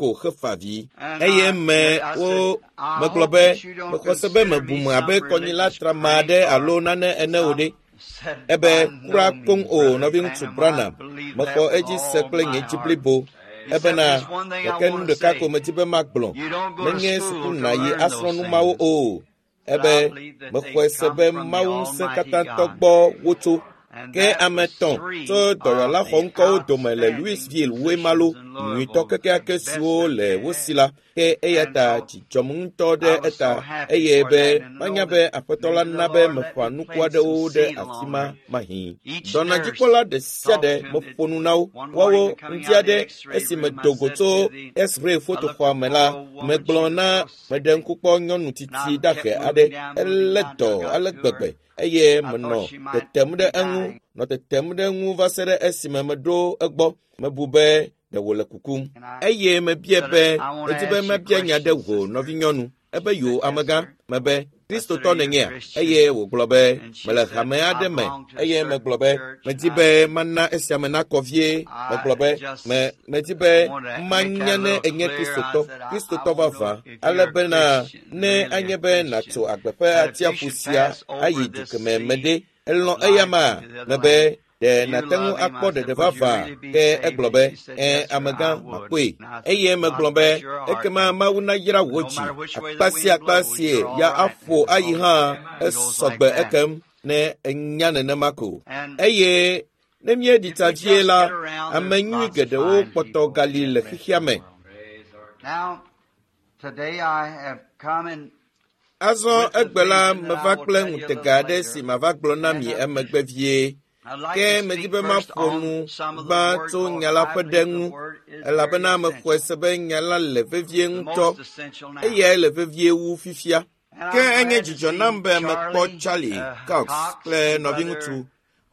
ko hefa avi. Eye me wo megblɔ be mexɔ se be mebum abe kɔnyila trama aɖe alo nane ene o ɖe. Ebe kura koŋ o nɔviŋutsu Branham, mexɔ edzi se kple nye dzi blibo. Ebena gake nu ɖeka ko medi be magblɔ, menye suku nàyi asrɔ̃ nu mawo o. Ebe mexɔe se be Mawu ŋusẽ katãtɔ gbɔ wotso. Ke ame 3 tso dɔyɔla xɔŋkɔwo dome le Louisville woe malo nyuitɔ kekeake siwo le wo si la. Ke eya ta dzi dzɔm ŋutɔ ɖe eta eye be manya be aƒetɔ la na be meƒã nuku aɖewo ɖe afi ma mahĩ. Dɔnadzikpɔla ɖe sia ɖe meƒo nu na wo. Woawo ŋdi aɖe esi medo go tso X-ray fotoxɔa me la, megblɔ na meɖe ŋku kpɔ nyɔnu tsitsi dahe aɖe. Elé dɔ ale gbegbe eye menɔ tetem ɖe eŋu va se ɖe esime meɖo egbɔ. Mebu be ɖe wòle kukum. Eye mebia be medi be mabia nya ɖe wò nɔvinyɔnu. Ebe yo amegã. Mebe Kristotɔ nènyea? Eye wògblɔ be mele hame aɖe me. Eye megblɔ be medi be mana esia me nakɔ vie. Megblɔ be medi be manya ne enye Kristotɔ, Kristotɔ vavã, ale bena ne anye be nàtso agbe ƒe atsiaƒu sia ayi du kemɛ me ɖe. Elɔ̃ eya ma? Mebe ɖe nàte ŋu akpɔ ɖeɖe vavã? Ke egblɔ be ẽ amegã makpɔe. Eye megblɔ be ekema Mawu nayra wò dzi. Akpa sia akpa sie ya aƒo ayi hã esɔgbe ekem ne enya nenema ko. Eye ne míeɖi tsa vie la, ame nyui geɖewo kpɔtɔ gali le xexea me. Azɔ egbe la meva kple ŋutega aɖe si mava gblɔ na mi emegbe vie. Ke medi be maƒo nu gbã tso nya la ƒe ɖe ŋu, elabena mexɔe se be nya la le vevie ŋutɔ, eyae le vevie wu fifia. Ke enye dzidzɔ nam be mekpɔ Charlie Cox kple nɔviŋutsu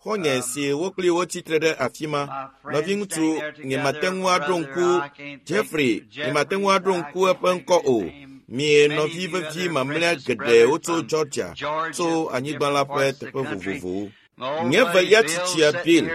xɔ̃nye si wo kpli wotsi tre ɖe afi ma. Nɔviŋutsu nyemate ŋu aɖo ŋku Jeffrey, nyemate ŋu aɖo ŋku eƒe ŋkɔ o. Mie nɔvi vevi mamlɛa geɖewo tso Georgia, tso anyigba la ƒe teƒe vovovowo. Nye velia tsitsia Bill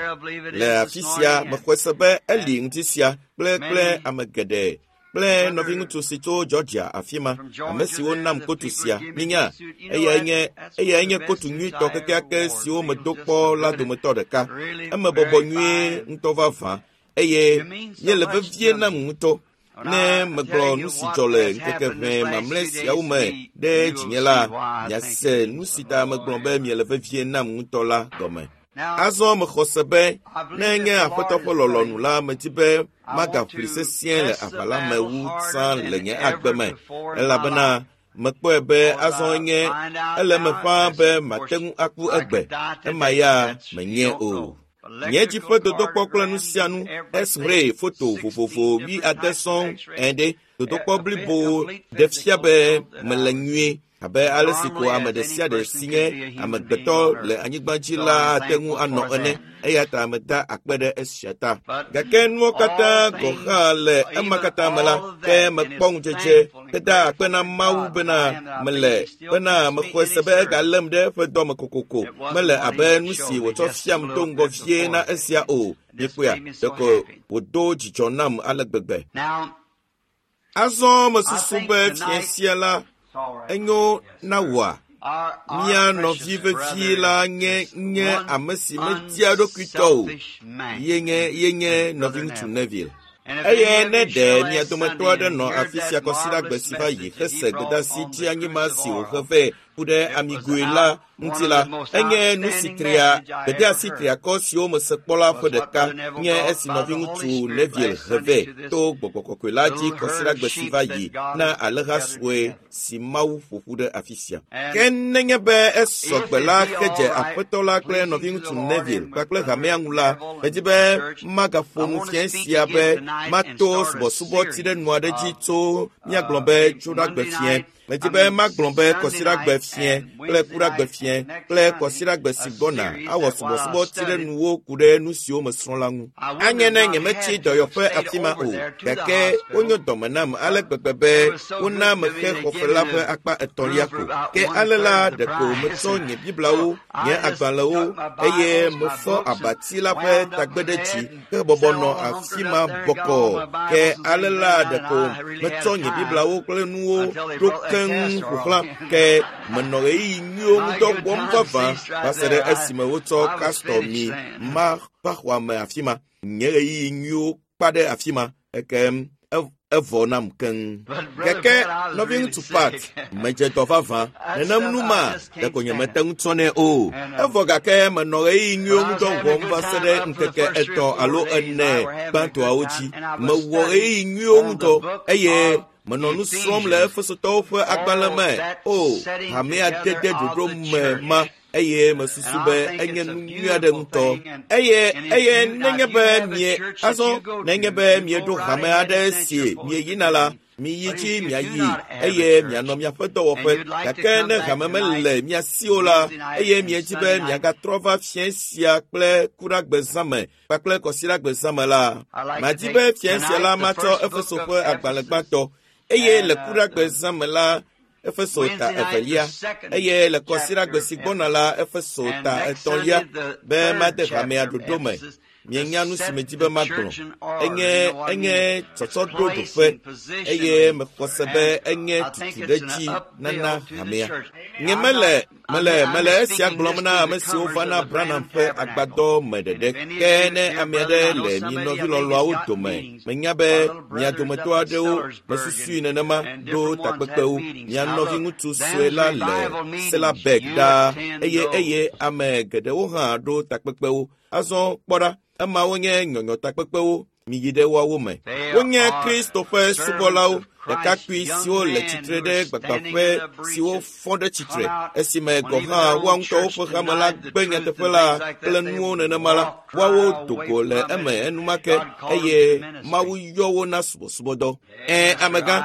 le afi sia mexɔe se be eli ŋdi sia kple ame geɖe kple nɔviŋutsu si tso Georgia afi ma, ame siwo nam kotu sia. Minya, eyae nye kotu nyuitɔ kekeake siwo medo kpɔ la dometɔ ɖeka. Eme bɔbɔ nyuie ŋutɔ vavã eye míele vevie nam ŋutɔ. Ne megblɔ nu si dzɔ le ŋkeke ʋɛ mamlɛ siawo me ɖe dzinye la, miase nu si ta megblɔ be miele vevie nam ŋutɔ la gɔme. Azɔ mexɔ se be ne nye aƒetɔ ƒe lɔlɔ̃nu la, medi be magaʋli sesĩe le aʋa la me wu tsã le nye agbe me, elabena mekpɔe be azɔ nye ele eme ƒãa be mate ŋu aku egbe. Ema ya menye o. Nye dzi ƒe dodokpɔ kple nu sia nu, X-ray foto vovovo 70 sɔŋ ene, dodokpɔ blibo ɖe fia be mele nyuie abe ale si ko ame ɖe sia ɖe si nye amegbetɔ le anyigba dzi la ate ŋu anɔ ene. Eya ta meda akpe ɖe esia ta. Gake nuwo katã gɔ̃ hã le ema katã me la, ke mekpɔ ŋudzedze heda akpe na Mawu bena mele bena mexɔe se be egalém ɖe eƒe dɔme kokoko. Mele abe nu si wòtsɔ fiam do ŋgɔ vie na esia o. Mikpɔea, ɖeko wòdo dzidzɔ nam ale gbegbe. Azɔ mesusu be fia sia la enyo na wòa? Mía nɔvi vevi la nye ame si media eɖokuitɔ o. Ye nye nɔviŋutsu Neville. Eye ne ɖe mia dometɔ aɖe nɔ afi sia kɔsiɖagbe si va yi hese gbedeasi tsi anyigba si wòhe vɛ ku ɖe amigoe la ŋuti la, enye nu si tria gbedeasi triakɔ siwo mese kpɔ la ƒe ɖeka nye esi nɔviŋutsu Neville he vɛ to gbɔgbɔ kɔkɔe la dzi kɔsiɖagbe si va yi na alẽha sue si Mawu ƒo ƒu ɖe afi sia. Ke nenye be esɔgbe la hedze aƒetɔ la kple nɔviŋutsu Neville kpakple hamea ŋu la, medi be magaƒo nu fia sia be mato subɔsubɔ ti ɖe nu aɖe dzi tso míagblɔ be tso ɖagbe fia. Medi be magblɔ be kɔsiɖagbe fia kple kuɖagbe fia kple kɔsiɖagbe si gbɔna awɔ subɔsubɔ ti ɖe nuwo ku ɖe nu siwo mesrɔ̃ la ŋu. Anye ne nyemetsi dɔyɔƒe afi ma o, gake wonyo dɔme nam ale gbegbe be wona mexe xɔfe la ƒe akpa etɔ̃lia ko. Ke ale la ɖeko metsɔ nye Bibliawo, nye agbalẽwo eye mefɔ abati la ƒe tagbe ɖe dzi ke bɔbɔ nɔ afi ma bɔkɔɔ. Ke ale la ɖeko metsɔ nye Bibliawo kple nuwo ɖo keŋ ƒo xlã. Ke menɔ ɣeyiɣi nyuiwo ŋudɔ wɔm vavã va se ɖe esime wotsɔ castor mi ma va xɔa me afi ma. Nye ɣeyiɣi nyuiwo kpa ɖe afi ma. Ekem Evɔ nam keŋ. Gake nɔviŋutsu Pat, medze dɔ vavã. Nenem nu ma, ɖeko nyemete ŋu tsɔnɛ o. Evɔ gake menɔ ɣeyiɣi nyuiwo ŋudɔ wɔm va se ɖe ŋkeke 3 alo 4 gbãtɔawo dzi. Mewɔ ɣeyiɣi nyuiwo ŋudɔ eye menɔ nu srɔ̃m le Efesotɔwo ƒe agbalẽ me. O, hamea dede ɖoɖo me ma eye mesusu be enye nu nyui aɖe ŋutɔ. Eye nenye be mie azɔ nenye be mieɖo hame aɖe si mieyina la, miyi dzi miayi eye mianɔ miaƒe dɔwɔƒe. Gake ne hame mele mia si o la, eye miedzi be miagatrɔ va fiẽ sia kple kuɖagbezãme kpakple kɔsiɖagbezãme la, madi be fiẽ sia la matsɔ Efeso ƒe agbalẽ gbãtɔ eye le kuɖagbezãme la Efeso ta 2 eye le kɔsiɖagbe si gbɔna la Efeso ta 3 be made hamea ɖoɖo me. Mienya nu si medi be magblɔ. Enye tsɔtsɔ ɖo ɖoƒe eye mexɔ se be enye tutuɖedzi nana hamea. Nye mele esia gblɔm na ame siwo vana Branham ƒe agbadɔ me ɖeɖe. Ke ne ame aɖe le mi nɔvi lɔlɔ̃awo dome, menya be mia dometɔ aɖewo mesusui nenema ɖo takpekpewo. Mia nɔvi ŋutsu sue la le Selabek ɖaa eye ame geɖewo hã ɖo takpekpewo. Azɔ kpɔ ɖa, emawo nye nyɔnyɔ takpekpewo. Miyi ɖe woawo me. Wonye Kristo ƒe subɔlawo, ɖekakpui siwo le tsitre ɖe gbagbaƒe siwo fɔ ɖe tsitre, esime gɔ̃ hã woa ŋutɔwo ƒe hame la gbe nyateƒe la kple nuwo nenema la, woawo do go le eme enumake eye Mawu yɔ wo na subɔsubɔdɔ. Amegã,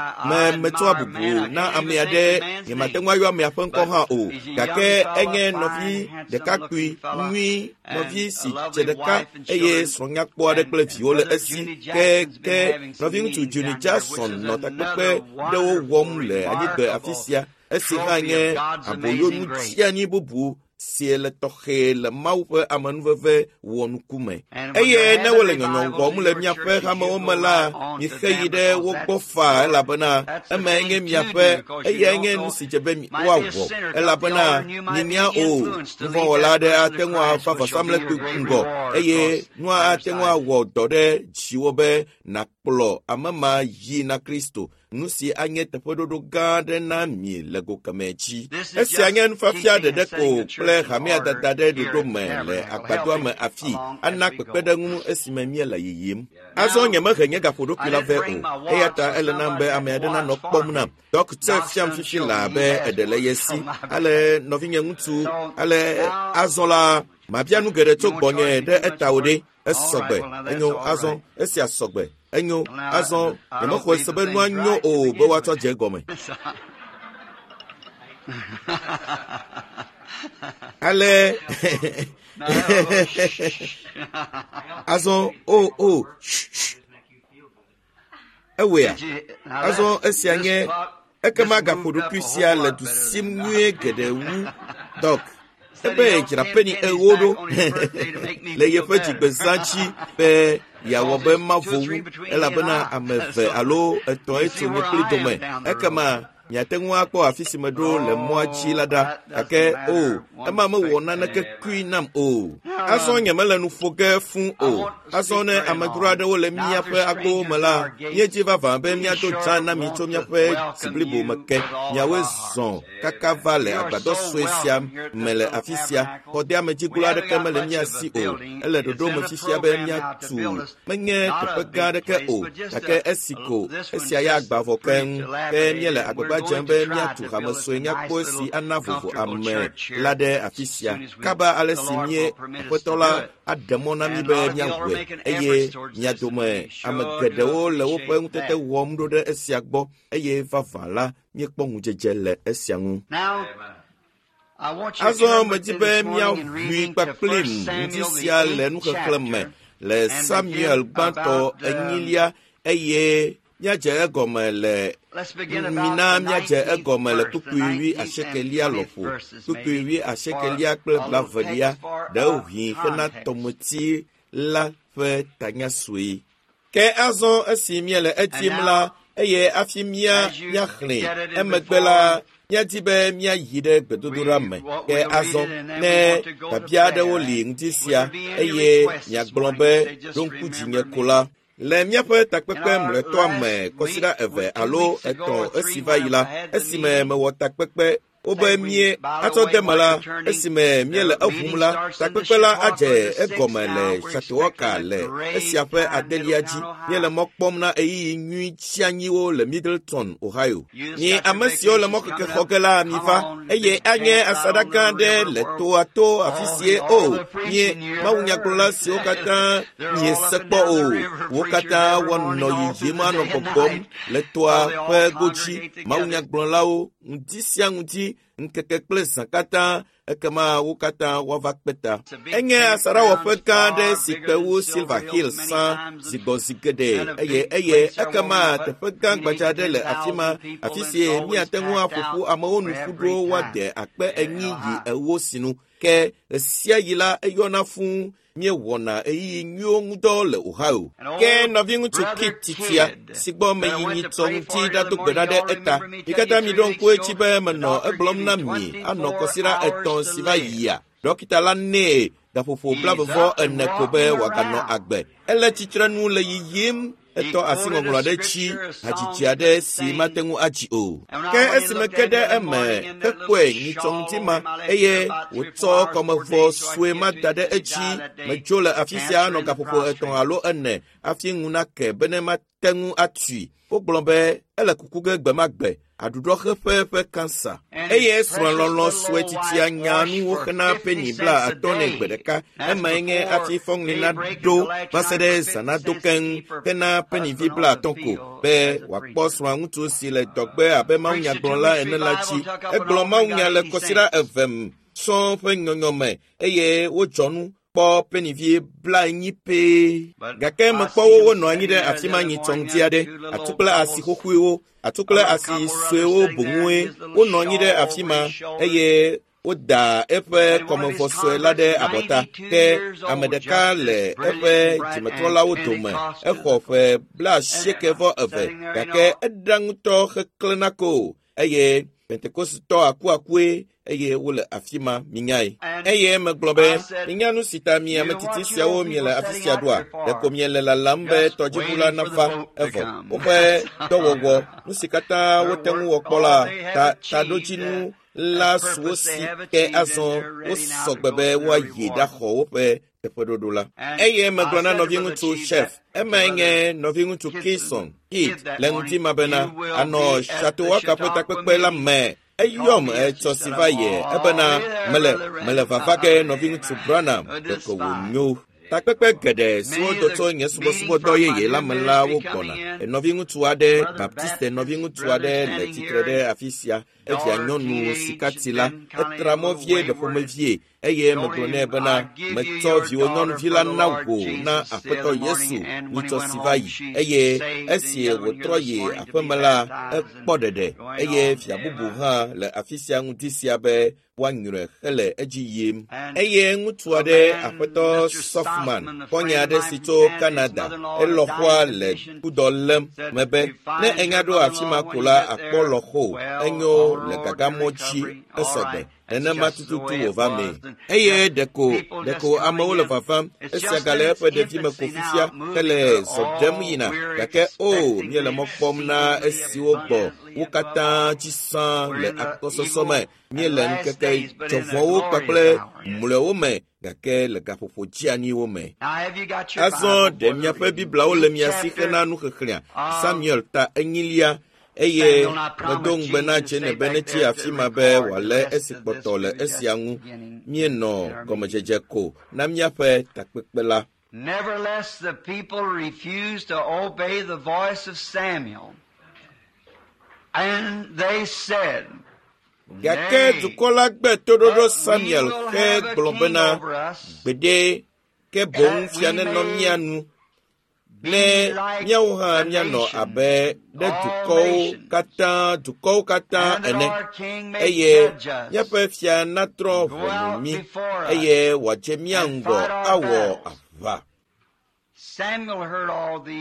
metsɔa bubu na ame aɖe, nyemate ŋu ayɔ amea ƒe ŋkɔ hã o, gake enye nɔvi ɖekakpui nyui, nɔvi si dze ɖeka eye srɔ̃nyakpɔ aɖe kple viwo le esi. Ke nɔviŋutsu Junior Jackson nɔ takpekpe ɖewo wɔm le anyigbe afi sia, esi hã nye aboyonu tsianyi bubu si le tɔxɛ le Mawu ƒe amenuveve wɔnuku me. Eye ne wole nyɔnyɔ wɔm le miaƒe hamewo me la, mixe yi ɖe wo gbɔ faa elabena emae nye miaƒe, eyae nye nu si dze be woawɔ elabena minya o, nuvɔ̃wɔla aɖe ate ŋu ava vɔsamlekpui ŋgɔ eye nua ate ŋu awɔ dɔ ɖe dziwò be nàkplɔ ame ma yi na Kristo. Nu si anye teƒeɖoɖo gã aɖe na mi le go kemɛ dzi. Esia nye nufiafia ɖeɖe ko kple hamea dada ɖe ɖoɖo me le agbadɔa me afi ana kpekpeɖeŋu esime míele yiyim. Azɔ nyemehe nye gaƒoɖokui la vɛ o, eya ta ele nam be ame aɖe nanɔ kpɔm nam. Dɔkta fiam fifi laa be eɖe le ye si. Ale nɔvinye ŋutsu, ale azɔ la, mabia nu geɖe tso gbɔnye ɖe eta o ɖe. Esɔgbe, enyo, azɔ, esia sɔgbe, enyo, azɔ, nyemexɔe se be nua nyo o be woatsɔ dze egɔme. Ale, azɔ, o, ewɔea, azɔ esia nye, ekema gaƒoɖokui sia le du sim nyuie geɖe wu, Dɔk. Ebe dzra peni 4 ɖo le yeƒe dzigbezã dzi be yeawɔ be mavo wu, elabena ame 2 alo 3 etso nye kpli dome. Ekema miate ŋu akpɔ afi si meɖo le mɔa dzi la ɖa. Gake o, ema mewɔ naneke kui nam o. Azɔ nyemele nu ƒo ge fũ o. Azɔ ne amedzro aɖewo le míaƒe agbowo me la, míedzi vavã be míado dzaa na mi tso míaƒe dzi blibo me ke. Miawoe zɔ kaka va le agbadɔ sue sia me le afi sia. Xɔdeamedziglo aɖeke mele mía si o. Ele ɖoɖo me fifia be míatu menye teƒe gã aɖeke o, gake esi ko esia ya agba vɔ keŋ. Ke míele agbagba dzem be míatu hame sue nyakpɔ si ana vovo ame la ɖe afi sia. Kaba ale si mie Aƒetɔ la aɖe mɔ na mí be míawɔe eye mia dome ame geɖewo le woƒe ŋutete wɔm ɖo ɖe esia gbɔ eye vavã la míekpɔ ŋudzedze le esia ŋu. Azɔ medi be míaʋui kpakplim ŋdi sia le nuxexlẽ me le Samuel gbãtɔ 4 eye míadze egɔme le mina míadze egɔme le kpukpui 18 lɔƒo, kpukpui 18 kple 20 ɖewohĩ hena tɔmeti la ƒe tanya sue. Ke azɔ esi míele edim la, eye hafi míaxlẽe emegbe la, míadi be míayi ɖe gbedodoɖa me. Ke azɔ ne biabia aɖewo li ŋdi sia eye miagblɔ be ɖo ŋku dzinye ko la. Le míaƒe takpekpe mlɔetɔa me kɔsiɖa 2 alo 3 esi va yi la, esime mewɔ takpekpe wobe mie atsɔ de me la, esime míele eʋum la, takpekpe la adze egɔme le Chautauqua le esia ƒe 8lia dzi. Míele mɔ kpɔm na ɣeyiɣi nyui tsianyiwo le Middletown, Ohio. Mi ame siwo le mɔkeke xɔ ge la, miva, eye anye asaɖa gã aɖe le toa to afi sie o. Mie mawunyagblɔla siwo katã miese kpɔ o, wo katã woanɔ yiyim anɔ gbɔgbɔm le toa ƒe godzi. Mawunyagblɔlawo ŋdi sia ŋdi, ŋkeke kple zã katã, ekema wo katã woava kpe ta. Enye asaɖawɔƒe gã aɖe si kpe wu Silver Hill sã zigbɔzi geɖe eye ekema teƒe gã gbadza aɖe le afi ma, afi si míate ŋu aƒo ƒu amewo nu ƒu ɖo woade 40,000 yi 40 sinu. Ke ɣe sia ɣi la eyɔna fũu. Míewɔna ɣeyiɣi nyuiwo ŋudɔ le Ohio. Ke nɔviŋutsu Kit titia si gbɔ meyi nyitsɔ ŋuti ɖado gbe ɖa ɖe eta. Mi katã miɖo ŋku edzi be menɔ egblɔm na mi anɔ kɔsiɖa 3 si va yia. Dɔkita la nɛ gaƒoƒo 24 ko be wòaganɔ agbe. Ele tsitrenu le yiyim. Etɔ asi ŋɔŋlɔ aɖe dzi, hadzidzi aɖe si mate ŋu adzi o. Ke esime ke ɖe eme hekpɔe nyitsɔ ŋuti ma, eye wòtsɔ kɔmevɔ sue ma da ɖe edzi. Medzo le afi sia anɔ gaƒoƒo 3 alo 4 hafi ŋu nake bene mate ŋu atui. Wogblɔ be ele kuku ge gbe ma gbe, aɖuɖɔxeƒe ƒe kansa. Eye srɔ̃lɔlɔ̃ sue titia nya nu woxena peni 50 nɛ gbe ɖeka. Emae nye hafi fɔŋli naɖo va se ɖe zã nado keŋ hena penivi 50 ko be wòakpɔ srɔ̃aŋutsu si le dɔgbe abe mawunyagblɔla ene la dzi. Egblɔ mawunya le kɔsiɖa 2 sɔŋ ƒe nyɔnyɔme eye wodzɔ nu kpɔ penivi 40 pɛ. Gake mekpɔ wo wonɔ anyi ɖe afi ma nyitsɔ ŋdi aɖe, atu kple asi xoxoewo, atu kple asi suewo boŋue. Wonɔ anyi ɖe afi ma eye woda eƒe kɔmevɔ sue la ɖe abɔta. Ke ame ɖeka le eƒe dzimetrɔlawo dome, exɔ ƒe 92, gake eɖa ŋutɔ heklẽna ko eye Pentekostitɔ akuakue eye wole afi ma, minyae. Eye megblɔ be, minya nu si ta mi ame tsitsi siawo miele afi sia ɖoa? Ɖeko miele lalam be tɔdziʋu la nava evɔ. Woƒe dɔwɔwɔ, nu si katã wote ŋu wɔ kpɔ la, taɖodzinu la su wo si, ke azɔ wosɔ gbe be woayi ɖaxɔ woƒe teƒeɖoɖo la. Eye megblɔ na nɔviŋutsu Chef, emae nye nɔviŋutsu Kison Kit le ŋuti ma bena anɔ Chautauqua ƒe takpekpe la me. Eyɔm etsɔ si va yie ebena mele vava ge nɔviŋutsu Branham, ɖeko wònyo. Takpekpe geɖe siwo do tso nye subɔsubɔdɔ yeye la me la wogbɔna. Nɔviŋutsu aɖe, Baptiste nɔviŋutsu aɖe le tsitre ɖe afi sia. Evia nyɔnu sikati la, etra mɔ vie ɖe ƒomevie eye megblɔ nɛ bena metsɔ viwò nyɔnuvi la na wò na Aƒetɔ Yesu nyitsɔ si va yi. Eye esi wòtrɔ yi aƒeme la, ekpɔ ɖeɖe eye via bubu hã le afi sia ŋdi sia be woanyrɔe hele edzi yim. Eye ŋutsu aɖe, Aƒetɔ Softman, xɔ̃nye aɖe si tso Canada, elɔ̃xoa le kudɔ lém mebe ne enya ɖo afi ma ko la akpɔ lɔ̃xo enyo le gagamɔ dzi esɔgbe. Nenema tututu wòva mee. Eye ɖeko amewo le vavam. Esia gale eƒe ɖevime ko fifia hele zɔ ɖem yina. Gake o, míele mɔ kpɔm na esiwo gbɔ wo katã dzi sã le akpɔsɔsɔ me. Míele ŋkeke dzɔvɔ̃wo kpakple mlɔewo me, gake le gaƒoƒo dzeaniwo me. Azɔ ɖe miaƒe Bibliawo le mia si hena nuxexlẽa. Samuel ta 4 eye medo ŋugbe na Jane be netsi afi ma be wòalé esi kpɔtɔ le esia ŋu. Míenɔ gɔmedzedze ko na míaƒe takpekpe la. Nevertheless, the people refused to obey the voice of Samuel. And they said, Gake dukɔ la gbe toɖoɖo Samuel hegblɔ bena, gbeɖe, ke boŋ fia nenɔ mía nu, ne míawo hã míanɔ abe ɖe dukɔwo katã ene, eye míaƒe fia natrɔ ʋɔnu mí, eye wòadze mía ŋgɔ awɔ aʋa.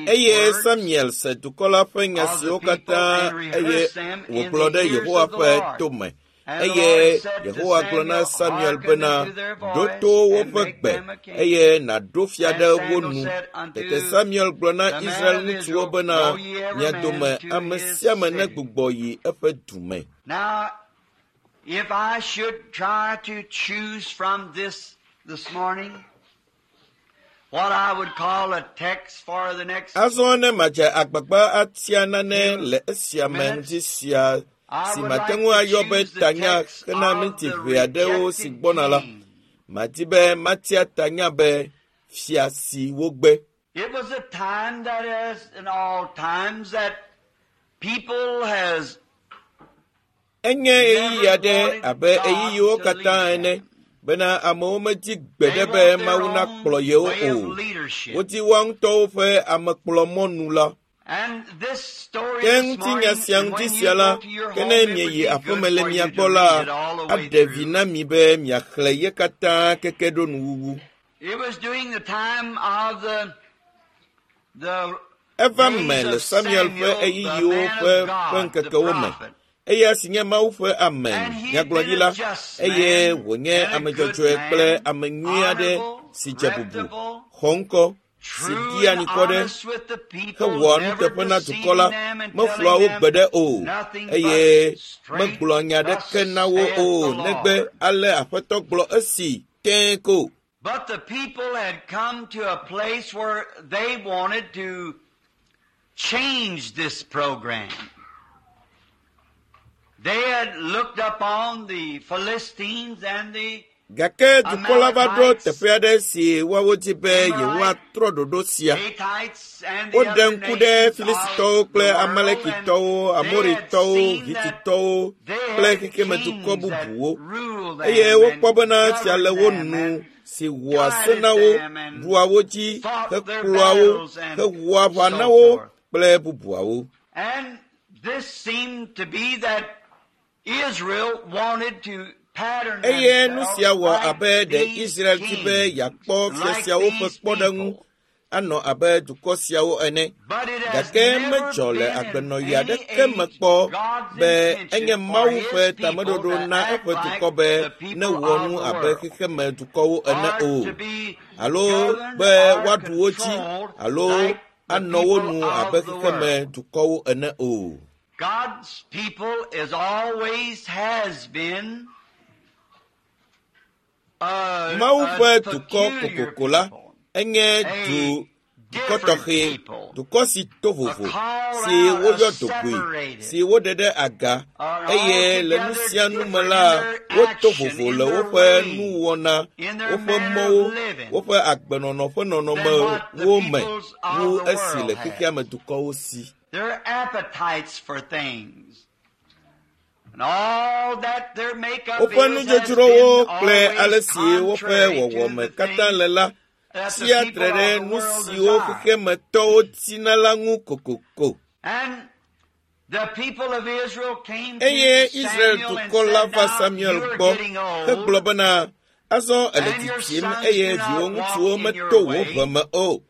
Eye Samuel se dukɔ la ƒe nya siwo katã eye wògblɔ ɖe Yehowa ƒe tome. Eye Yehowa gblɔ na Samuel bena, ɖo to woƒe gbe, eye nàɖo fia ɖe wo nu. Tete Samuel gblɔ na Israel ŋutsuwo bena, mia dome ame sia ame negbugbɔ yi eƒe du me. Now, if I should try to choose from this morning, what I would call a text for the next Azɔ ne madze agbagba atia nane le esia me ŋdi sia si mate ŋu ayɔ be tanya hena minti ʋɛ aɖewo si gbɔna la, madi be matia tanya be fia si wogbe. It was a time that as in all times that people has Enye ɣeyiɣi aɖe abe ɣeyiɣiwo katã ene bena amewo medi gbeɖe be Mawu nakplɔ yewo way o. of leadership. Wodi woa ŋutɔwo ƒe amekplɔmɔnu la. And this story Ke this ŋutinya morning, sia and ŋuti when sia you la, go to your ke home, ne it would mieyi be aƒeme good le for mia you to gbɔ la, read it all the way aɖe vi through. na mi be miaxlẽ ye katã keke ɖo nuwuwu. It was during the time of the Eva me days le of Samuel ƒe Samuel, the ɣeyiɣiwo man ƒe of ƒe God, the ŋkekewo me. prophet. Eya si nye Mawu ƒe ame And he had been nyagblɔɖila a just eye man wònye and a ame good dzɔdzɔe kple man, ame nyui aɖe honorable, si dze bubu, reputable, xɔ ŋkɔ, si true ɖia and anikɔ ɖe, honest with the people, hewɔa never nuteƒe na dukɔ la, deceiving them and meflua telling wo them gbeɖe o, nothing eye but straight, megblɔa nya thus aɖeke na wo saith o, the negbe Lord. ale Aƒetɔ gblɔ esi tẽe ko. But the people had come to a place where they wanted to change this program. They had looked upon the Philistines and the Gake dukɔ la va ɖo Amalekites, teƒe aɖe si woawo di be yewoatrɔ ɖoɖo sia. Hittites and the Woɖe other ŋku ɖe nations Filistitɔwo of kple the world, and Amalekitɔwo, they had Amoritɔwo, seen that Hititɔwo they kple had xexemedukɔ kings that bubuwo. ruled Eye them wokpɔ and bena fia le wo governed them nu and si wɔa se guided na wo, them and ɖua wo dzi, fought their hekplɔa wo, battles and hewɔa aʋa so na wo forth. kple bubuawo. And this seemed to be that Israel wanted to pattern Eye nu themselves sia wɔ like abe ɖe these Israel di be kings, yeakpɔ fia like siawo ƒe these kpɔɖeŋu people. anɔ abe dukɔ siawo ene. But it has Gake never medzɔ le been in agbenɔɣi any aɖeke me age kpɔ God's be enye intention for Mawu his ƒe people tameɖoɖo to na act eƒe like dukɔ be the people newɔ of nu the abe world, xexemedukɔwo ene or o, to be alo governed be or woaɖu wo dzi controlled alo like the anɔ wo people nu abe of the world. xexemedukɔwo ene o. God's people is always has been a, Mawu a ƒe dukɔ peculiar kokoko la people, enye a du dukɔ different tɔxɛ, people, dukɔ si to a vovo, called si out, a woyɔ dogboe, separated, si woɖe ɖe aga are eye le nu altogether sia nu me different in la, their woto action, vovo in le their woƒe ways, nuwɔna, in their woƒe manner mɔwo, of living woƒe agbenɔnɔ ƒe than what the nɔnɔmewo me peoples wu of the esi le world have. xexea me dukɔwo si. Their appetites for things and all that their makeup Woƒe is has nudzodzrowo been kple always ale si woƒe contrary to wɔwɔme the katã things le la that the tsia people tre ɖe of the nu world siwo desire. xexemetɔwo tina la ŋu kokoko. And the people of Israel came to Eye Israel Samuel and dukɔ la said, va Now Samuel you are gbɔ getting hegblɔ old, bena, azɔ ele and your tsitsim sons eye do not viwò walk ŋutsuwo in your meto wò way, ʋe me o,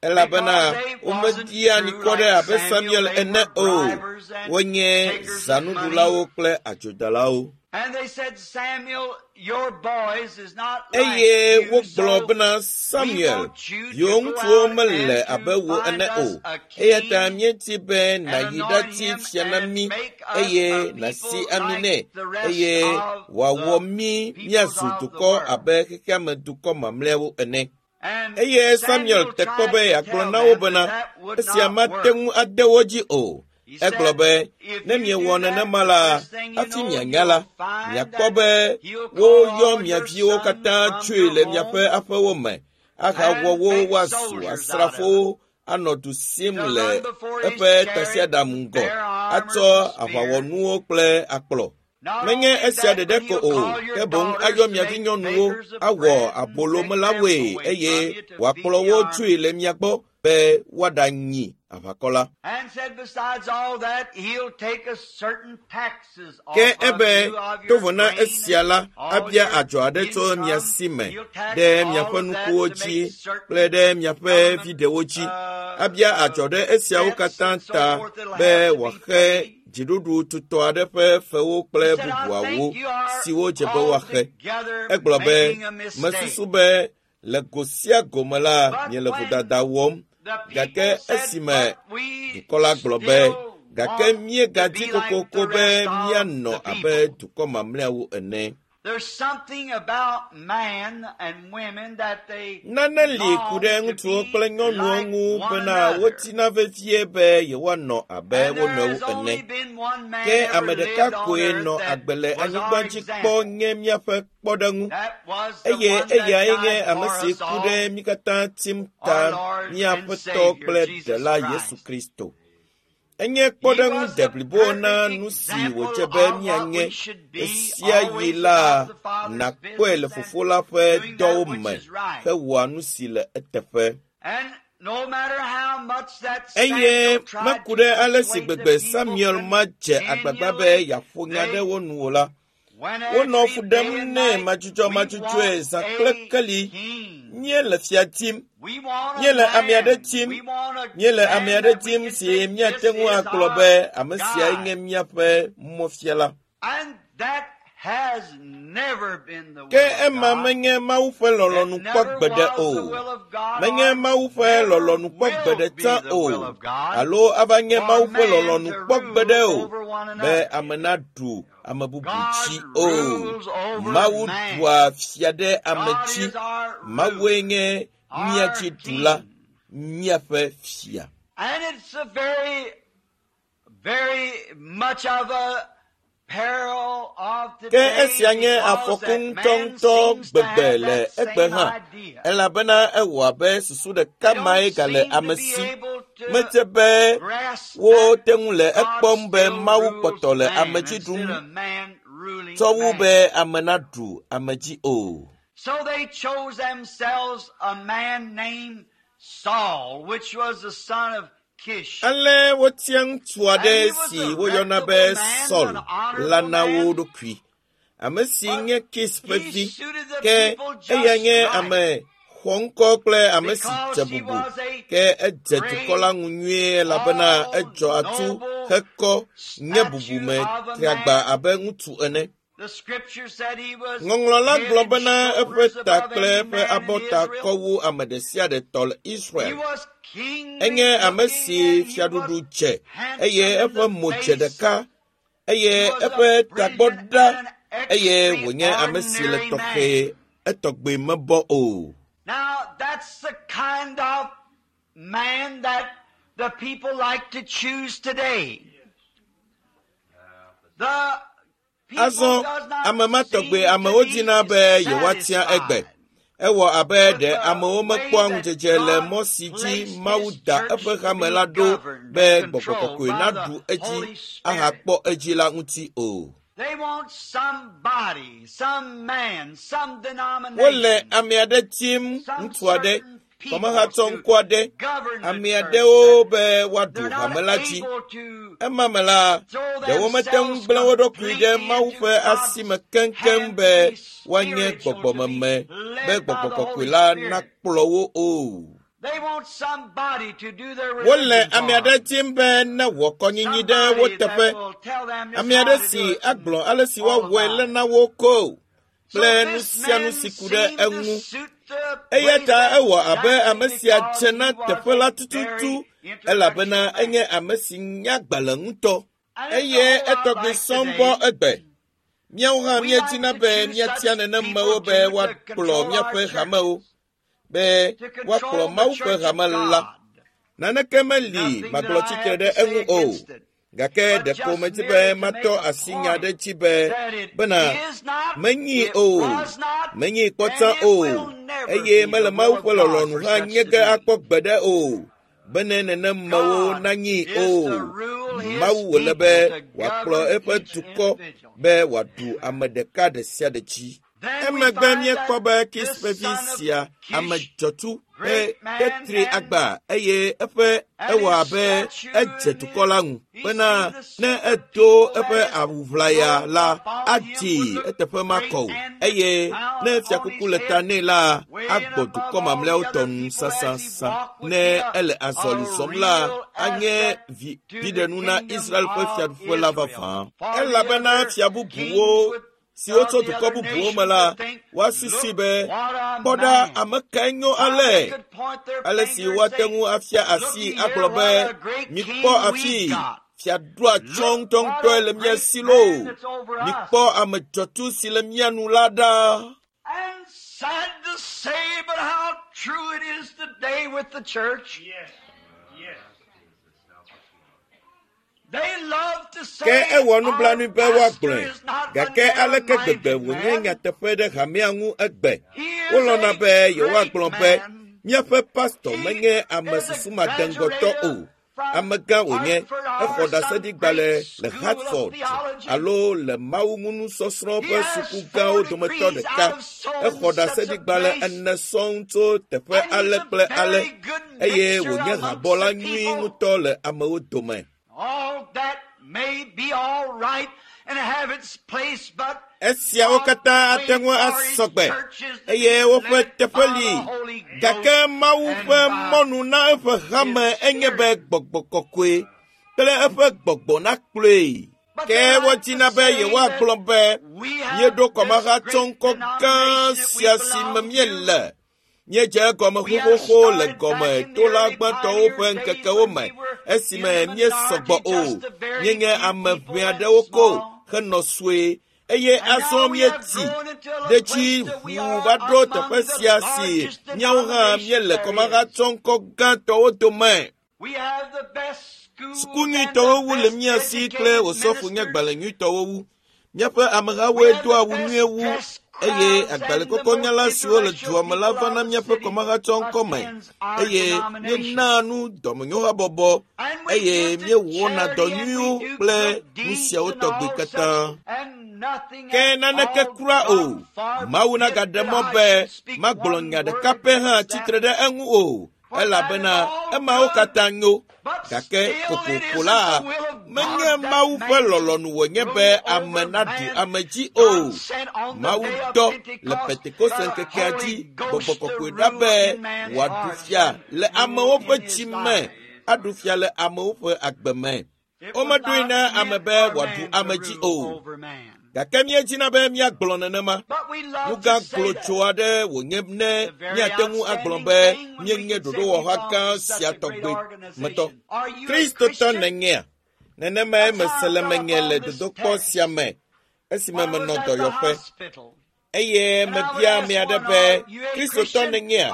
elabena because they wasn't womedia true anikɔ ɖe like abe Samuel. Samuel They ene were o. bribers and Wonye takers of money. zanuɖulawo kple adzodalawo. And they said, Samuel, your boys is not like Eye you, wogblɔ so bena we Samuel, want you to viwò go ŋutsuwo out mele and abe to wò find ene us o. a Eya ta king míedi be and nàyi anoint ɖati him fia na and mí make us eye a nàsi people ami like nɛ the rest eye of wòawɔ the mí peoples míazu of the dukɔ world. abe xexeame dukɔ mamlɛawo ene. And Eye Samuel Samuel te kpɔ tried be to yeagblɔ tell na wo them that bena that would esia not mate work. ŋu ade wo dzi o. He Egblɔ said, be, If ne you do miewɔ that, nenema the la, first thing you hafi know, mianya la, you'll find miakpɔ that be he'll call woyɔ all mia your viwo sons katã from tsoe your le miaƒe home aƒewo me ahawɔ and wo make woazu soldiers out of them asrafowo anɔ du sim to le run before his eƒe chariot, tasiaɖam ŋgɔ, bear armors atsɔ and spears. aʋawɔnuwo kple akplɔ. Not Menye only esia that, ɖeɖe but ko he'll o, call your ke boŋ daughters ayɔ to mia make vinyɔnuwo bakers of awɔ bread and take them abolomelawoe away eye from you to feed wòakplɔ the wo army. tsoe le mia gbɔ be woaɖanyi aʋakɔ la. And said, besides all that, he'll take a certain taxes Ke off of ebe you of to your vɔ na grain esia and la, all abia your adzɔ aɖe tso mia income. si me He'll tax ɖe all miaƒe of that nukuwo to dzi make kple certain ɖe miaƒe government viɖewo dzi. Abia adzɔ ɖe esiawo debts katã and so ta forth that'll be have to be wòaxe paid. Dziɖuɖu tutɔ aɖe ƒe fewo kple bubuawo siwo dze be woaxe. Egblɔ be, mesusu be le go sia go me la, miele vodada wɔm. Gake esime dukɔ la gblɔ be, gake míegadi kokoko be míanɔ abe dukɔ mamlɛawo ene. Nane li ku ɖe ŋutsuwo kple nyɔnuwo ŋu bena wotina vevie be yewoanɔ abe wo nɔewo ene. Ke ame ɖeka koe nɔ agbe le anyigba dzi kpɔ nye míaƒe kpɔɖeŋu eye eyae nye ame si ku ɖe mí katã tim ta mía Aƒetɔ kple Ɖela Yesu Kristo. Enye kpɔɖeŋu deblibo na nu si wòdze be míanye ɣesiaɣi la nàkpɔe le Fofo la ƒe dɔwo me hewɔa nu si le eteƒe. Eye meku ɖe ale si gbegbe Samuel ma dze agbagba be yeaƒo nya ɖe wo nu o la, wonɔ fu ɖem nɛ madzudzɔmadzudzɔe zã kple keli. Míele fia dim, míele ame aɖe dim, míele ame aɖe dim si míate ŋu agblɔ be ame siae nye míaƒe mɔfiala. Ke ema menye Mawu ƒe lɔlɔ̃nu kpɔ gbeɖe o. Menye Mawu ƒe lɔlɔ̃nu kpɔ gbeɖe tsã o, alo ava nye Mawu ƒe lɔlɔ̃nu kpɔ gbeɖe o, be ame naɖu ame bubu dzi o. Mawu ɖua fia ɖe ame dzi. Mawue nye mía dzi ɖula, míaƒe fia. And it's a very, very much of a peril of Ke today esia nye because afɔku that man ŋutɔŋutɔ seems to gbegbe have le that egbe same hã, idea. elabena ewɔ abe susu ɖeka They mae don't gale seem to ame be si. able to Medze be grasp that wote ŋu le God ekpɔm be still Mawu rules kpɔtɔ le man ame dzi instead ɖum of man ruling tsɔ wu man. be ame naɖu ame dzi o. So they chose themselves a man named Saul, which was the son of Kish. Ale wotia ŋutsu And aɖe he was si a woyɔna be reputable man, Saul an la honorable na wo man, ɖokui. Ame si but nye Kis ƒe he vi, suited the ke people eya just nye right ame xɔŋkɔ kple ame si because dze he bubu. was a Ke edze dukɔ great, la ŋu nyuie elabena tall, edzɔ atu noble hekɔ nye statue bubume of a triagba man. abe ŋutsu ene. The scripture said he was Ŋɔŋlɔ la head gblɔ and bena eƒe shoulders ta above kple any eƒe man in abɔta Israel. kɔ wu ame ɖe sia ɖe tɔ le He Israel. was kingly Enye ame looking si and he was fiaɖuɖu dze eye handsome in eƒe the mo dze face. ɖeka eye He was a eƒe tagbɔ brilliant ɖa and an eye wònye ame si le extraordinary tɔxɛ man. etɔgbe mebɔ o. Now, that's the kind of man that the people like to choose today. The people Azɔ does not ame ma tɔgbe seem to amewo be dina be yewoatia egbe. satisfied Ewɔ abe with ɖe the amewo way mekpɔa that ŋudzedze le God mɔ si dzi placed Mawu His da church eƒe to hame be la ɖo governed be and gbɔgbɔ controlled kɔkɔe by naɖu the edzi Holy Spirit. ahakpɔ edzi la ŋuti o. They want somebody, some man, some Wole denomination, ame aɖe dim, some ŋutsu aɖe, certain people kɔmehatsɔ to ŋku aɖe, govern the ame church aɖewo that be woaɖu they're hame not la dzi. able to Ema me la, throw ɖewo mete ŋu themselves gblẽ wo ɖokui ɖe completely Mawu into ƒe asi God's me keŋkeŋ hand be to be woanye spiritual, to be gbɔgbɔmeme, be led by gbɔgbɔ the kɔkɔe Holy la Spirit. nakplɔ wo o. They want somebody to do their Wole religion ame for aɖe them. dim be ne wɔ kɔnyinyi ɖe wo Somebody that teƒe. will tell them just Ame how aɖe to do si it and agblɔ ale si all woawɔe about le it. na wo ko So kple nu this sia nu man si ku ɖe seemed to eŋu. suit the Eya place ta ewɔ abe exactly ame sia because dze he na was teƒe la a tututu very elabena intellectual man. enye ame si nya agbalẽ ŋutɔ And it's a eye whole lot etɔgbi like sɔŋ bɔ today. egbe. Míawo hã We míedina like to be choose míatia such nenemewo people be too to woakplɔ control our míaƒe hamewo, churches, be to woakplɔ control the Mawu ƒe church of hame la. God. Naneke meli Nothing that magblɔ I tsitre have ɖe to say eŋu o. against it, Gake but ɖeko just medi be merely to make matɔ a asi nya ɖe point dzi be that it bena is not, menyi it o, was not, menyi and kpɔtsã it o, will never eye be the mele will Mawu of ƒe God lɔlɔ̃nu for hã such nye to ge be. akpɔ gbeɖe o, bene nenemewo God nanyi is to o. rule His Mawu wòle people, be to wòakplɔ govern eƒe each dukɔ individual. be wòaɖu ame ɖeka ɖe sia ɖe dzi. Emegbe míekpɔ be Kis ƒe vi sia, ame dzɔtsu, ƒe tetri agba eye eƒe ewɔ abe edze dukɔ la ŋu bena ne edo eƒe awu ʋlaya la adzi eteƒe makɔ o eye ne fiakuku le ta nɛ la agbɔ dukɔ mamlɛawo tɔ nu sasasa. Ne ele azɔli zɔm la anye viɖenu na Israel ƒe fiaɖuƒe la vavã. Elabena fia bubuwo siwo tso dukɔ bubuwo me la woasusui be kpɔ ɖa ame kae nyo ale ale si woate ŋu afia asi agblɔ be mikpɔ afi fiaɖoa tsɔ ŋutɔŋutɔe le mía si loo mikpɔ ame dzɔtsu si le mía nu la ɖa. And sad to say, but how true it is today with the church. Yes. Yes. Ke ewɔ nublanui be woagblɔe, gake aleke gbegbe wònye nyateƒe ɖe hamea ŋu egbe. Wolɔ̃na be yewoagblɔ be míaƒe pastɔ menye ame susumadeŋgɔtɔ o. Amegã wònye, exɔ ɖaseɖigbalẽ le Hartford alo le mawuŋunusɔsrɔ̃ ƒe suku gãwo dometɔ ɖeka. Exɔ ɖaseɖigbalẽ ene sɔŋ tso teƒe ale kple ale eye wònye habɔla nyui ŋutɔ le amewo dome. All that may be all right and have its place, but Esiawo katã ate ŋu asɔ gbe eye woƒe teƒe li gake Mawu ƒe mɔnu na eƒe hame enye be gbɔgbɔ kɔkɔe kple eƒe gbɔgbɔ nakplɔe. Ke wodina be yewoagblɔ be míeɖo kɔmahatsɔŋkɔ gã sia si me míele. Míedze egɔme xoxoxo le gɔme tola gbãtɔwo ƒe ŋkekewo me esime míesɔgbɔ o. Míenye ame ʋɛ aɖewo ko henɔ sue eye azɔ míetsi ɖe dzi ʋuu va ɖo teƒe sia si míawo hã míele kɔmahatsɔŋkɔ gãtɔwo dome. we have the best school Suku nyuitɔwo wu le mía si kple osɔfo nye gbalẽ nyuitɔwo wu. Míaƒe amehawoe doa awu nyuie wu eye agbalẽkɔkɔnyala siwo le dua me la vana míaƒe kɔmahatsɔŋkɔ me eye míenaa nu dɔmenyohabɔbɔ eye míewɔna dɔ nyuiwo kple nu siawo tɔgbi katã. Ke naneke kura o. Mawu nagaɖe mɔ be magblɔ nya ɖeka pɛ hã tsitre ɖe eŋu o elabena emawo katã nyo gake kokoko la menye Mawu ƒe lɔlɔ̃nu wònye be ame naɖu ame dzi o. Mawu dɔ le Pentekoste ŋkekea dzi gbɔgbɔ kɔkɔe ɖa be wòaɖu fia le amewo ƒe dzi me, aɖu fia le amewo ƒe agbe me. Womeɖoe na ame be wòaɖu ame dzi o. Gake míedina be míagblɔ nenema. Nu gã glotso aɖe wònye ne míate ŋu agblɔ be míenye ɖoɖowɔha gã sia tɔgbe me tɔ. Kristotɔ nènyea? Nenemae mese le menye le dodokpɔ sia me esime menɔ dɔyɔƒe. Eye mebia ame aɖe be, Kristotɔ nènyea?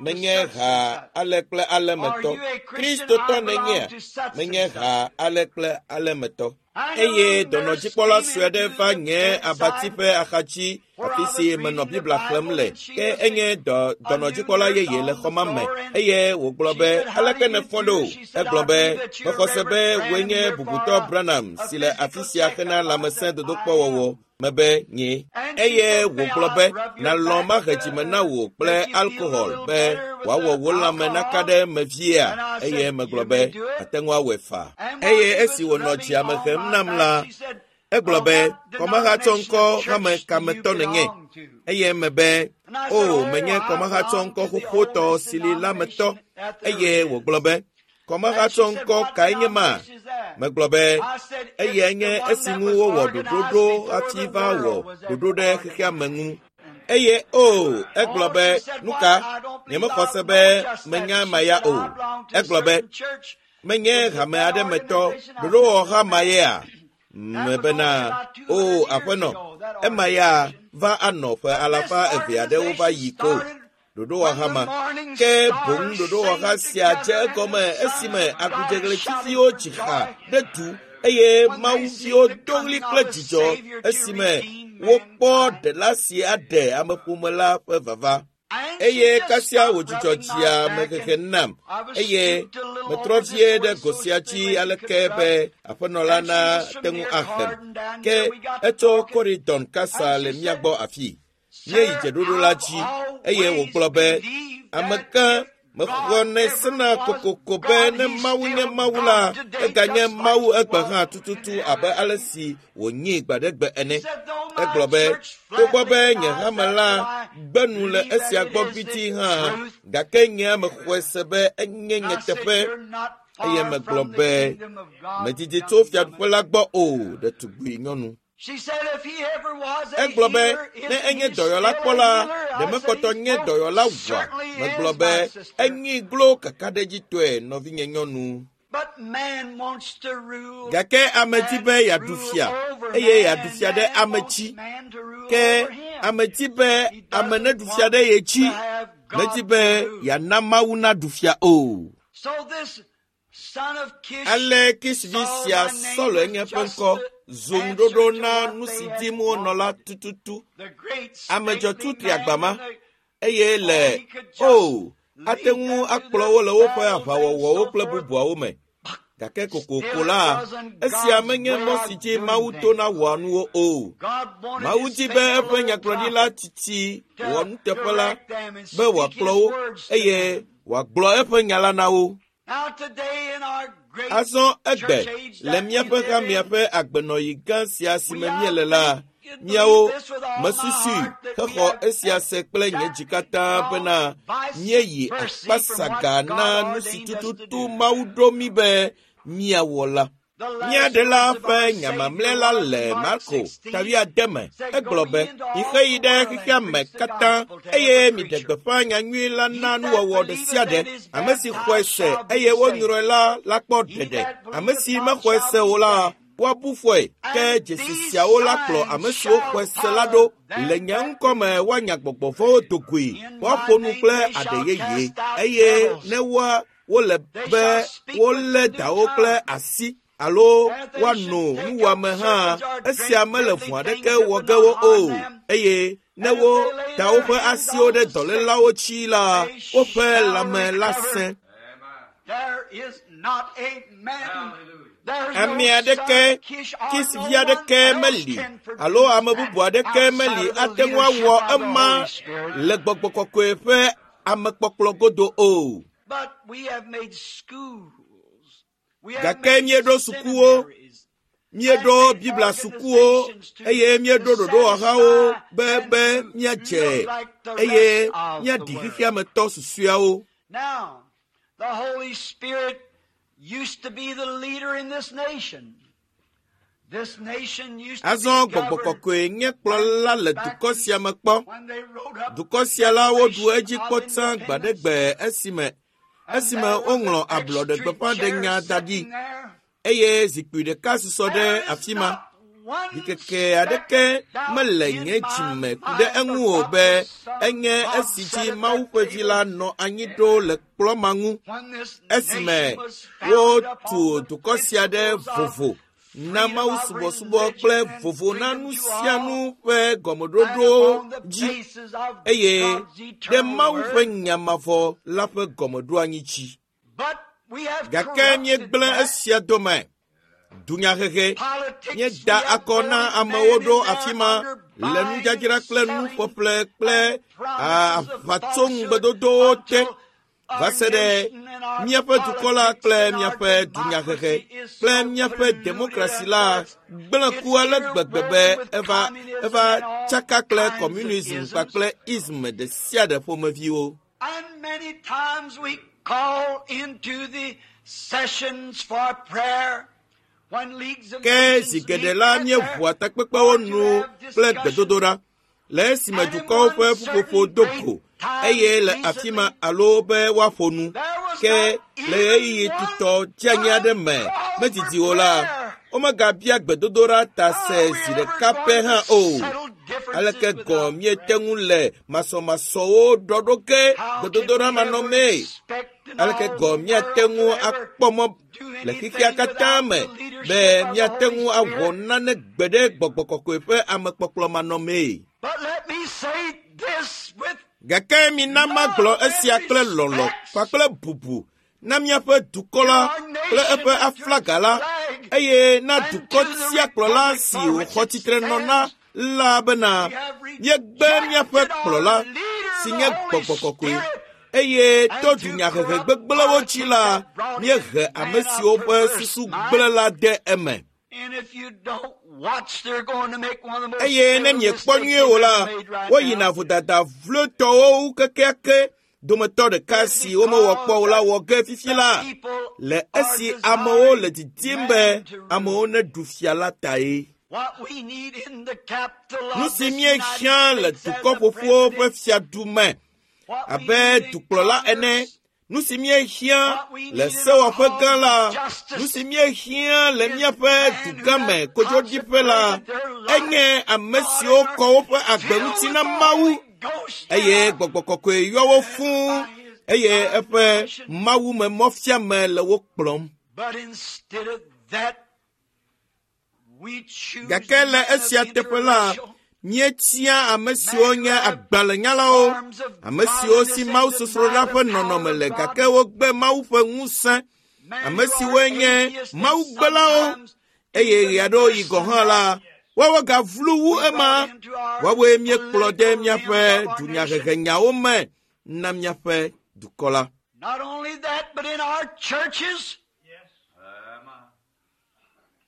Menye ha ale kple ale me tɔ. Kristotɔ nènyea? Menye ha ale kple ale me tɔ. Eye dɔnɔdzikpɔla sue aɖe va nye abati ƒe axadzi afi si menɔ Biblia xlẽm le. Ke enye dɔnɔdzikpɔla yeye le xɔ ma me eye wògblɔ be, aleke nèfɔ ɖo? Egblɔ be, mexɔ se be wòe nye bubutɔ Branham si le afi sia hena lãmesẽ dodokpɔwɔwɔ. Mebe nye. Eye wògblɔ be, nalɔ̃ mahe dzime na wò kple alkohol be wòawɔ wò lãme naka ɖe eme viea? Eye megblɔ be, ate ŋu awɔe faa. Eye esi wònɔ dziame hem nam la, egblɔ be, kɔmahatsɔŋkɔ hame kametɔ nènye. Eye mebe, o, menye kɔmahatsɔŋkɔ xoxotɔ si li la metɔ. Eye wògblɔ be, kɔmahatsɔŋkɔ kae nye ma? Megblɔ be, eyae nye esi ŋu wowɔ ɖoɖo ɖo hafi va wɔ ɖoɖo ɖe xexea me ŋu. Eye o, egblɔ be, nu ka? Nyemexɔ se be menya ema ya o. Egblɔ be, menye hame aɖe me tɔ, ɖoɖowɔha ma yea? Mebena, o, aƒenɔ, ema ya va anɔ ƒe alafa eve aɖewo va yi ko. Ɖoɖowɔha ma. Ke boŋ ɖoɖowɔha sia dze egɔme esime agudzegletsiviwo dzi ha ɖe du eye mawuviwo do ɣli kple dzidzɔ esime wokpɔ ɖela si aɖe ameƒome la ƒe vava. Eye kasia wòdzudzɔ dzia mehehe nam eye metrɔ vie ɖe go sia dzi aleke be aƒenɔ la nate ŋu ahem. Ke etso Koridɔn kasa le mía gbɔ afii. Míeyi dzeɖoɖo la dzi eye wògblɔ be, amegã mexɔnɛ sena kokoko be ne Mawu nye Mawu la, eganye Mawu egbe hã tututu abe ale si wònyi gbaɖegbe ene. Egblɔ be, togbɔ be nye hame la gbe nu le esia gbɔ gbidii hã, gake nye mexɔe se be enye nyateƒe. Eye megblɔ be, medidi tso fiaɖuƒe la gbɔ o, ɖetugbui nyɔnu. Egblɔ be, ne enye dɔyɔla kpɔ la, ɖe mekpɔtɔ nye dɔyɔla wua? Megblɔ be, enyi glo kakaɖedzitɔe, nɔvinye nyɔnu. Gake ame di be yeaɖu fia eye yeaɖu fia ɖe ame dzi. Ke ame di be ame neɖu fia ɖe ye dzi. Medi be yeana Mawu naɖu fia o. Ale Kis vi sia Saul enye ƒe ŋkɔ zu ŋuɖoɖo na nu si dim wonɔ la tututu. Ame dzɔtsu tri agba ma eye le o ate ŋu akplɔ wo le woƒe aʋawɔwɔwo kple bubuawo me. Gake kokoko la, esia menye mɔ si dzi Mawu tona wɔa nuwo o. Mawu di be eƒe nyagblɔɖila tsitsi wɔnuteƒe la be wòakplɔ wo eye wòagblɔ eƒe nya la na wo. Azɔ egbe le míaƒe hamea ƒe agbenɔɣi gã sia si me míele la, míawo mesusui hexɔ esia se kple nye dzi katã bena míeyi akpasaga na nu si tututu Mawu ɖo mí be míawɔ la. Mía Ɖela ƒe nya mamlɛ la le Marko ta wuiade me. Egblɔ be, Mixeyi ɖe xexea me katã eye miɖe gbeƒã nyanyui la na nuwɔwɔ ɖe sia ɖe. Ame si xɔe se eye wonyrɔe la lakpɔ ɖeɖe. Ame si mexɔe se o la, woabu fɔe. Ke dzesi siawo la kplɔ ame siwo xɔe se la ɖo. Le nye ŋkɔ me woanya gbɔgbɔ vɔ̃wo do goe, woaƒo nu kple aɖe yeye eye ne woa wole be wolé dawo kple asi alo woano nuwɔame hã, esia mele vɔ̃ aɖeke wɔ ge wo o. Eye ne woda woƒe asiwo ɖe dɔlélawo dzi la, woƒe lãme la sẽ. Ame aɖeke, Kis vi aɖeke meli alo ame bubu aɖeke meli ate ŋu awɔ ema le gbɔgbɔ kɔkɔe ƒe amekpɔkplɔ godo o. Gake míeɖo sukuwo, míeɖo Biblia sukuwo eye míeɖo ɖoɖowɔhawo be be míadze eye míaɖi xexea me tɔ susɔeawo. Azɔ gbɔgbɔ kɔkɔe nye kplɔla le dukɔ sia me kpɔ. Dukɔ sia la woɖu edzi kpɔ tsã gbaɖegbe esime esime woŋlɔ ablɔɖegbeƒãɖenya da ɖi eye zikpui ɖeka susɔ ɖe afi ma. Ɖikeke aɖeke mele nye dzime ku ɖe eŋu o be enye esi dzi Mawu ƒe vi la nɔ anyi ɖo le kplɔ̃ ma ŋu esime wotu dukɔ sia ɖe vovo na Mawu subɔsubɔ kple vovo na nu sia nu ƒe gɔmeɖoɖowo dzi eye ɖe Mawu ƒe nya mavɔ la ƒe gɔmeɖoanyi dzi. Gake míegblẽ esia dome. Dunyahehe míeda akɔ na amewo ɖo afi ma le nudzadzra kple nuƒeƒle kple aʋatsoŋugbedodowo te va se ɖe míaƒe dukɔ la kple míaƒe dunyahehe kple míaƒe demokrasi la gblẽ ku ale gbegbe be eva eva tsaka kple communism kpakple ism ɖe sia ɖe ƒomeviwo. And many times we call into the sessions for prayer. Ke zi geɖe la míeʋua takpekpewo nu kple gbedodoɖa le esime dukɔwo ƒe ƒuƒoƒo do go eye le afi ma alo be woaƒo nu. Ke le ɣeyiɣi tutɔ dzeanyi aɖe me medidi o la, womegabia gbedodoɖa ta se zi ɖeka pɛ hã o. Aleke gɔ̃ míete ŋu le masɔmasɔwo ɖɔɖo ge gbedodoɖa manɔmee? Aleke gɔ̃ míate ŋu akpɔ mɔ le xexea katã me be míate ŋu awɔ nane gbe ɖe gbɔgbɔ kɔkɔe ƒe amekpɔkplɔ manɔmee? But let me say this with Gake mina magblɔ esia kple lɔlɔ̃ kpakple bubu na míaƒe dukɔ la kple eƒe aflaga la eye na dukɔ sia kplɔla si wòxɔ tsitre nɔ na la bena míegbe míaƒe kplɔla si nye gbɔgbɔ kɔkɔe eye to dunyahehe gbegblẽwo dzi la míehe ame siwo ƒe susu gblẽ la de eme. And if you don't watch, they're going to make one of the most Eye ne terrible miekpɔ mistakes nyuie o la, they've ever made right woyina now. vodada vlotɔwo wu kekeake dometɔ ɖeka si womewɔ kpɔ o la wɔ ge fifi la le esi amewo le didim be amewo neɖu fia la tae. What we need in the capital of Nu si this míehiã United le States as dukɔ a ƒoƒuwo ƒe president, fiadu me what we abe need in dukplɔla ene, Congress, nu si míehiã what we le need in our sewɔƒe gã halls la, of justice nu si míehiã le is míaƒe men who dugãme have kodzodiƒe la, consecrated their life enye ame God siwo and are kɔ woƒe agbe filled ŋuti with na the Mawu Holy Ghost eye and gbɔgbɔ kɔkɔe yɔ wo fũu by His eye divine eƒe direction. mawume mɔfiame le wo kplɔm. But instead of that, we choose Gake le men of esia teƒe la, intellectual, míetia ame siwo men who nye have agbalẽnyalawo, forms of ame siwo si godliness and Mawu deny sosroɖa the ƒe power nɔnɔme of le God. gake wogbe Mawu ƒe ŋusẽ, Men ame who are siwoe nye atheists and mawugbelawo sometimes eye even ɣeaɖewoɣi worse gɔ̃ than hã la, that. woawo gavlu wu We ema. brought into our Woawoe míekplɔ de political realms míaƒe of our nation. dunyahehenyawo me na míaƒe dukɔ la. Not only that, but in our churches,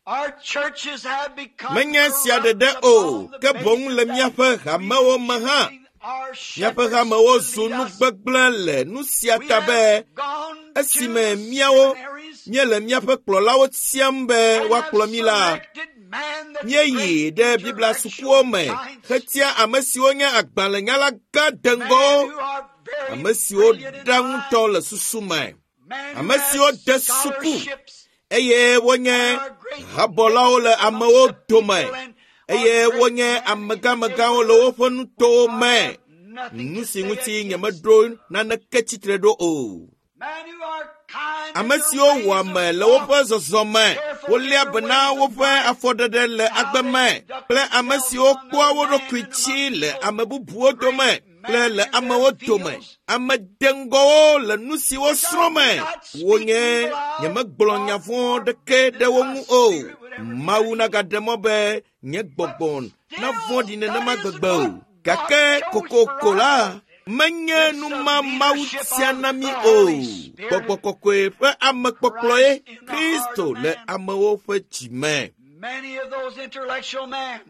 our churches have become Menye sia corrupt ɖeɖe o, upon the ke boŋ basis le that míaƒe we hamewo me hã. choosing our Míaƒe shepherds hamewo to zu lead nu us. gbegblẽ le nu sia We ta be have gone to esime the míawo seminaries míele míaƒe kplɔlawo tiam be and have woakplɔ mí la, selected man that's míeyi great ɖe Biblia sukuwo intellectual me giants, hetia ame siwo nye agbalẽnyala gã men deŋgɔwo, who are very ame siwo brilliant in ɖa mind, ŋutɔ le susu me, men who ame have siwo de suku scholarships eye wonye and are great habɔlawo le names amongst amewo the dome people and are eye great wonye men in amegamegãwo different le woƒe nutowo which I me. have nothing Nu to si say ŋuti against. nyemeɖo naneke tsitre ɖo o. Men who are kind in Ame their siwo ways wɔa of me le walk, woƒe zɔzɔme, careful in woléa their be na ways of woƒe life, afɔɖeɖe le and how agbe they me conduct kple ame themselves siwo among kpɔa other wo men ɖokui and dzi among le people, ame bubuwo dome great kple men le in their amewo dome. fields, Ame deŋgɔwo le nu si which I wosrɔ̃ do me. not speak Wonye evil of, nyemegblɔ nya or, vɔ̃ or ɖeke that ɖe wo my ŋu o. spirit would ever Mawu turn evil. nagaɖe mɔ be nye But gbɔgbɔ navɔ̃ɖi still, that nenema isn't gbegbe o. what God Gake chose for kokoko us. la, menye It's nu the ma Mawu leadership tia of na mí the o. Holy Spirit, Gbɔgbɔ kɔkɔe ƒe amekpɔkplɔe Christ in the heart Kristo of le man. amewo ƒe dzi me. Many of those intellectual men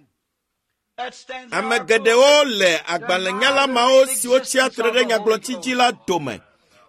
that stands in Ame our geɖewo pulpit le deny agbalẽnyala the mawo real siwo tsia existence tre of ɖe the Holy nyagblɔtsi dzi Ghost. la dome.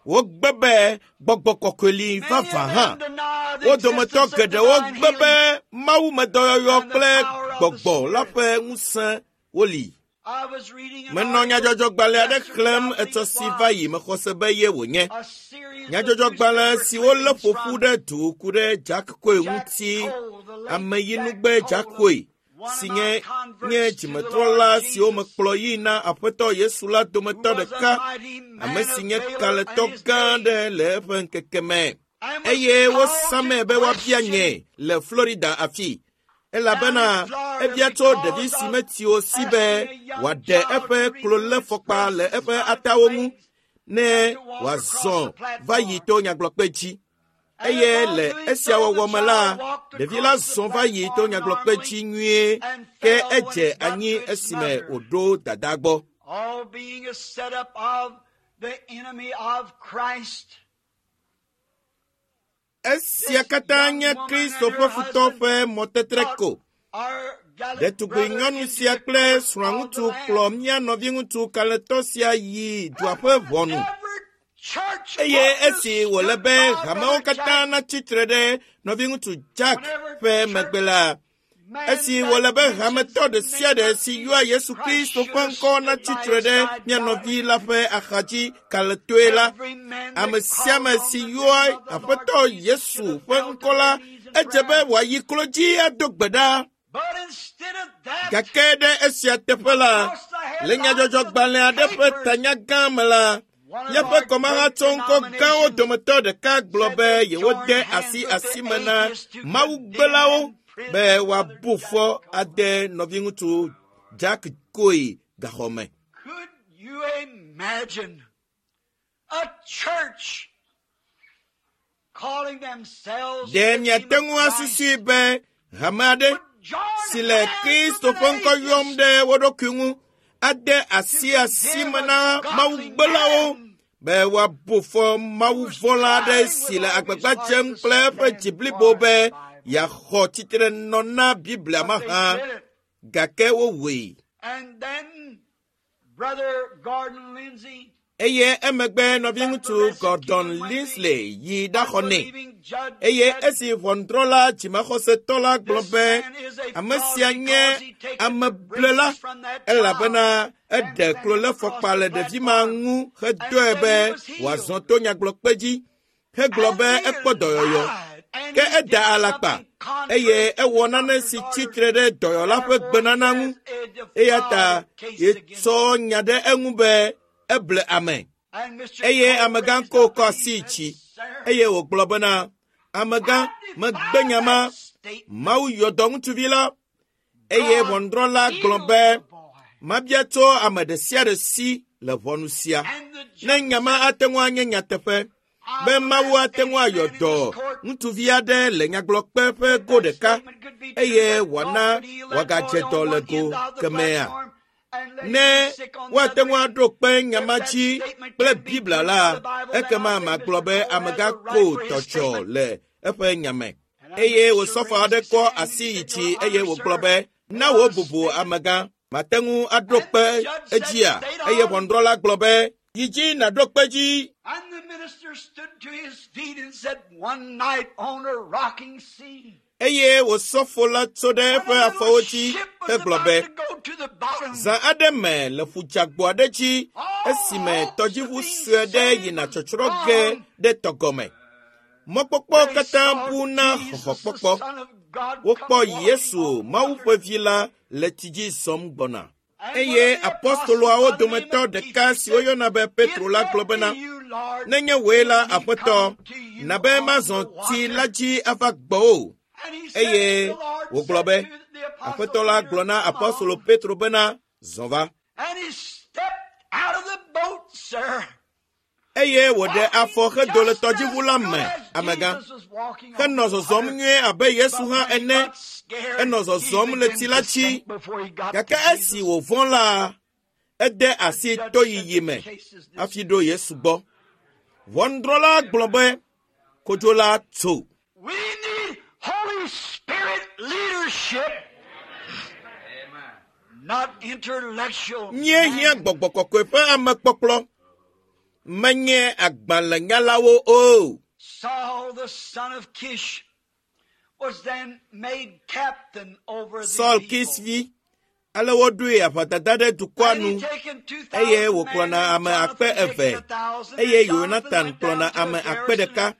Wogbe be gbɔgbɔ kɔkɔe li Many vavã of hã. them deny the Wo dometɔ existence of geɖewo divine gbe be healing mawumedɔyɔyɔ and the kple power of the gbɔgbɔ la Spirit. ƒe ŋusẽ woli. I was reading an Menɔ article nyadzɔdzɔgbalẽ aɖe yesterday, xlẽm I believe etsɔ it si va was, yi mexɔ se be ye wònye. a series of Nyadzɔdzɔgbalẽ newspaper siwo lé clippings ƒo ƒu from ɖe du ku ɖe Jack Coe Jack ŋuti, Cole, the late Jack ameyinugbe Jack Cole, of Coe, one si of my nye nye converts to the Lord dzimetrɔla siwo Jesus, mekplɔ yi na Aƒetɔ Yesu la who dometɔ was a ɖeka, mighty ame man si of nye valor in kalẽtɔ his gã day, aɖe le eƒe ŋkeke me. and was Eye called wosa to me be woabia question nye le Florida afi. down in Elabena Florida ebia tso ɖevi because si of metsi o si be asking a young wòaɖe child eƒe to remove its klolefɔkpa le braces eƒe from its atawo ŋu legs ne and to walk across wòazɔ the va yi platform. to nyagblɔkpe dzi. And Eye upon le doing esia so, the wɔwɔ me la, child walked ɖevi la across the zɔ va yi to platform nyagblɔkpe normally dzi nyuie and ke fell when edze it got anyi to its esime mother. wòɖo dada gbɔ. All being a setup of the enemy of Christ. Esia This katã young nye woman Kristo and ƒe her futɔ husband ƒe mɔtetre brought ko. our gallant Ɖetugbi brother nyɔnu into sia the kple court of the srɔ̃ŋutsu kplɔ land. mía nɔviŋutsu kalẽtɔ sia yi dua ƒe ʋɔnu. Every church Eye ought to esi wòle stood be by hamewo Brother katã Jack natsi tre ɖe nɔviŋutsu Jack whenever ƒe church megbe la, man esi that wòle be mentions hametɔ the ɖe sia name ɖe of si yɔa Jesus Yesu Christ Kristo should ƒe have ŋkɔ stood natsi by tre his ɖe side mía gallantly. nɔvi la ƒe axadzi kalẽtɔe la, Every man ame that sia calls ame on si the yɔa name of the Lord Aƒetɔ Jesus should Yesu have ƒe fell to ŋkɔ la, their knees in edze be prayer. wòayi klo dzi ado gbe ɖa. But instead of that, Gake ɖe esia teƒe la, across the le headlines of the nyadzɔdzɔgbalẽ aɖe ƒe papers, tanya gã me la, one of míaƒe our great kɔmahatsɔŋkɔ gãwo denominations dometɔ ɖeka gblɔ said be they yewode joined hands asi with the asime na atheists to condemn mawugbelawo and be prison Brother woabu Jack fɔ Cole. ade nɔviŋutsu Jack Coe gaxɔ me. Could You imagine a church calling themselves Ɖe the miate name ŋu of Christ asusui be hame aɖe would join si le hands Kristo with ƒe an ŋkɔ yɔm atheist ɖe wo ɖokui ŋu ade asi to asi condemn me a na godly mawugbelawo man be woabu fɔ who was mawuvɔ̃la aɖe trying si with le all his agbagba heart dzem to kple eƒe stand dzi blibo for be the Bible. yeaxɔ tsitrenɔ na Biblia But they mahã did it. gake wowɔe. And then Brother Gordon Lindsay, Eye emegbe that nɔviŋutsu Gordon persecuted Lindsay yi ɖaxɔ nɛ. unbelieving judge Eye said, esi ʋɔnudrɔ̃la dzimaxɔsetɔ la gblɔ This be man is a ame fraud sia nye because he taken the ameblela braces from that child elabena and eɖe sent him across klolefɔkpa the le ɖevi ma platform ŋu and hedɔe said be he was healed. wòazɔ to nyagblɔkpe dzi hegblɔ And be he ekpɔ dɔyɔyɔ. lied, and Ke he eda did alakpa something contrary eye to ewɔ the nane doctor's si orders. tsitre ɖe dɔyɔla ƒe Therefore, he gbenana ŋu has a eya ta defiled case against yetsɔ him. nya ɖe eŋu be eble ame. And Mr. Eye Cole amegã raised ko up kɔ and he asi said, dzi Sir, eye wògblɔ bena amegã I megbe defy nya ma that statement. Mawu yɔ dɔ ŋutsuvi la eye God ʋɔnudrɔ̃la gblɔ healed be the boy. mabia tso ame ɖe sia ɖe si le ʋɔnu sia And the ne judge nya ma said, ate ŋu anye nyateƒe I be will Mawu ask ate any ŋu ayɔ man in dɔ this court ŋutsuvi aɖe le nyagblɔkpe ƒe if go that ɖeka statement could be true eye that God wòana could heal that wòagadze boy dɔ on le one go end of the kemɛa. platform and let him Ne be sick on the woate other ŋu end. aɖo kpe nya If ma that dzi statement kple can be Biblia proved la with the Bible, then ekema I say magblɔ Mr. be Cole has amegã a right ko for his tɔtsɔ statement. le eƒe nya me. And our Eye minister wòsɔfo raised aɖe his kɔ hand and asi he yi said, dzi Your eye Honor, wògblɔ sir, be na there wò are bubu statements. amegã mate ŋu aɖo And the kpe judge said, edzia State eye on. ʋɔnudrɔ̃la gblɔ be yi dzi nàɖo kpe dzi. And the minister stood to his feet and said, One night on a rocking sea, Eye wòsɔfo la tso ɖe when eƒe a little afɔwo dzi ship was hegblɔ about be to go to the bottom, zã aɖe me le ƒudzagbo aɖe dzi all esime hopes of tɔdziʋu being sue aɖe saved yina was tsɔtsrɔ̃ ge gone. ɖe tɔgɔme. Mɔkpɔkpɔ They katã saw bu na Jesus, the xɔxɔkpɔkpɔ. Son of God, come Wokpɔ walking Yesu, on Mawu water. ƒe vi la, le tsi dzi zɔm gbɔna. And one Eye of the apostles apostoloawo by the name dometɔ of ɖeka Peter si said, woyɔna be Petro If la that gblɔ be bena, you, Lord, nenye wòe la, bid me Aƒetɔ, come to you na be on mazɔ the tsi la water. dzi ava gbɔwò. And he said, Eye the Lord wògblɔ said be, to the apostle Aƒetɔ la Peter, gblɔ na Come apostolo on. Petro bena, zɔ va. And he stepped out of the boat, sir, Eye wòɖe afɔ walking hedo le just as tɔdziʋu la good me, as amegã. Jesus was walking on Henɔ the zɔzɔm water. nyuie abe Yesu But hã when he ene. got scared, Enɔ he zɔzɔm le began tsi la to dzi. sink before he got Gake to esi Jesus. wòvɔ̃ la, ede The asi judge said, toyiyi The me case is hafi dismissed. ɖo Yesu gbɔ. Ʋɔnudrɔ̃la gblɔ be kodzo la tso. We need Holy Spirit leadership, not intellectual Míehiã man. gbɔgbɔ kɔkɔe ƒe amekpɔkplɔ, menye agbalẽnyalawo o. Saul, the son of Kish, was then made captain over the Saul people. Kis vi, ale woɖoe aʋadada ɖe dukɔa And he nu taken eye 2,000 men, wòkplɔna and ame akpe Jonathan taken eve 1,000, and eye Jonathan Yonatan went kplɔna down to ame a akpe garrison and ɖeka.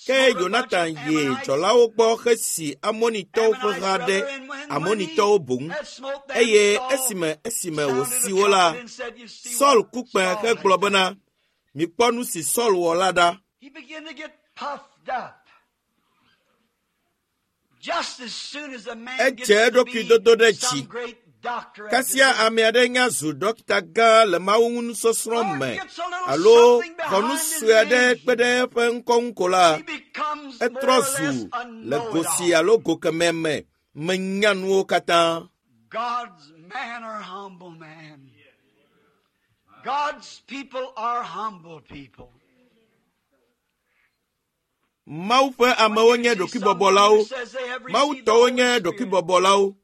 Ke smote a bunch of Yonatan yi Ammonites, dzɔlawo gbɔ hesi Amonitɔwo ƒe Ammonite ha ɖe brother, and when he Amonitɔwo boŋ. had smote them, Eye Saul esime esime sounded wòsi a wo la, trumpet and said, You see Saul what ku kpẽ Saul has hegblɔ done. bena, mikpɔ nu si Saul wɔ la ɖa. He began to get puffed up. Just as soon as a man Edze gets to eɖokui be dodo ɖe dzi. some great doctor of Kasia divinity, ame aɖe nya zu dɔkita gã le mawu ŋu nusɔsrɔ̃ or me gets a little alo something xɔ nu behind his sue aɖe name, kpe ɖe eƒe ŋkɔ ŋu ko la, he becomes etrɔ more or zu less a le go si know-it-all. alo go kemɛ me menya nuwo katã. God's man are humble man. God's people are humble people. Mawu ƒe When amewo you nye see someone who ɖokuibɔbɔlawo. says they have Mawu received the tɔwo Holy nye Spirit ɖokuibɔbɔlawo.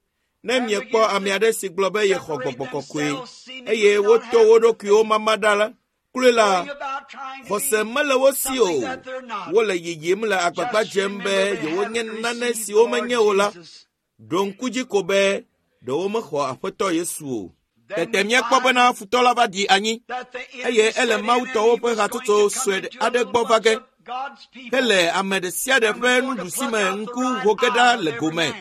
Ne and miekpɔ begin ame to aɖe si gblɔ be yexɔ separate gbɔgbɔ kɔkɔe themselves, seemingly eye not woto wo having the ɖokuiwo faith, mama ɖa la, kloe la, going about trying to xɔse be mele wo si something o. that they're not. Wole yiyim le agbagba Just dzem be remember they yewonye haven't nane received si the Lord womenye o la. Jesus. Ɖo ŋku dzi ko be ɖewo mexɔ Aƒetɔ Yesu o. Then Tete we míekpɔ bena find futɔ la va ɖi anyi that the eye enemy ele set in and Mawutɔwo he ƒe was going hatsotso to come sue into a aɖe little gbɔ va bunch ge of God's people hele ame ɖe sia ɖe and ƒe was going to nuɖusi pluck me out the ŋku right ho ge eye ɖa of le every gome. man.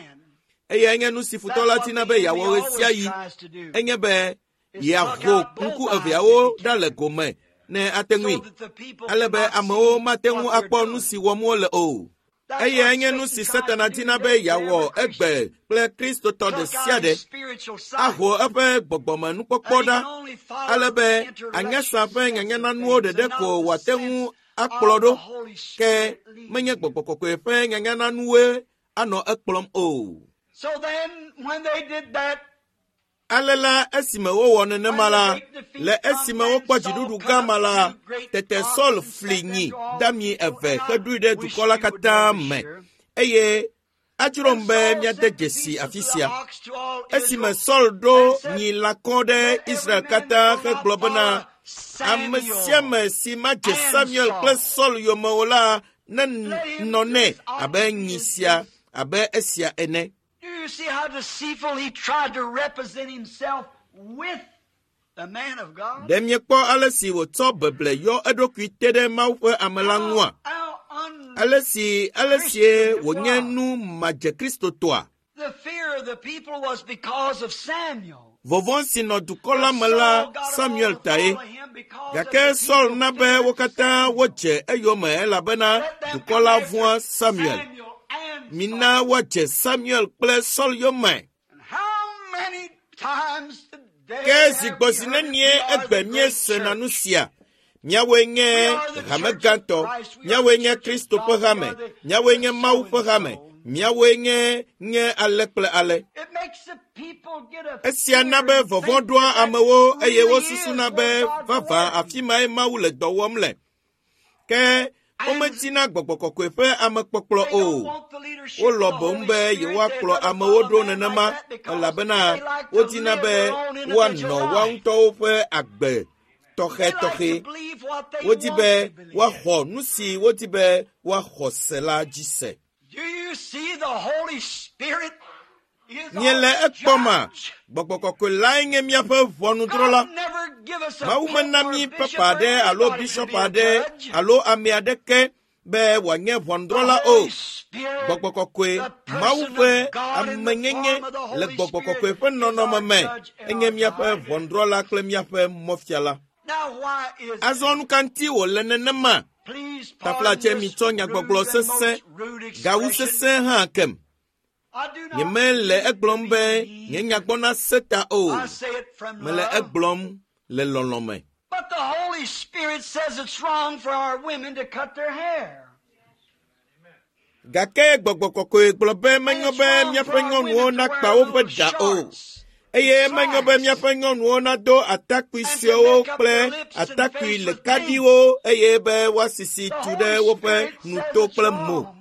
Eyae nye nu si futɔ That's la what dina the be enemy yeawɔ always ɣesiaɣi tries to do, enye be is pluck yeaho out both ŋku eyes if eveawo he ɖa le can, gome ne ate so ŋui that the people ale be cannot amewo see mate ŋu what they're akpɔ nu doing. si wɔm wole o. Eyae nye nu si Satana dina be yeawɔ egbe kple Kristotɔ ɖe sia ɖe. Aho eƒe gbɔgbɔmenukpɔkpɔ ɖa ale be anyasa ƒe nyanyananuwo ɖeɖe ko wòate ŋu akplɔ ɖo ke menye gbɔgbɔ kɔkɔe ƒe nyanyananuwoe anɔ ekplɔm o. Ale la esime wowɔ nenema la, le esime wokpɔ dziɖuɖu gã ma la, tete Saul fli nyi dami eve heɖoe ɖe dukɔ la katã me eye adzrom be míade dzesi afi sia. Esime Saul ɖo nyi lãkɔ ɖe Israel katã hegblɔ bena ame sia ame si madze Samuel kple Saul yome o la nenɔ nɛ abe nyi sia abe esia ene. Do you see how deceitful he tried to represent himself with the man of God? Ɖe miekpɔ ale si wòtsɔ beble yɔ eɖokui te ɖe Mawu ƒe ame la ŋua? How Ale si ale sie wònye nu madze Kristotɔa? The fear of the people was because of Samuel. Vɔvɔ̃ si nɔ dukɔ la me la Samuel tae. Gake Saul na be wo katã wodze eyome elabena dukɔ la vɔ̃a Samuel. Mina woadze Samuel kple Saul yome. How many times today Ke zi have gbɔ we zi heard it? nenie We are egbe the great míesena church. nu sia? Míawoe nye hame gãtɔ, míawoe nye Kristo ƒe hame, míawoe nye Mawu ƒe hame, míawoe nye nye ale kple ale. It makes the people get a Esia na be fear and vɔvɔ̃ think ɖoa that that amewo eye really wosusuna is be where God's vavã working. afi mae Mawu le dɔ wɔm le. Ke womedina gbɔgbɔ kɔkɔe ƒe amekpɔkplɔ They o. don't want the leadership of Wolɔ the boŋ Holy be Spirit. yewoakplɔ They'd rather amewo follow ɖo man like nenema that because elabena they like to wodina live be their own woanɔ individual woa life. ŋutɔwo ƒe agbe They like tɔxɛtɔxɛ. to believe what they Wodi want be to believe. woaxɔ nu si wodi be woaxɔ se la dzi se. Do you see the Holy Spirit is Míele our ekpɔma, judge? gbɔgbɔ kɔkɔe lae nye míaƒe ʋɔnudrɔ̃la. God never give us a Mawu pope mena or a mí bishop papa or aɖe alo anybody to bishop be a aɖe judge. alo ame aɖeke be wòanye The ʋɔnudrɔ̃la o. Holy Spirit, Gbɔgbɔ kɔkɔe, the Mawu person ƒe of God in the amenyenye form of the le Holy gbɔgbɔ Spirit kɔkɔe ƒe is nɔnɔme our me judge and enye our míaƒe guide. ʋɔnudrɔ̃la kple míaƒe mɔfiala. Now why is Azɔ that? nu ka ŋuti wòle nenema? Please pardon Taflatse this mitsɔ nyagbɔgblɔ rude and sesẽ, most rude gawu expression. sesẽ hã kem. I do not Nyemele mean to egblɔm be be nye mean. nyagbɔna se ta o. I say it from Mele love. egblɔm le lɔlɔ̃ me. But the Holy Spirit says it's wrong for our women to cut their hair. Gake gbɔgbɔ kɔkɔe gblɔ be And menyo it's be wrong for míaƒe our nyɔnuwo women to nakpa wear woƒe little ɖa o. shorts Eye and menyo be slacks míaƒe nyɔnuwo nado atakpui and to suewo make up kple their lips and atakpui face with paint. lekaɖiwo eye be woasisi The tu ɖe Holy woƒe Spirit says nuto it's kple mo. wrong.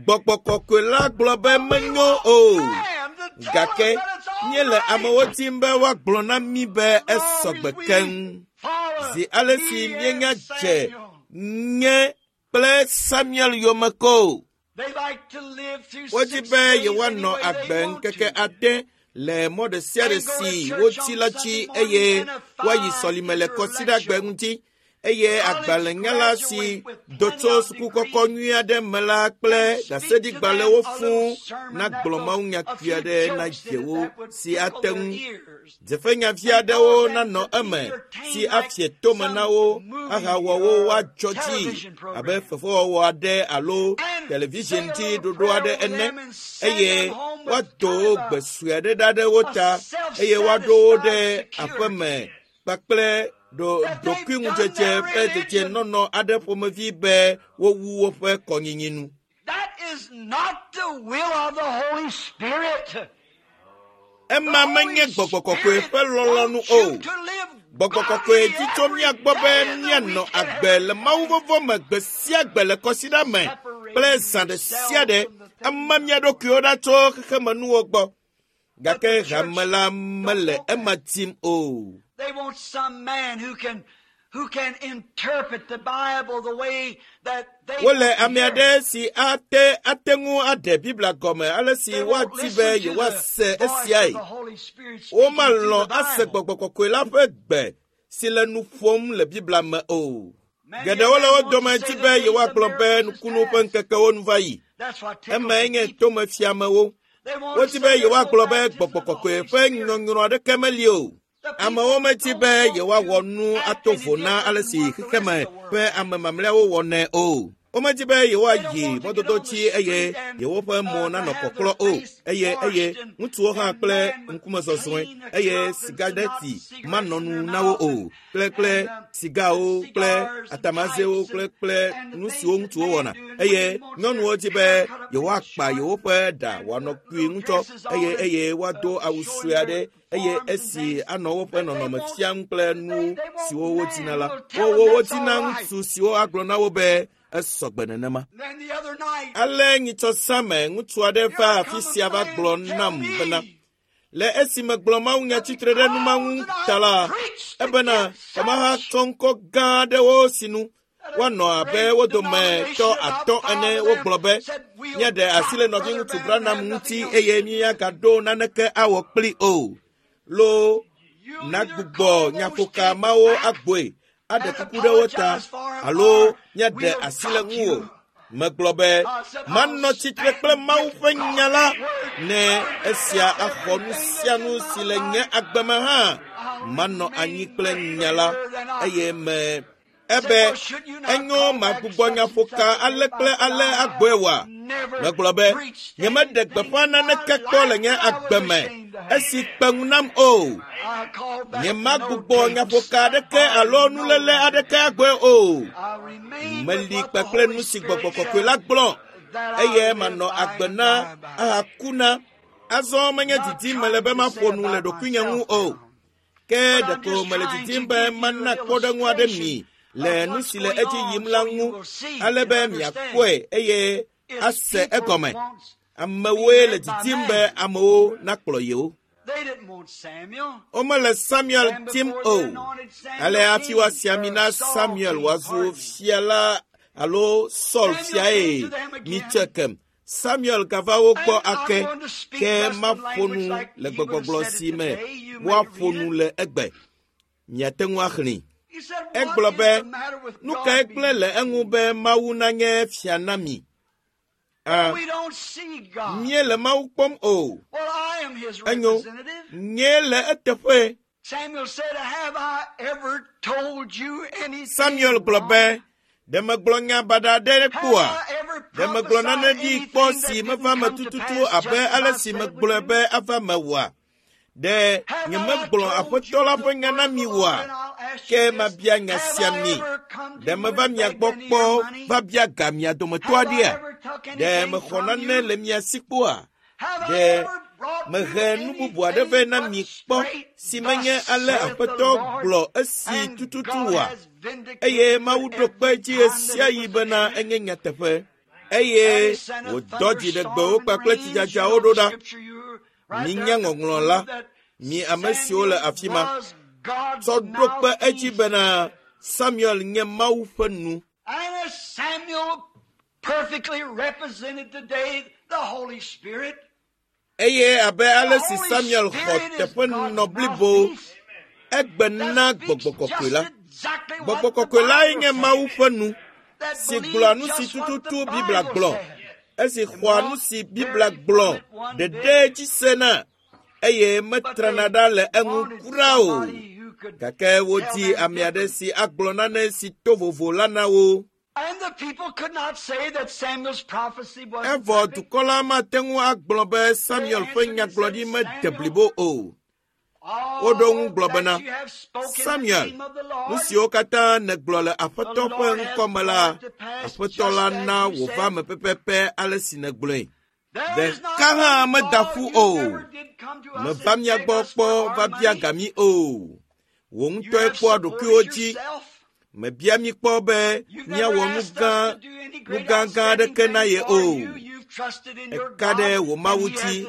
Gbɔgbɔ kɔkɔe la gblɔ be But we menyo want o. man to tell us Gake that it's all míele right. amewo tim be woagblɔ na mí be As long esɔgbe as we keŋ. follow Zi ale si me míenya and dze Samuel. nye kple Samuel yome ko. They like to live through Wodi 6 be days any yewoanɔ way agbe they want ŋkeke to. ade le mɔ ɖe sia ɖe And go to si church woti on la dzi Sunday morning eye and a woayi fine sɔlime le kɔsiɖagbe intellectual. ŋuti eye College agbalẽnyala si graduate with do plenty tso of sukukɔkɔ degrees nyui aɖe me la kple and speak to them ɖaseɖigbalẽwo a fũu little sermon that nagblɔ will mawunya a kpui few aɖe na jokes in it dzewo that would si tickle ate their ŋu ears dzefenyavi and aɖewo cause them nanɔ to be eme si entertained like afie tome na some wo movie ahawɔ wo or woadzɔ dzi television abe program. fefewɔwɔ aɖe alo And television say a dzi little ɖoɖo prayer aɖe over ene them and send eye them home with woado kind of gbe a, sue aɖe ɖa ɖe wo a ta eye woaɖo wo ɖe self-satisfied aƒeme security kpakple ɖo that they've done ɖokuiŋudzedze their ƒe religion. dedienɔnɔ aɖe ƒomevi be wowu woƒe kɔnyinyi nu. That is not the will of the Holy Spirit. The Ema Holy menye gbɔgbɔ kɔkɔe Spirit ƒe lɔlɔ̃nu wants o. you to live Gbɔgbɔ kɔkɔe godly di tso every mía gbɔ be day in the míanɔ week and agbe every le Mawu day, vɔvɔ̃ me gbe sia gbe le kɔsiɖa me kple separating zã ɖe sia yourself ɖe from the things ema of mía the world. ɖokuiwo ɖa tso xexemenuwo gbɔ. But Gake the church hame la don't mele want ema that. tim o. They want some man who can who can interpret the Bible the way that they Wole want to ame hear aɖe it. si ate ate ŋu aɖe Biblia gɔme ale si They won't woadi be listen to the yewoase voice of esiae. the Holy Spirit speaking through Womalɔ̃ the ase Bible. gbɔgbɔ kɔkɔe la ƒe gbe si le nu ƒom le Biblia me o. Many of Geɖewo le them wo want to dome say di the be days of yewoagblɔ be miracles is nukunu ƒe past. ŋkekewo nu va yi. That's what tickles Emae the nye people. tomefiamewo. They want to Wodi say be there's no yewoagblɔ be baptism gbɔgbɔ of the kɔkɔe Holy ƒe Spirit. nyɔnyrɔ aɖeke meli o. The Amewo people medi don't be want yewoawɔ to nu act ato any vo na different ale than si what the rest xexeme of the world ƒe does. ame mamlɛawo wɔnɛ o. Womedi be yewoayi mɔdodo dzi eye yewoƒe mo nanɔ kɔklɔ o, eye eye ŋutsuwo hã kple ŋkumezɔzɔe eye sigareti manɔ nu na wo o, kple kple sigawo kple atamazewo kple kple nu siwo ŋutsuwo wɔna. Eye nyɔnuwo di be yewoakpa yewoƒe ɖa wòanɔ kpui ŋutɔ eye eye woado awu sue aɖe eye esi anɔ woƒe nɔnɔme fiam kple nu siwo wodina la, wo wodina ŋutsu siwo agblɔ na wo be esɔgbe nenema. Ale nyitsɔsame ŋutsu aɖe va afi sia va gblɔ nam bena, le esi megblɔ mawunya tsitre ɖe nu ma ŋu ta la, ebena kamaha tsɔ ŋkɔ gã aɖewo sinu woanɔ abe wo dometɔ atɔ̃ ene wogblɔ be míaɖe asi le nɔviŋutsu Branham ŋuti eye míagaɖo naneke awɔ kpli o. Lo nagbugbɔ nyaƒoka mawo agboe aɖe kuku ɖe wo ta alo míaɖe asi le ŋuwò. Megblɔ be manɔ tsitre kple Mawu ƒe nya la ne esia axɔ nu sia nu si le nye agbe me hã. Manɔ anyi kple nya la eye me ebe enyo magbugbɔ nyaƒoka ale kple ale agbɔe wa. Megblɔ be nyemeɖe gbeƒã naneke kpɔ le nye agbe me esi kpe ŋu nam o. Nyemagbugbɔ nyaƒoka aɖeke alo nuléle aɖeke agbɔe o. Meli kpakple nu si gbɔgbɔ kɔkɔe la gblɔ eye manɔ agbe na ahaku na. Azɔ menye didim mele be maƒo nu le ɖokuinye ŋu o. Ke ɖeko mele didim be mana kpɔɖeŋu aɖe mi le nu si le edzi yim la ŋu ale be miakpɔe eye ase egɔme. Amewoe le didim be amewo nakplɔ yewo. Womele Samuel tim o. Ale hafi woasi ami na Samuel wòazu fia la alo Saul fiae mitsɔe kem. Samuel gava wo gbɔ ake ke maƒo nu le gbegbɔgblɔ si me woaƒo nu le egbe. Miate ŋu axlẽe. Egblɔ be, nu kae gblẽ le eŋu be Mawu nanye fia na mi? A, míele Mawu kpɔm o. Enyo, nyee le eteƒe. Samuel gblɔ be, ɖe megblɔ nya baɖa aɖe kpɔa? Ɖe megblɔ nane ɖi kpɔ si meva me tututu abe ale si megblɔe be ava me oa? Ɖe nyemegblɔ Aƒetɔ la ƒe nya na mi oa? Ke mabia nya sia mi. Ɖe meva mia gbɔ kpɔ va bia ga mia dometɔ aɖea? Ɖe mexɔ nane le mia si kpɔa? Ɖe mehe nu bubu aɖe vɛ na mi kpɔ si menye ale Aƒetɔ gblɔ esi tututu oa? Eye Mawu ɖo kpe edzi ɣesiaɣi bena enye nyateƒe. Eye wòdɔ dziɖegbewo kpakple tsidzadzawo ɖo ɖa. Minya ŋɔŋlɔ la, mi ame siwo le afi ma, tsɔ ɖo kpe edzi bena Samuel nye Mawu ƒe nu. Eye abe ale si Samuel xɔ teƒenɔ blibo egbe na gbɔgbɔ kɔkɔe la. Gbɔgbɔ kɔkɔe lae nye Mawu ƒe nu si gblɔa nu si tututu Biblia gblɔ, esi xɔa nu si Biblia gblɔ ɖeɖe dzi sena eye metrana ɖa le eŋu kura o. Gake wodi ame aɖe si agblɔ nane si to vovo la na wo. Evɔ dukɔ la mate ŋu agblɔ be Samuel ƒe nyagblɔɖi mede blibo o. Woɖo ŋu gblɔ bena, Samuel, nu siwo katã nègblɔ le Aƒetɔ ƒe ŋkɔ me la, Aƒetɔ la na wòva me pɛpɛpɛ ale si nègblɔe. Ɖeka hã meda ƒu o. Meva mia gbɔ kpɔ va bia ga mi o. Wò ŋutɔe kpɔa ɖokuiwò dzi. Mebia mi kpɔ be míawɔ nu gã nu gãgã aɖeke na ye o. Eka ɖe wò Mawu dzi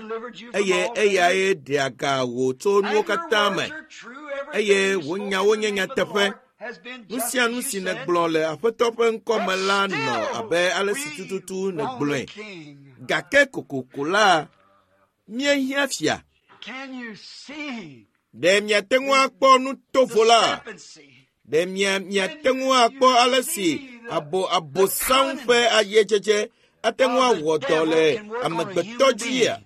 eye eyae ɖea ga wò tso nuwo katã me eye wò nyawo nye nyateƒe. Nu sia nu si nègblɔ le Aƒetɔ ƒe ŋkɔ me la nɔ abe ale si tututu nègblɔe. Gake kokoko la, míehiã fia. Ɖe miate ŋu akpɔ nu tovo la? Ɖe mia miate ŋu akpɔ ale si abo abosam ƒe ayedzedze ate ŋu awɔ dɔ le amegbetɔ dzia?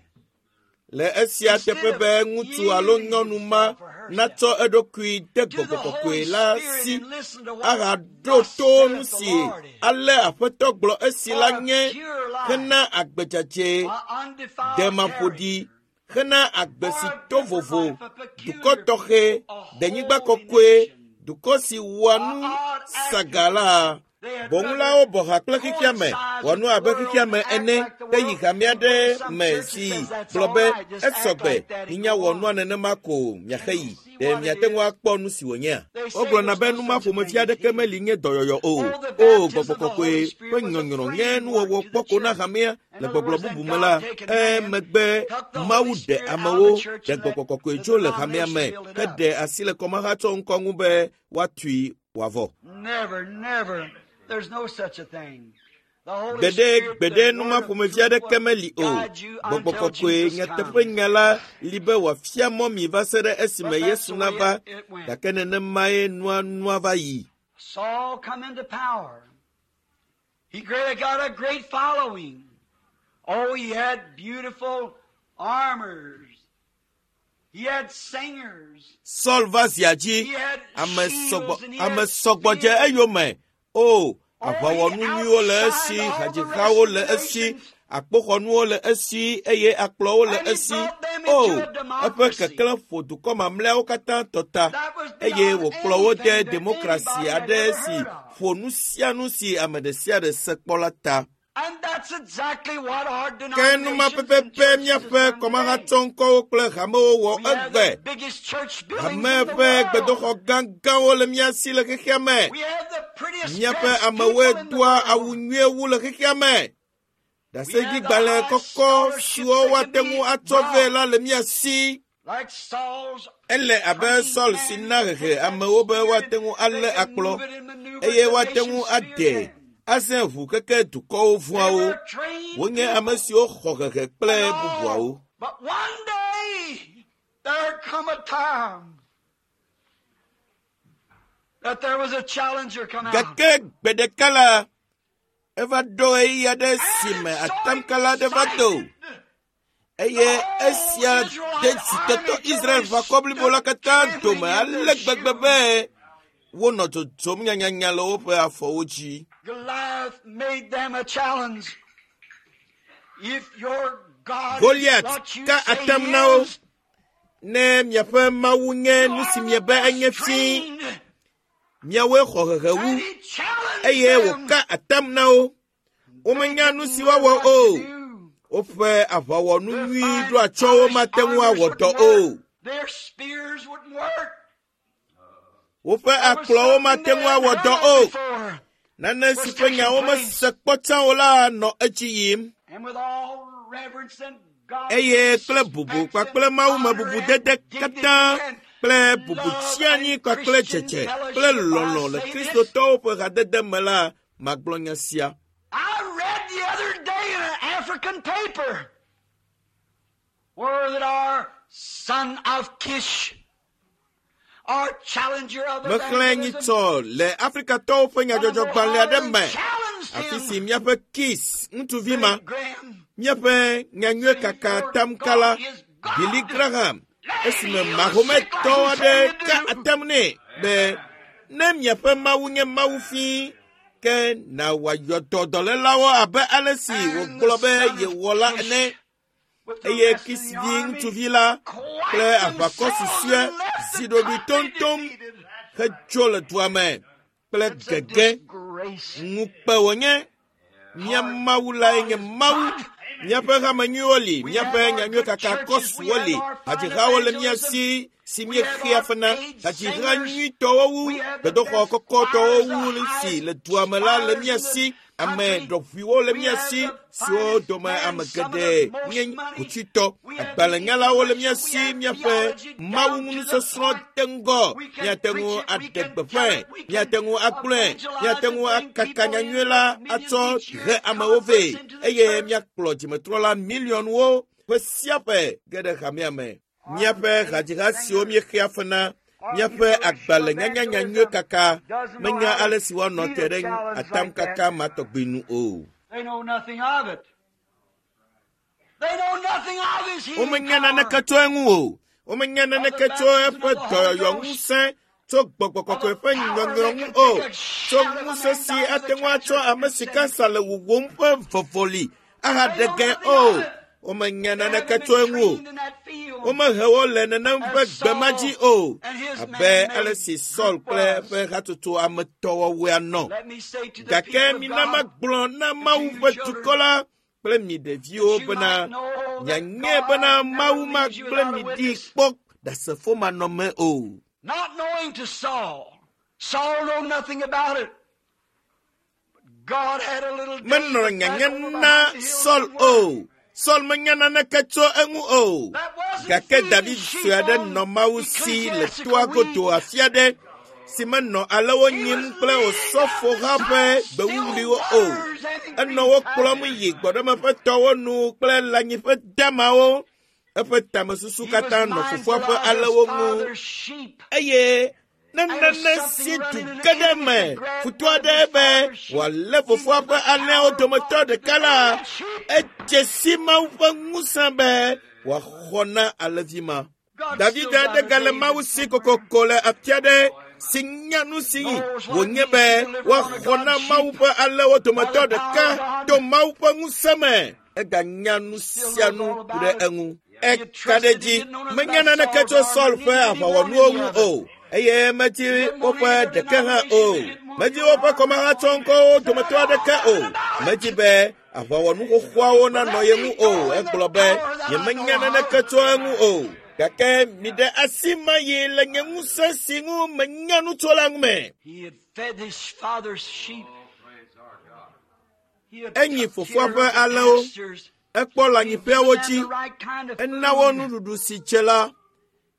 Le esia teƒe be ŋutsu alo nyɔnu ma natsɔ eɖokui de to the gbɔgbɔ kɔkɔe Holy la Spirit si and listen to what ahaɖo thus to saith nu the si Lord is. ale Aƒetɔ gblɔ esi la For a nye pure life, hena agbe dzadzɛ a undefiled demaƒoɖi character, hena agbe for si a to different vovo life, a dukɔ peculiar tɔxɛ people, a denyigba holy kɔkɔe nation, dukɔ si wɔa a nu odd saga actor. la They had bɔŋulawo rather bɔ ha kple xexea me coincide wɔ with nu the abe world xexea and me act ene like the ke yi world hame and go to aɖe some me church that si says that's gblɔ all be right, just act esɔgbe like that and minya go wɔ nua on. nenema ko miaxe And yi you see ɖe what it miate ŋu is. akpɔ nu si wònyea They say wogblɔna there's be no nu ma such a ƒomevi thing as aɖeke healing. meli nye dɔyɔyɔ o Oh, the o baptism gbɔgbɔ of the kɔkɔe Holy ƒe Spirit was a nyɔnyrɔ nye framework nuwɔwɔ to the kpɔ ko na church. hamea In le other gbɔgblɔ words, then bubu me God la taken man, emegbe took the Mawu Holy ɖe Spirit out of amewo the church ɖe and let gbɔgbɔ kɔkɔe the tso le hamea denomination me build it up. heɖe asi le kɔmahatsɔ ŋkɔ ŋu be woatui wòavɔ Never, never. There's no such a thing. The Holy gbeɖe Spirit, gbeɖe the nu ma word of ƒomevi truth aɖeke will meli o guide you gbɔgbɔ until kɔkɔe Jesus nyateƒe comes. nya la li be wòafia mɔ mi va se ɖe esime But that's Yesu the way nava it went. gake nenemae nua nua va yi Saul come into power. He got a great following. Oh, he had beautiful armors. He had singers. Saul va zia dzi He had ame shields sɔgbɔ and he ame had sɔgbɔ dze spears. eyome o Oh, he aʋawɔnu nyuiwo le esi outshined all the rest hadzihawo of le the esi nations. akpoxɔnuwo le esi eye akplɔwo le And he esi brought them o into a eƒe democracy. keklẽ ƒo dukɔ mamlɛawo katã tɔ ta That was eye beyond wòkplɔ wo de anything that demokrasi anybody had aɖe ever si heard of. ƒo nu sia nu si ame ɖe sia ɖe se kpɔ la ta And that's exactly what our ke nu ma denominations and pɛpɛpɛ churches has míaƒe done today. kɔmahatsɔŋkɔwo kple hamewo wɔ We have egbe the biggest church buildings hame in the ƒe world. gbedoxɔ gãgãwo le mía si le xexea me We have the prettiest míaƒe dressed amewoe people in the doa awu world. nyuie wu le xexea me We have the ɖaseɖigbalẽ highest kɔkɔ scholarships siwo that can woate ŋu be atsɔ vɛ brought. la le mía si Like Saul's ele abe trained Saul si men na take hehe that amewo be spear woate and ŋu they alé can akplɔ move it and maneuver eye it. The woate ŋu nations feared ade them. azẽ ʋu keke dukɔwo They vɔ̃awo were trained wonye ame people. siwo xɔ hehe kple And bubuawo all. But one day there come a time that there was a challenger come out. gake gbe ɖeka la eva ɖo ɣeyiɣi aɖe si And me it so atamkala aɖe va do excited the eye whole esia de Israelite dzitɔtɔ army till Israel they ʋakɔ blibo la stood katã dome trembling in ale their gbegbe shoes. be wonɔ dzodzom nyanyanya le woƒe afɔwo dzi. Goliath made them a challenge. If your God is Goliat what you ka say atam he na wo is, ne miaƒe Mawu nye you nu si are the miebe best enye fĩi, trained. miawoe xɔ hehe wu And he challenged eye them. wòka atam na wo. They Womenya nu didn't si know woawɔ what to o. do. Woƒe aʋawɔnu Their nyui fine ɖo atsyɔ̃wo polished mate ŋu armors awɔ dɔ wouldn't o. work. Their spears wouldn't work. Woƒe There was akplɔwo something mate they ŋu hadn't awɔ heard dɔ of o. before Nane si was ƒe taking nyawo place. mese kpɔ tsã o la nɔ edzi yim. And with all reverence and godly eye kple bubu respect kpakple and mawume honor bubu and dede dignity katã and kple bubu love tsianyi and kpakple Christian dzedze kple fellowship, I lɔlɔ̃ le say this. kristotɔwo ƒe hadede me la magblɔ nya sia. I read the other day in an African paper where that our son of Kish, our challenger of Mexlẽ evangelism, nyitsɔ le Afrikatɔwo ƒe one of nyadzɔdzɔgbalẽ aɖe Mohammedan me challenged afi si him, míaƒe Kis ŋutsuvi ma Billy Graham, míaƒe nyanyuie saying, kaka Your tamkala God is Billy God. Graham Let him esime heal the sick like Mahometɔ he aɖe said he'd ka do. atam nɛ be ne miaƒe Mawu nye Mawu fĩi ke na wòayɔ dɔ dɔlélawo abe ale si And the wògblɔ be son of yewɔ la Kish ene with the eye rest of Kis the vi army ŋutsuvi la kple quite aʋakɔ themselves susɔe and left zi the ɖoɖoe country toŋtoŋ defeated. hedzo le dua me kple It's a gege disgrace. ŋukpe wònye. Mía Our Mawu lae God nye is Mawu. God. Míaƒe hame nyuiwo li, We míaƒe have our nyanyuie good kaka churches. We kɔsuwo have li, our fine hadzihawo le mía evangelism. si si We have míexea our fe na, paid hadziha singers. nyuitɔwo wu, We have the gbedoxɔ best kɔkɔtɔwo choirs, the wu si highest le dua me la le choirs mía in the si, ame country. ɖɔʋuiwo le We mía have si the siwo finest dome men, ame some of geɖe the most nye money. hotsitɔ, We have the agbalẽnyalawo le mía intellectual. We si, have míaƒe theology Mawu down to the ŋunusɔsrɔ̃ point. de ŋgɔ. We can Míate preach ŋu it. We aɖe can tell gbeƒãe, it. We can míate ŋu agblɔe, evangelize míate and ŋu bring akaka people nyanyui in la millions atsɔ each year, he amewo vɛ converts into the eye church. míakplɔ dzimetrɔla miliɔnwo ƒe sia ƒe ge ɖe hamea me. Our Míaƒe paid hadziha siwo singers, míexea fe na, our míaƒe professional agbalẽnyanya nyanyui evangelism kaka doesn't know menya how to ale si woanɔ meet te a ɖe challenge like atamkaka that. ma tɔgbi nu o. They know nothing of it. They know nothing of his healing Womenya naneke power. tso eŋu o. Womenya naneke tso eƒe dɔyɔyɔ ŋusẽ tso gbɔgbɔ kɔkɔe ƒe nyɔnyrɔ ŋu o, tso ŋusẽ si ate ŋu atsɔ ame si kansa le wuwom ƒe vɔvɔli ahaɖe ge o. Womenya naneke tso eŋu o. Womehe wo le nenem ƒe gbe ma dzi o, abe ale si Saul kple eƒe hatsotso ametɔwɔwɔea nɔ. Gake mina magblɔ na Mawu ƒe dukɔ la kple mi ɖeviwo bena mianye bena Mawu magblẽ mi ɖi kpɔ ɖasefo manɔme o. Not knowing to Saul. Saul know nothing about it. But God had a little Menɔ David back nyanya over na behind the hills Saul and o. Saul menya naneke tso eŋu o. That wasn't Gake feeding David sheep sue aɖe on nɔ Mawu si le toa ecclesiastical godo weeds. afi aɖe si menɔ alewo He nyim was kple leading osɔfoha down ƒe beside still gbewuwuliwo o. waters and in Enɔ green wo kplɔm pastures. yi gbɔɖemeƒe tɔwo nu kple lãnyiƒe damawo. Eƒe tamesusu He was katã nɔ mindful fofoa ƒe of his alewo ŋu. father's sheep. Eye ne And if nane something si du running in ge the ɖe enemy me could grab futɔ one of aɖe his be father's sheep, wòalé he fofoa knew ƒe the alẽawo power of dometɔ God to ɖeka la, deliver that sheep. edze si Mawu ƒe ŋusẽ be wòaxɔ na alẽvi ma. God's David still got aɖe a gale David Mawu si somewhere. kokoko le afi aɖe si nya nu si Knows what it wònye means be to deliver one of woaxɔ na God's Mawu sheep ƒe alẽwo by dometɔ the power ɖeka of God. to Mawu ƒe ŋusẽ me. Eganya nu He still sia knows nu all ku about ɖe it. eŋu. He had Eka ɖe trusted he dzi didn't know nothing menya about naneke Saul's tso Saul armor, ƒe neither did he want aʋawɔnuwo any ŋu of it. o eye medzi He didn't want woƒe any other ɖeke hã o. denomination. He didn't want Medzi any woƒe other kɔmahatsɔŋkɔwo dometɔ aɖeke o. Medzi be aʋawɔnu xoxoawo But nanɔ let ye me ŋu go o. in the Egblɔ be power that I nyemenya know naneke of. tso eŋu o. Gake miɖe asi ma yi le nye ŋusẽ si ŋu menya nu tso la ŋu me. He had fed his father's sheep. He had Enyi took fofoa care ƒe of the alẽwo. pastures. Ekpɔ He had lãnyiƒeawo given them dzi. the right kind of Ena wo food. nuɖuɖu si dze la And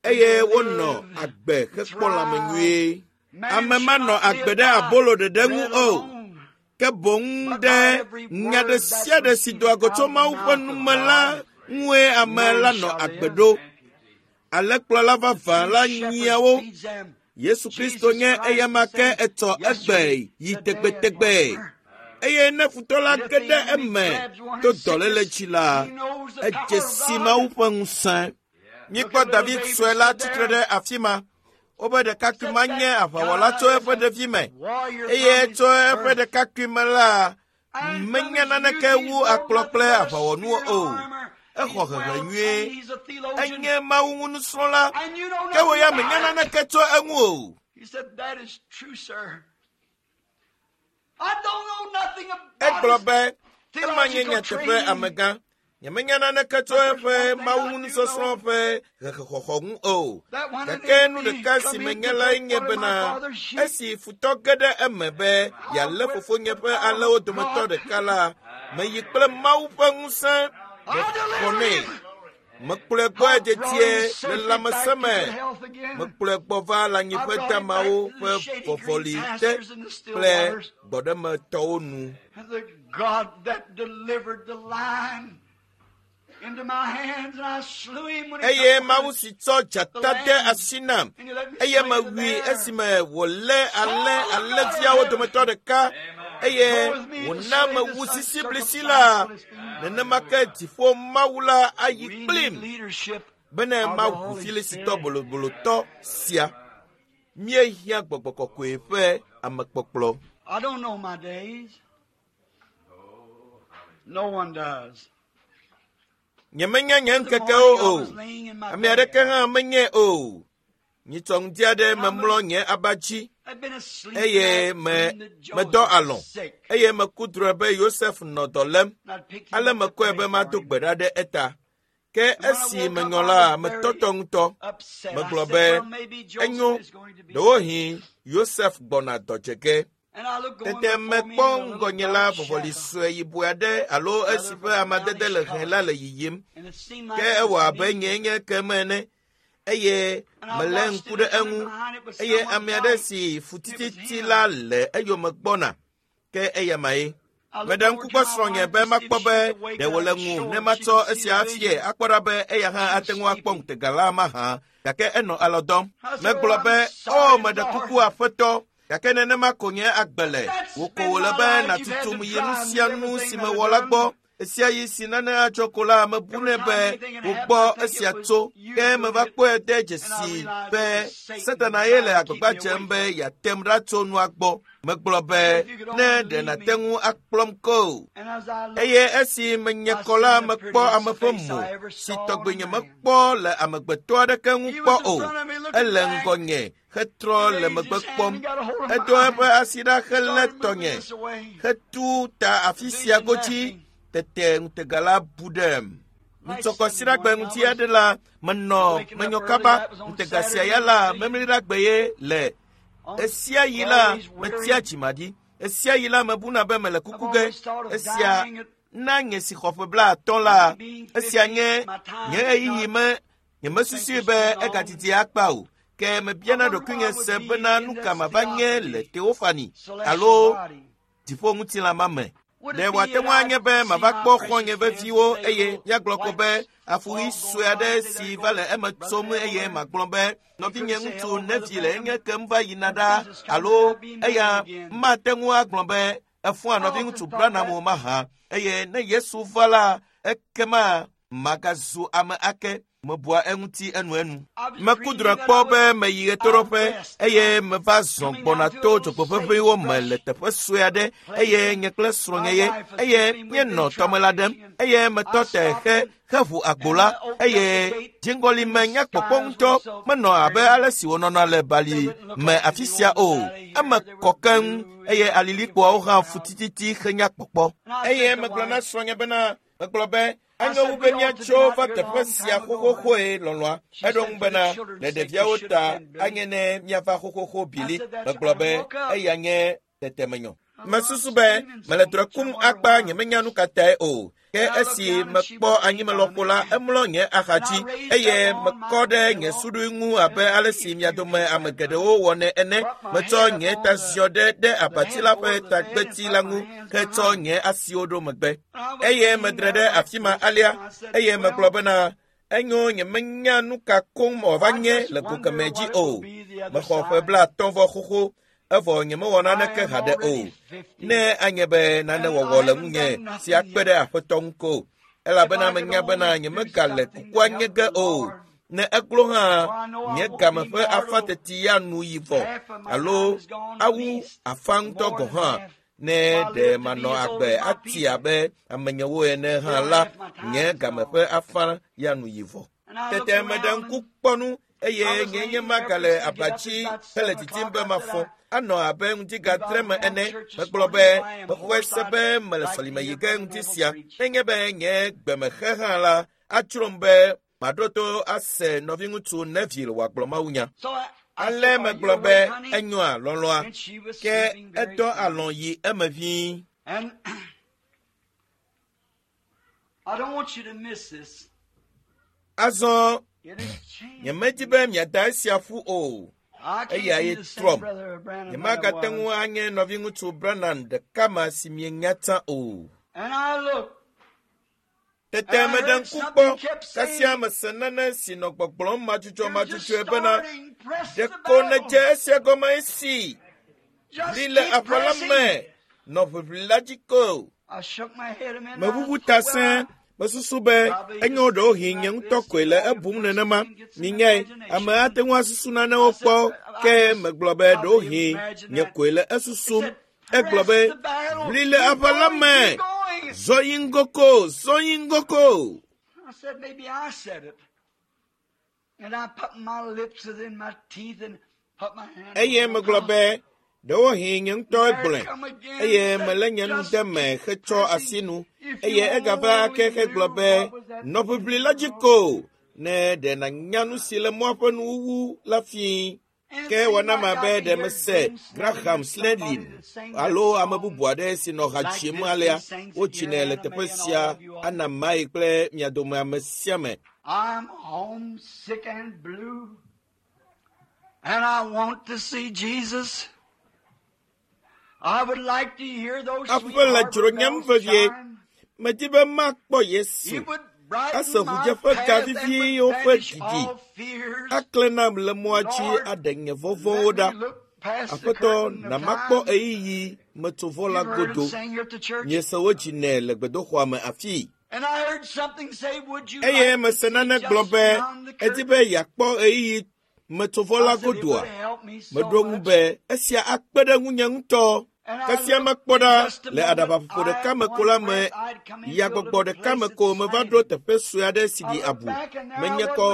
eye they wonɔ lived, agbe hekpɔ lãme thrived. nyuie. Man Ame shall manɔ not agbe live ɖe by abolo ɖeɖe ŋu bread o, alone, ke boŋ but ɖe by every nya ɖe word sia that ɖe si doa proceedeth go tso out of the Mawu ƒe mouth of nume la God, ŋue ame man la nɔ shall agbe live. ɖo. Alẽkplɔla The vavã true la shepherd nyia wo. feeds them. Yesu Kristo Jesus nye Christ eyama the ke same etsɔ egbe yesterday, yi today, and tegbetegbe. forever. Eye ne futɔ la And if ge the ɖe enemy eme grabs one to in dɔléle sickness, dzi la, he knows the edze power of si God. Mawu ƒe ŋusẽ. Look Míekpɔ at little David David sue la stood tsitre there. ɖe afi ma. Wobe ɖekakpui Said ma nye that aʋawɔla God tso is eƒe a ɖevime warrior eye from his tso eƒe birth. ɖekakpui me la, And from menya his youth naneke he's wu known akplɔ nothing kple but a aʋawɔnuwo spear and o. armor. Exɔ He's hehe well nyuie. trained. He's a theologian. Enye Mawu ŋu nusrɔ̃la. And you know Ke wò nothing ya menya about it. naneke tso eŋu o. He said, That is true, sir. I don't know nothing about Egblɔ his be ema nye theological nyateƒe training. amegã. Nyemenya naneke tso But there's eƒe one thing Mawu I ŋu do nusɔsrɔ̃ know. ƒe hehexɔxɔ ŋu o. That when an Gake nu enemy ɖeka si come in menya to lae take nye one of my bena father's sheep, esi futɔ ge ɖe eme be I'll yealé quit fofonye the ƒe power alẽwo of dometɔ God. ɖeka la, meyi kple Mawu ƒe ŋusẽ I'll mexɔ deliver nɛ. him. Mekplɔe gbɔe I brought dedie him le safely back lãmesẽ to me. good health again. Mekplɔe gbɔ va I lãnyiƒe brought him back damawo to ƒe the shady green vɔvɔli te pastures and the still kple waters. gbɔɖemetɔwo nu. And the God that delivered the lion into my hands, and I slew him when he Eye took one Mawu of si tsɔ the dzata de lambs, asi nam and he let me eye slay the mewui bear. esime wòlé alẽ Oh, God of alẽviawo heaven, dometɔ ɖeka eye go with me to wòna slay mewu this sisiblisi uncircumcised la, Philistine. nenema ke dziƒo Mawu la ayi We need kplim leadership bene of the mawu Holy Filisitɔ Spirit. bolobolotɔ sia. Míehiã gbɔgbɔ kɔkɔe ƒe amekpɔkplɔ. I don't know my days. No one does. Nyemenya nye The ŋkekewo morning I o. was laying in my Ame aɖeke bed. hã menye o. Nyitsɔ ŋdi aɖe And I memlɔ was nye aba dzi I'd been asleep and eye I me dreamed that medɔ Joseph alɔ̃ was sick. eye meku drɔ̃e be Yosef nɔ dɔ lém. And I'd picked him Ale up to mekɔe pray be for mado him. gbe ɖa ɖe eta. Ke And when I esi woke up, menyɔ I la, was very metɔtɔ ŋutɔ. upset. I Megblɔ said, be Well, maybe Joseph enyo, is going to be sick. ɖewohĩ Yosef gbɔna dɔ dze ge. And I looked going Tete before me mekpɔ and a little ŋgɔnye la dark vɔvɔli shadow, sue yibɔe aɖe alo esi rather ƒe of a amadede brownish le hẽ la color. le yiyim. And it seemed like Ke it ewɔ was abe me. nyee nye ke me ene eye And I melé watched ŋku it ɖe and coming eŋu behind it was eye someone ame aɖe white. si fu It was tititi him. la le eyome gbɔna. Ke eyamae. I looked Meɖe over ŋku to kpɔ my srɔ̃nye wife be to see if makpɔ she be could wake ɖe up wòle and ŋu show ne if she matsɔ could see esia the afie vision. akpɔ ɖa be eya hã She ate was ŋu akpɔ sleeping. ŋutega la mahã. Gake enɔ alɔ dɔm. I said, Megblɔ Oh, I'm be, O sorry, meɖe kuku Lord. aƒetɔ. Gake nenema ko nye agbe le. That's Wò ko been wòle my be life. You've had nàtutum to yi nu drive me sia nu everything si that mewɔ I've la done. gbɔ. Ɣesiaɣi si nane adzɔ ko la, mebunɛ be wògbɔ esia tso, ke meva kpɔe de dzesi be Satana ye le agbagba dzem be yeatem ɖa tso nua gbɔ. Megblɔ be, ne ɖe nàte ŋu akplɔm ko. Eye esi menye kɔ la, mekpɔ ame ƒe mo si tɔgbi nyemekpɔ le amegbetɔ aɖeke ŋu kpɔ o. Ele ŋgɔnye hetrɔ le megbe kpɔm. Edo eƒe asi ɖa helé tɔnye hetu ta afi sia godzi. Tete ŋutega la bu ɖem. Ŋutsɔkɔsiɖagbe ŋuti aɖe la, menɔ menyɔ kaba. Ŋutega sia ya la, memliɖagbe ye le. Esia yi la, metsia dzimaɖi. Esia yi la, mebuna be mele kuku ge. Esia na nye si xɔ ƒe 50 la, esia nye nye ɣeyiɣi me nyemesusui be egadidi akpa o. Ke mebiana ɖokuinye se bena nu ka mava nye le Teofani alo dziƒoŋutilã ma me. Ɖe wòate ŋu anye be mava kpɔ xɔ̃nye veviwo eye míagblɔ ko be afuɣi sue aɖe si va le eme tsom eye magblɔ be nɔvinye ŋutsu Nevi le enye kem va yina ɖa alo eya mate ŋu agblɔ be efɔa nɔviŋutsu Branham o mahã eye ne Yesu va la ekema magazu ame ake. Mebua eŋuti enuenu. Meku drɔ̃e kpɔ be meyi ɣetoɖoƒe eye meva zɔ gbɔna to dzogbeʋeʋĩwo me le teƒe sue aɖe eye nye kple srɔ̃nye ye eye míenɔ tɔmela ɖem eye metɔ te heʋu agbo la eye dziŋgɔli me nya kpɔkpɔ ŋutɔ menɔ abe ale si wònɔna le bali me afi sia o. Eme kɔ keŋ eye alilikpoawo hã fu tititi henya kpɔkpɔ. Eye megblɔ na srɔ̃nye bena megblɔ be anyo wu be míatso va teƒe sia xoxoxoe lɔlɔ̃a. Eɖo ŋu bena le ɖeviawo ta anye ne míava xoxoxo bili. Megblɔ be eya nye tetemenyɔ. Mesusu be mele drɔ̃e kum akpa nyemenya nu ka tae o. Ke esi mekpɔ anyimelɔƒo la, emlɔ nye axadzi eye mekɔ ɖe nye suɖui ŋu abe ale si mia dome ame geɖewo wɔnɛ ene. Metsɔ nye ta ziɔ ɖe abati la ƒe tagbeti la ŋu hetsɔ nye asiwo ɖo megbe. Eye medre ɖe afi ma alea eye megblɔ bena enyo nyemenya nu ka koŋ wòava nye le go kemɛ dzi o. Mexɔ ƒe 50 vɔ xoxo evɔ nyemewɔ naneke haɖe o. Ne anye be nane wɔwɔ le ŋunye si akpe ɖe aƒetɔ ŋu ko elabena menya bena nyemegale kukua nye ge o. Ne eglo hã nye game ƒe afa teti ya nu yi vɔ alo awu afa ŋutɔ gɔ̃ hã. Ne ɖe manɔ agbe ati abe amenyewo ene hã la, nye game ƒe afa ya nu yi vɔ. Tete meɖe ŋku kpɔ nu eye nye nye magale aba dzi hele didim be mafɔ. Anɔ abe ŋutigatre me ene. Megblɔ be mexɔe se be mele sɔlime yi ge ŋuti sia. Nenye be nye gbemexe hã la, adzrom be maɖo to ase nɔviŋutsu Neville wòagblɔ mawunya. Ale megblɔ be enyoa lɔlɔ̃a, ke edɔ alɔ̃ yi eme ʋĩi. Azɔ nyemedi be miada esia ƒu o. Eya ye trɔm. Nyemagate ŋu anye nɔviŋutsu Branham ɖeka ma si mienya tsã o. Tete meɖe ŋku kpɔ kasia mese nane si nɔ gbɔgblɔm madzudzɔmadzudzɔe bena ɖeko nèdze esia gɔme esi ʋli le aʋa la me nɔ ʋiʋli la dzi ko. Meʋuʋu ta sẽe. Mesusu be enyo ɖewohĩ nye ŋutɔ koe le ebum nenema. Minyae, ame ate ŋu asusu nanewo kpɔ ke megblɔ be ɖewohĩ nye koe le esusum. Egblɔ be ʋli le aʋa la me. Zɔ yi ŋgɔ ko, zɔ yi ŋgɔ ko. Eye megblɔ be ɖewohĩ nye ŋutɔ egblɔe eye melé nye nu de me hetsɔ asi nu eye egava ake hegblɔ be nɔ ʋiʋli la dzi ko ne ɖe nànya nu si le mɔa ƒe nuwuwu la fii. Ke wɔna ma be ɖe mese Graham Snedlin alo ame bubu aɖe si nɔ ha dzim alea wodzinɛ le teƒe sia ana mae kple mia dome ame sia ame. I'm homesick and blue, and I want to see Jesus. I would like to hear those sweet Aƒe le harbor dzronyem bells vevie. chime. Medi be makpɔ Yesu. It would brighten Ase my ʋudzeƒe path ga and would viviwo ƒe banish ɖiɖi. all fears. Aklẽ nam le mɔa dzi Lord, aɖe nye vɔvɔ̃wo Let ɖa. me look Aƒetɔ, na makpɔ ɣeyiɣi metsovɔ la godo. Miese wo dzi nɛ le gbedoxɔa me afii. Eye mese nane gblɔ be edi be yeakpɔ ɣeyiɣi metsovɔ la godoa. Meɖo ŋu be esia akpe ɖe ŋunye ŋutɔ. Kasia mekpɔ ɖa le aɖabaƒoƒo ɖeka me ko la me yagbɔgbɔ ɖeka me ko meva ɖo teƒe sue aɖe si ɖi abu. Menye kɔ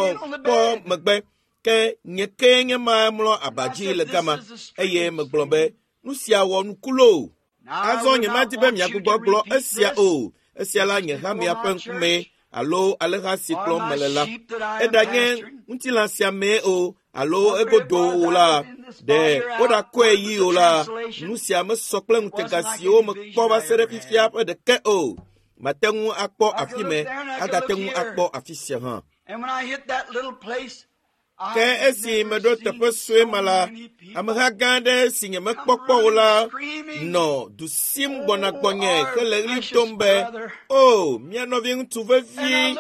kpɔ megbe ke nye kee nye ma mlɔ aba dzi le gama eye megblɔ be nu sia wɔ nuku loo. Azɔ nyemadi be miagbugbɔ gblɔ esia o. Esia la nye hamea ƒe ŋkume alo aleha si kplɔm mele la. Eɖanye ŋutilã sia mee o alo egodo o la, ɖe woɖakɔe yi o la, nu sia mesɔ kple ŋutega siwo mekpɔ va se ɖe fifia ƒe ɖeke o. Mate ŋu akpɔ afi me, agate ŋu akpɔ afi sia hã. Ke esi meɖo teƒe sue ma la, ameha gã aɖe si nyemekpɔ kpɔ o la nɔ du sim gbɔna gbɔnye hele ɣli dom be, “O, mía nɔviŋutsu vevi!”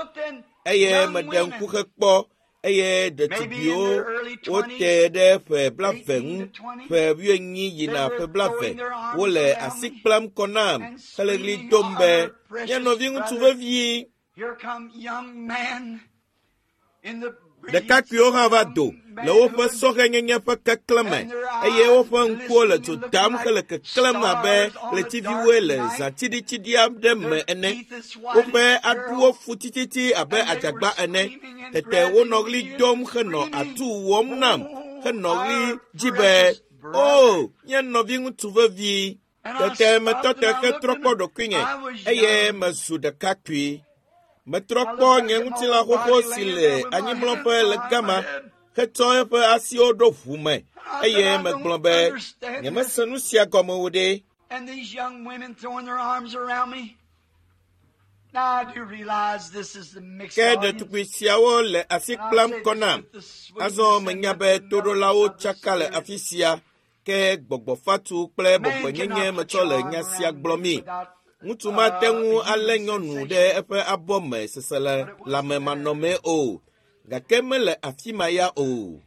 Eye meɖe ŋku hekpɔ eye ɖetugbiwo wote ɖe ƒe blaeve ŋu, ƒe wuienyi yina ƒe blaeve, wole asi kplam kɔ nam hele ɣli dom be, “Mía nɔviŋutsu vevi!” Ɖekakpuiwo hã va do le woƒe sɔhɛnyenye ƒe keklẽ me eye woƒe ŋkuwo le dzo dam hele keklẽm abe ɣletiviwoe le zã tsiɖitsiɖi aɖe me ene. Woƒe aɖuwo fu tititi abe adzagba ene. Tete wonɔ ɣli dom henɔ atu wɔm nam henɔ ɣli dzi be, “O, nye nɔviŋutsu vevi!” Tete metɔ te hetrɔ kpɔ ɖokuinye eye mezu ɖekakpui. Metrɔ kpɔ nye ŋutilã xoxo si le anyimlɔƒe le gama hetsɔ eƒe asiwo ɖo ʋu me eye megblɔ be nyemese nu sia gɔme o ɖe. Ke ɖetugbui siawo le asi kplam kɔ nam. Azɔ menya be toɖolawo tsaka le afi sia ke gbɔgbɔ fatu kple bɔbɔenyenye metsɔ le nya sia gblɔmii. Ŋutsu mate ŋu alé nyɔnu ɖe eƒe abɔ me seselelãmemanɔmee o, gake mele afi ma ya o.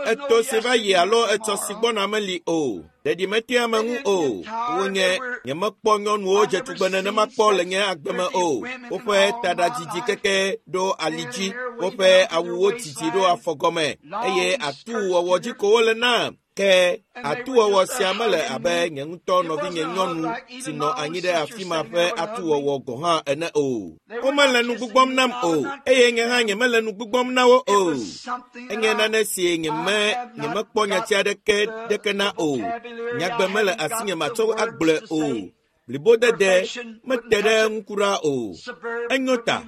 Etɔ si va yi alo etsɔ si gbɔna meli o. Ɖeɖi metea ame ŋu o. Wonye nyemekpɔ nyɔnuwo dze tugbe nenema kpɔ le nye agbe me o. Woƒe taɖa didi keke ɖo ali dzi, woƒe awuwo didi ɖo afɔgɔme eye atuwɔwɔ dzi ko wole nam. Ke atuwɔwɔ sia mele abe nye ŋutɔ nɔvinye nyɔnu si nɔ anyi ɖe afi ma ƒe atuwɔwɔ gɔ̃ hã ene o. Womele nu gbugbɔm nam o eye nye hã nyemele nu gbugbɔm na wo o. Enye nane si nyeme nyemekpɔ nyati aɖeke ɖeke na o. Nyagbe mele asinye matsɔ agblɔe o. Blibodede mete ɖe eŋu kura o. Enyo ta,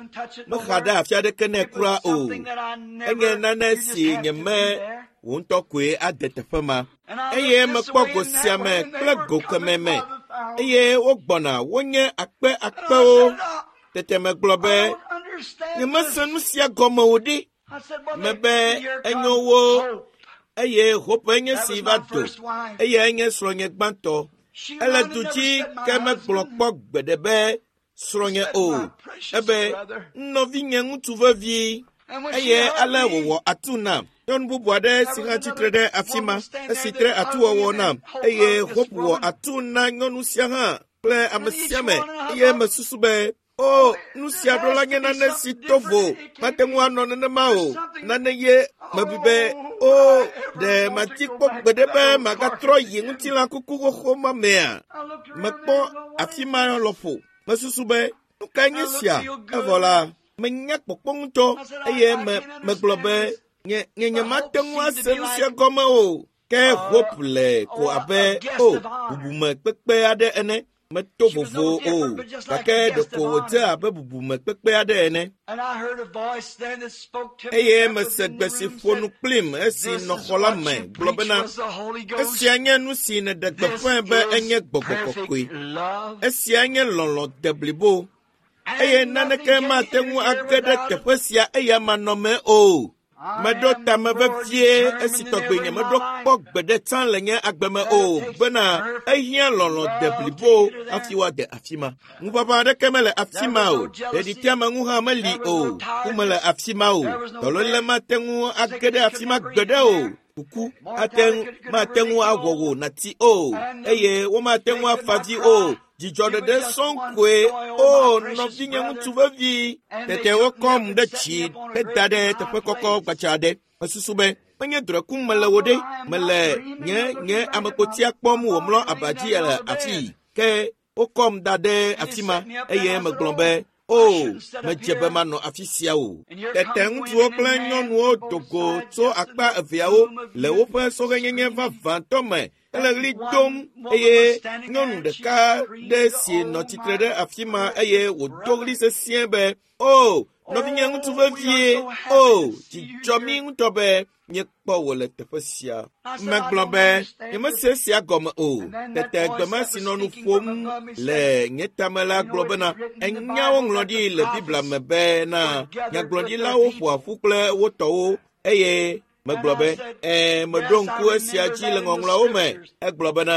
mexa ɖe afi aɖeke nɛ kura o. Enye nane si nyeme wò ŋutɔ koe ade teƒe ma. Eye mekpɔ go sia me kple go kemɛ me eye wogbɔna wonye akpe akpewo. Tete megblɔ be, nyemese nu sia gɔme o ɖe. Mebe enyo wo eye Hope enye si va do. Eyae nye srɔ̃nye gbãtɔ. Ele du dzi ke megblɔ kpɔ gbeɖe be srɔ̃nye o. Ebe nɔvinye ŋutsu vevi eye ale wòwɔ atu nam. Nyɔnu bubu aɖe si hã tsitre ɖe afi ma esi tre atuwɔwɔ nam eye Hope wɔ atu na nyɔnu sia hã kple ame sia ame eye mesusu be o nu sia ɖo la nye nane si to vo mate ŋu anɔ nenema o nane ye mebu be o ɖe mati kpɔ gbeɖe be magatrɔ yi ŋutilã kuku xoxo ma mea mekpɔ afi ma lɔƒo mesusu be nu kae nye sia evɔ la menya kpɔkpɔ ŋutɔ eye me megblɔ be nye nye nyemate ŋu ase nu sia gɔme o ke Hope le ko abe o bubume kpekpe aɖe ene meto vovo o gake ɖeko wòdze abe bubume kpekpe aɖe ene. Eye mese gbe si ƒo nu kplim esi nɔ xɔ la me gblɔ bena, esia nye nu si nèɖe gbeƒãe be enye gbɔgbɔ kɔkɔe. Esia nye lɔlɔ̃ deblibo eye naneke mate ŋu age ɖe teƒe sia eya manɔmee o. Meɖo tame vevie esi tɔgbe nyemeɖo kpɔ gbeɖe tsã le nye agbe me o bena ehiã lɔlɔ̃ deblibo hafi woade afi ma. Ŋuʋaʋã aɖeke mele afi ma o, ɖeɖiteameŋu hã meli o, ku mele afi ma o, dɔléle mate ŋu age ɖe afi ma gbeɖe o. Kuku ate ŋu mate ŋu awɔ wò nàti o, eye womate ŋu afa dzi o. Dzidzɔ ɖeɖe sɔŋ koe. O, nɔvinye ŋutsu vevi. Tete wokɔm ɖe tsi heda ɖe teƒe kɔkɔ gbadza aɖe. Mesusu be menye drɔ̃e kum mele wo ɖe. Mele nye nye amekpotia kpɔm wòmlɔ aba dzi le afii. Ke wokɔm da ɖe afi ma eye megblɔ be, O, medze be manɔ afi sia o. Tete ŋutsuwo kple nyɔnuwo do go tso akpa eveawo le woƒe sɔhɛnyenye vavãtɔ me hele ɣli dom eye nyɔnu ɖeka ɖe si nɔ tsitre ɖe afi ma eye wòdo ɣli sesĩe be, O, nɔvinye ŋutsu vevie, o, dzi dzɔ mí ŋutɔ be míekpɔ wò le teƒe sia. Megblɔ be, nyemese esia gɔme o. Tete gbe ma si nɔ nu ƒom le nye tame la gblɔ bena, enya woŋlɔ ɖi le Biblia me bena nyagblɔɖilawo ƒoa ƒu kple wo tɔwo eye megblɔ be, ɛ̃, meɖo ŋku esia dzi le ŋɔŋlɔawo me. Egblɔ bena,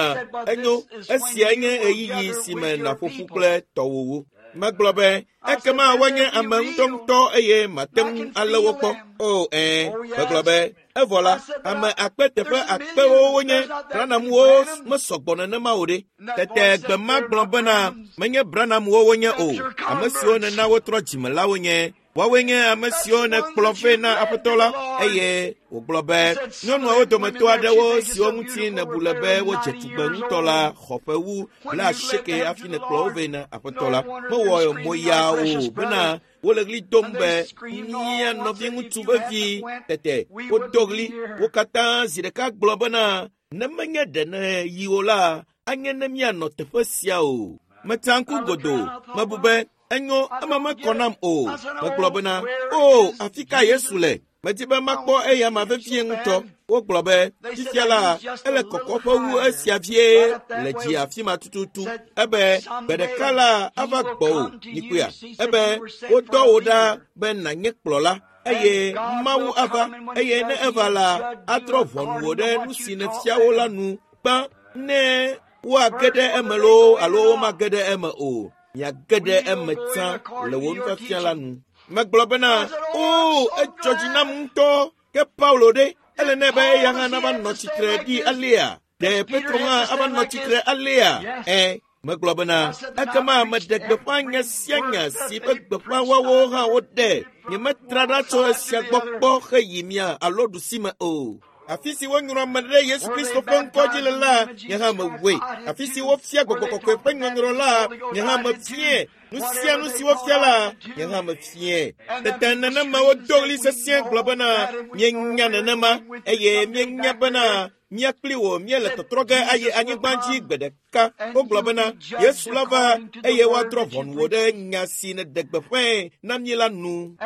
enyo, esia nye ɣeyiɣi si me nàƒo ƒu kple tɔwòwo. Megblɔ be, ekema woanye ame ŋutɔŋutɔ eye mate ŋu alé wo kpɔ. O, ɛ̃, megblɔ be, evɔ la, ame akpe teƒe akpewo wonye, Branhamwo mesɔgbɔ nenema o ɖe. Tete gbe ma gblɔ bena, menye Branhamwo wonye o, ame siwo nena wotrɔ dzime la wonye. Woawoe nye ame siwo nèkplɔ vɛ na Aƒetɔ la. Eye wògblɔ be, nyɔnuawo dometɔ aɖewo siwo ŋuti nèbu le be wodze tugbe ŋutɔ la xɔ ƒe wu 80 hafi nèkplɔ wo vɛ na Aƒetɔ la. Mewɔ moya o bena wole ɣli dom be, mía nɔviŋutsu vevi. Tete wodo ɣli wo katã zi ɖeka gblɔ bena, ne menye ɖe nèyi o la, anye ne míanɔ teƒe sia o. Metsa ŋku godoo, mebu be, enyo, ema mekɔ nam o. Megblɔ bena, o, afi ka Yesu le? Medi be makpɔ eyama vevie ŋutɔ. Wogblɔ be, fifia la, ele kɔkɔƒe wu esia vie le dzi afi ma tututu. Ebe, gbe ɖeka la, ava gbɔwò, mikpɔea. Ebe, wodɔ wò ɖa be nànye kplɔla. Eye Mawu ava, eye ne eva la, atrɔ ʋɔnu wò ɖe nu si nèfia wo la nu gbã, ne woage ɖe eme loo alo womage ɖe eme o. Miage ɖe eme tsã le wò nufiafia la nu. Megblɔ bena, o, edzɔ dzi nam ŋutɔ. Ke Paulo ɖe, ele nɛ be eya hã nava nɔ tsitre ɖi alea? Ɖe Petro hã ava nɔ tsitre alea? Ẽ, megblɔ bena, ekema meɖe gbeƒã nya sia nya si ƒe gbeƒã woawo hã woɖe. Nyemetra ɖa tso esia gbɔ kpɔ heyi mia alo ɖusime o. Afi si wonyrɔ ame ɖe Yesu Kristo ƒe ŋkɔ dzi le la, nye hã mewɔe. Afi si wofia gbɔgbɔ kɔkɔe ƒe nyɔnyrɔ la, nye hã mefiae. Nu sia nu si wofia la, nye hã mefiae. Tete nenema wodo ɣli sesĩe gblɔ bena, míenya nenema, eye míenya bena mía kpli wò míele tɔtrɔ ge ayi anyigba dzi gbe ɖeka. Wogblɔ bena, Yesu la va eye woadrɔ̃ ʋɔnu wò ɖe nya si nèɖe gbeƒãe na mí la nu.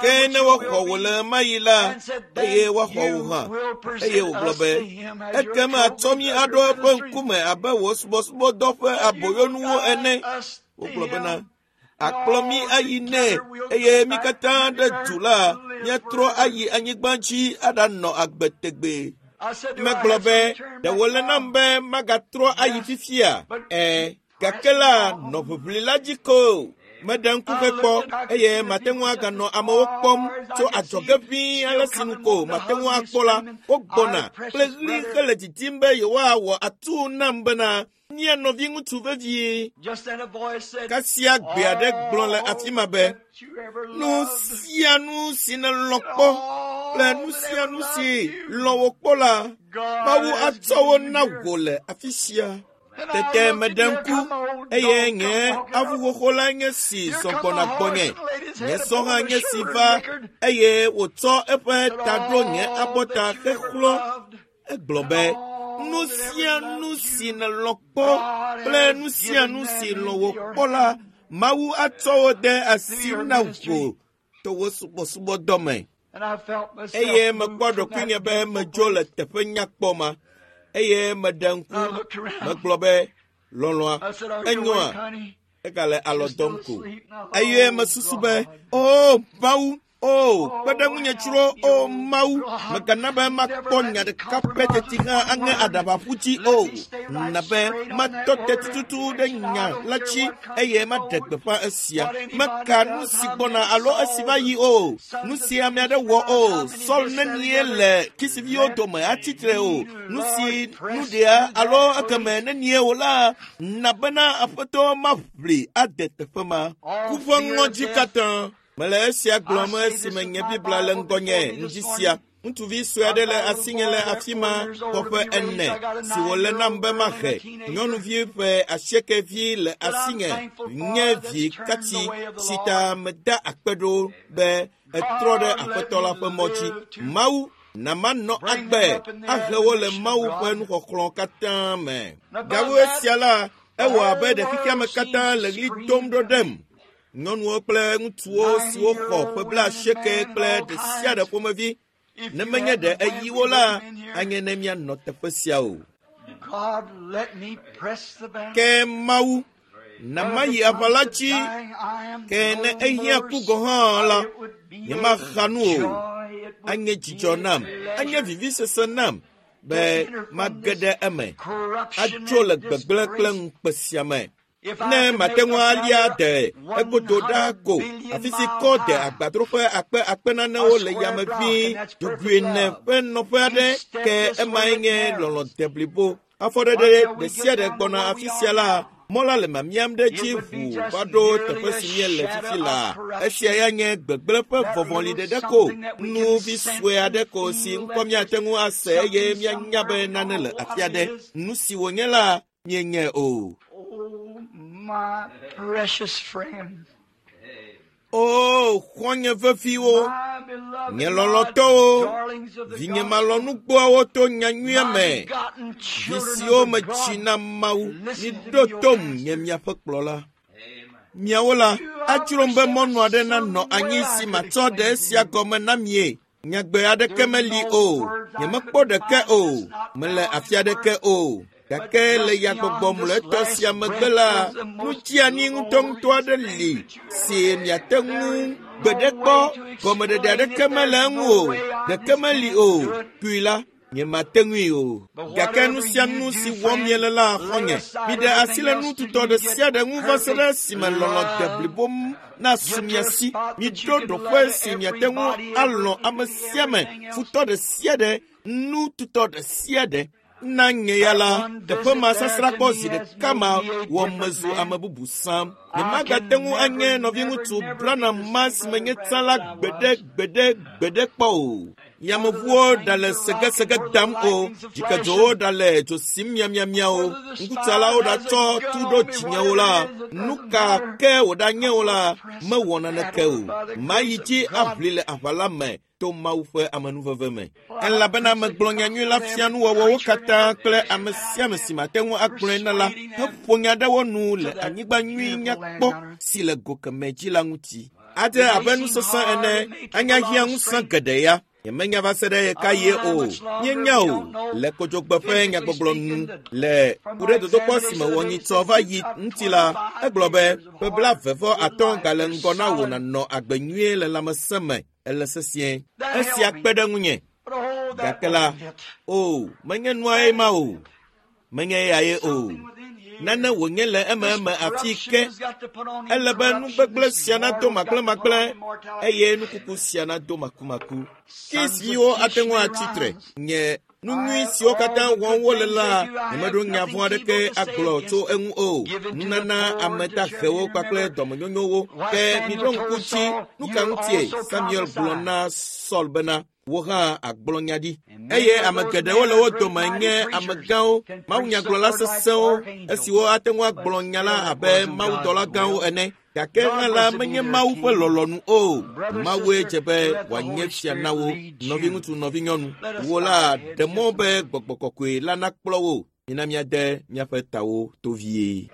Ke ne woaxɔ wò le ɣemaɣi la, eye woaxɔ wò hã. Eye wògblɔ be, ekema atsɔ mí aɖo eƒe ŋkume abe wò subɔsubɔdɔ ƒe aboyonuwo ene. Wogblɔ bena, akplɔ mí ayi nɛ, eye mí katã ɖe du la, míatrɔ ayi anyigba dzi aɖanɔ agbe tegbee. Megblɔ be, ɖe wòle nam be magatrɔ ayi fifia? Ẽ, gake la, nɔ ʋiʋli la dzi ko. Meɖe ŋku hekpɔ, eye mate ŋu aganɔ amewo kpɔm tso adzɔge ʋĩi ale si nu ko mate ŋu akpɔ la, wogbɔna kple ɣli hele didim be yewoawɔ atuu nam bena, mía nɔviŋutsu vevie. Kasia gbe aɖe gblɔ le afi ma be, nu sia nu si nèlɔ̃ kpɔ kple nu sia nu si lɔ̃ wò kpɔ la, Mawu atsɔ wo na wò le afi sia. Tete meɖe ŋku, eye nye avu xoxo la nye si zɔ gbɔna gbɔnye. Nye sɔ hã nye si va, eye wòtsɔ eƒe ta ɖo nye abɔta hexlɔ̃. Egblɔ be, nu sia nu si nèlɔ̃ kpɔ kple nu sia nu si lɔ̃ wò kpɔ la, Mawu atsɔ wo de asi na wò to wò subɔsubɔdɔ me. Eye mekpɔ ɖokuinye be medzo le teƒe nyakpɔ ma. Eye meɖe ŋku, megblɔ be, lɔlɔ̃a, enyoa? Egale alɔ dɔm ko. Eye mesusu be, o, Mawu, O, kpe ɖe ŋunye tsro, o Mawu, mègana be makpɔ nya ɖeka pɛ teti hã aŋe aɖaba ƒu dzi o. Na be matɔ te tututu ɖe nya la dzi eye maɖe gbeƒã esia. Meka nu si gbɔna alo esi va yi o, nu si ame aɖe wɔ o, Saul nenie le Kisiviwo dome atsitre o, nu si nu ɖea alo ekeme nenie o la, na bena Aƒetɔ maʋli ade teƒe ma. Ku ƒe ŋɔdzi katã. Mele esia gblɔm esime nye Biblia le ŋgɔnye ŋdi sia. Ŋutsuvi sue aɖe le asinye le afi ma xɔ ƒe ene si wòle nam be mahe. Nyɔnuvi ƒe asieke vi le asinye nye vi katsi si ta meda akpe ɖo be etrɔ ɖe Aƒetɔ la ƒe mɔ dzi. Mawu na manɔ agbe ahe wo le Mawu ƒe nuxɔxlɔ̃ katã me. Gawu esia la, ewɔ abe ɖe xexeame katã le ɣli dom ɖo ɖem. Nyɔnuwo kple ŋutsuwo siwo xɔ ƒe blaasieke kple ɖe sia ɖe ƒomevi. Ne menye ɖe eyi wo la, anye ne míanɔ teƒe sia o. God, let me press the battle. Ke Mawu, na mayi aʋa la dzi, ke ne ehiã ku gɔ̃ hã la, nyemaxa nu o. Anye dzidzɔ nam, anye vivisese nam be mage ɖe eme, atso le gbegblẽ kple ŋukpe sia me. Ne mate ŋu alia de egodo ɖa ko, afi si kɔ de agbadroƒe akpe akpe nanewo le yame ʋĩi, dzogoe ene ƒe nɔƒe aɖe, ke emae nye lɔlɔ̃ deblibo. Afɔɖeɖe ɖe sia ɖe gbɔna afi sia la, mɔ la le mamiam ɖe edzi ʋuu va ɖo teƒe si míele fifi laa. Esia ya nye gbegblẽ ƒe vɔvɔli ɖeɖe ko, nu vi sue aɖe ko si ŋkɔ míate ŋu ase eye míanya be nane le afi aɖe. Nu si wònye la, míenyae o. Oh, my precious friend. O, xɔ̃nye veviwo, My beloved, nye lɔlɔ̃tɔwo, my darlings of the vinye gospel, malɔ̃nugbɔawo to nyanyuia my me, begotten vi children siwo of the metsi God, na Mawu, listen to miɖo me, your tom pastor. nye miaƒe kplɔla. Miawo la, adzrom be mɔnu aɖe nanɔ anyi si matsɔ ɖe esia gɔme na mie. Nyagbe aɖeke meli o, nyemekpɔ ɖeke o, mele afi aɖeke o. Gake le yagbɔgbɔ mlɔetɔ sia megbe la, nu dzeani ŋutɔŋutɔ aɖe li si miate ŋu gbeɖe kpɔ. Gɔmeɖeɖe aɖeke mele eŋu o, ɖeke meli o. Kui la, nyemate ŋui o. Gake nu sia nu si wɔm miele la, xɔ̃nye, miɖe asi le nututɔ ɖe sia ɖe ŋu va se ɖe esime lɔlɔ̃ deblibo nasu mia si. Miɖo ɖoƒe si miate ŋu alɔ̃ ame sia ame, futɔ ɖe sia ɖe, nututɔ ɖe sia ɖe. Na nye ya la, teƒe ma sasrãkpɔ zi ɖeka ma wɔ mezu ame bubu sãm. Nyemagate ŋu anye nɔviŋutsu Branham ma si menye tsã la gbeɖe gbeɖe gbeɖe kpɔ o. Yameʋuwo ɖale segesege dam o, dzikedzowo ɖale dzo sim miamiamia o, ŋkutsalawo ɖatsɔ tu ɖo dzinyewo la, nu ka ke wòɖanye o la, mewɔ naneke o. Mayi dzi aʋli le aʋa la me to Mawu ƒe amenuveve me. Elabena megblɔ nyanyui la fia nuwɔwɔwo katã kple ame sia ame si mate ŋu agblɔe na la heƒo nya ɖe wo nu le anyigba nyui nyakpɔ si le go kemɛ dzi la ŋuti. Adze abe nusesẽ ene, anya hiã ŋusẽ geɖe ya. Nyemenya va se ɖe ɣekaɣie o. Míenya o. Le kodzogbe ƒe nyagbɔgblɔ nu le ku ɖe dodokpɔ si me wɔ nyitsɔ va yi ŋuti la, egblɔ be ƒe 25 gale ŋgɔ na wò nànɔ agbe nyuie le lãmesẽ me. Ele sesĩe. Esia kpe ɖe ŋunye. But oh, that Gake la, wasn't it. o, menye nuae ma o. Menye eyae o. Something within here. Nane wònye le This ememe afi corruption ke. has got to put on Ele be nu incorruption. gbegblẽ This sia nado mortal's got to put on magblẽmagblẽ immortality. eye nukuku sia nado makumaku. Sons of Kisiwo ate Kish ŋu may atsitre. rise. Nye nu nyui I, siwo all katã the wɔm good wole things la, they do, I have nyemeɖo nya nothing vɔ̃ aɖeke evil to say agblɔ against tso them. eŋu o. Given to the Nunana poor ame to charity dahewo and kpakple remember dɔmenyonyowo. what Ke Samuel miɖo ŋku told dzi Saul, nu ka you ŋutie also Samuel gblɔ prophesy. na Saul bena wò hã agblɔ nya ɖi. And many Eye of ame those geɖewo men le are wo great dome mighty nye preachers, amegãwo, can preach the mawunyagblɔla word like sesẽwo, archangels, esiwo ate ŋu but agblɔ nya la still it abe wasn't God's mawudɔla gãwo will. ene. Gake hã God la was to be menye their Mawu ƒe king. lɔlɔ̃nu o. Brother, Mawue sister, dze be let the wòanye Holy fia Spirit na wo. lead you. Nɔviŋutsu, nɔvinyɔnu, Let us wò bow la our heads ɖe mɔ just a be minute. gbɔgbɔ kɔkɔe la nakplɔ wò. Mina míade míaƒe tawo to vie.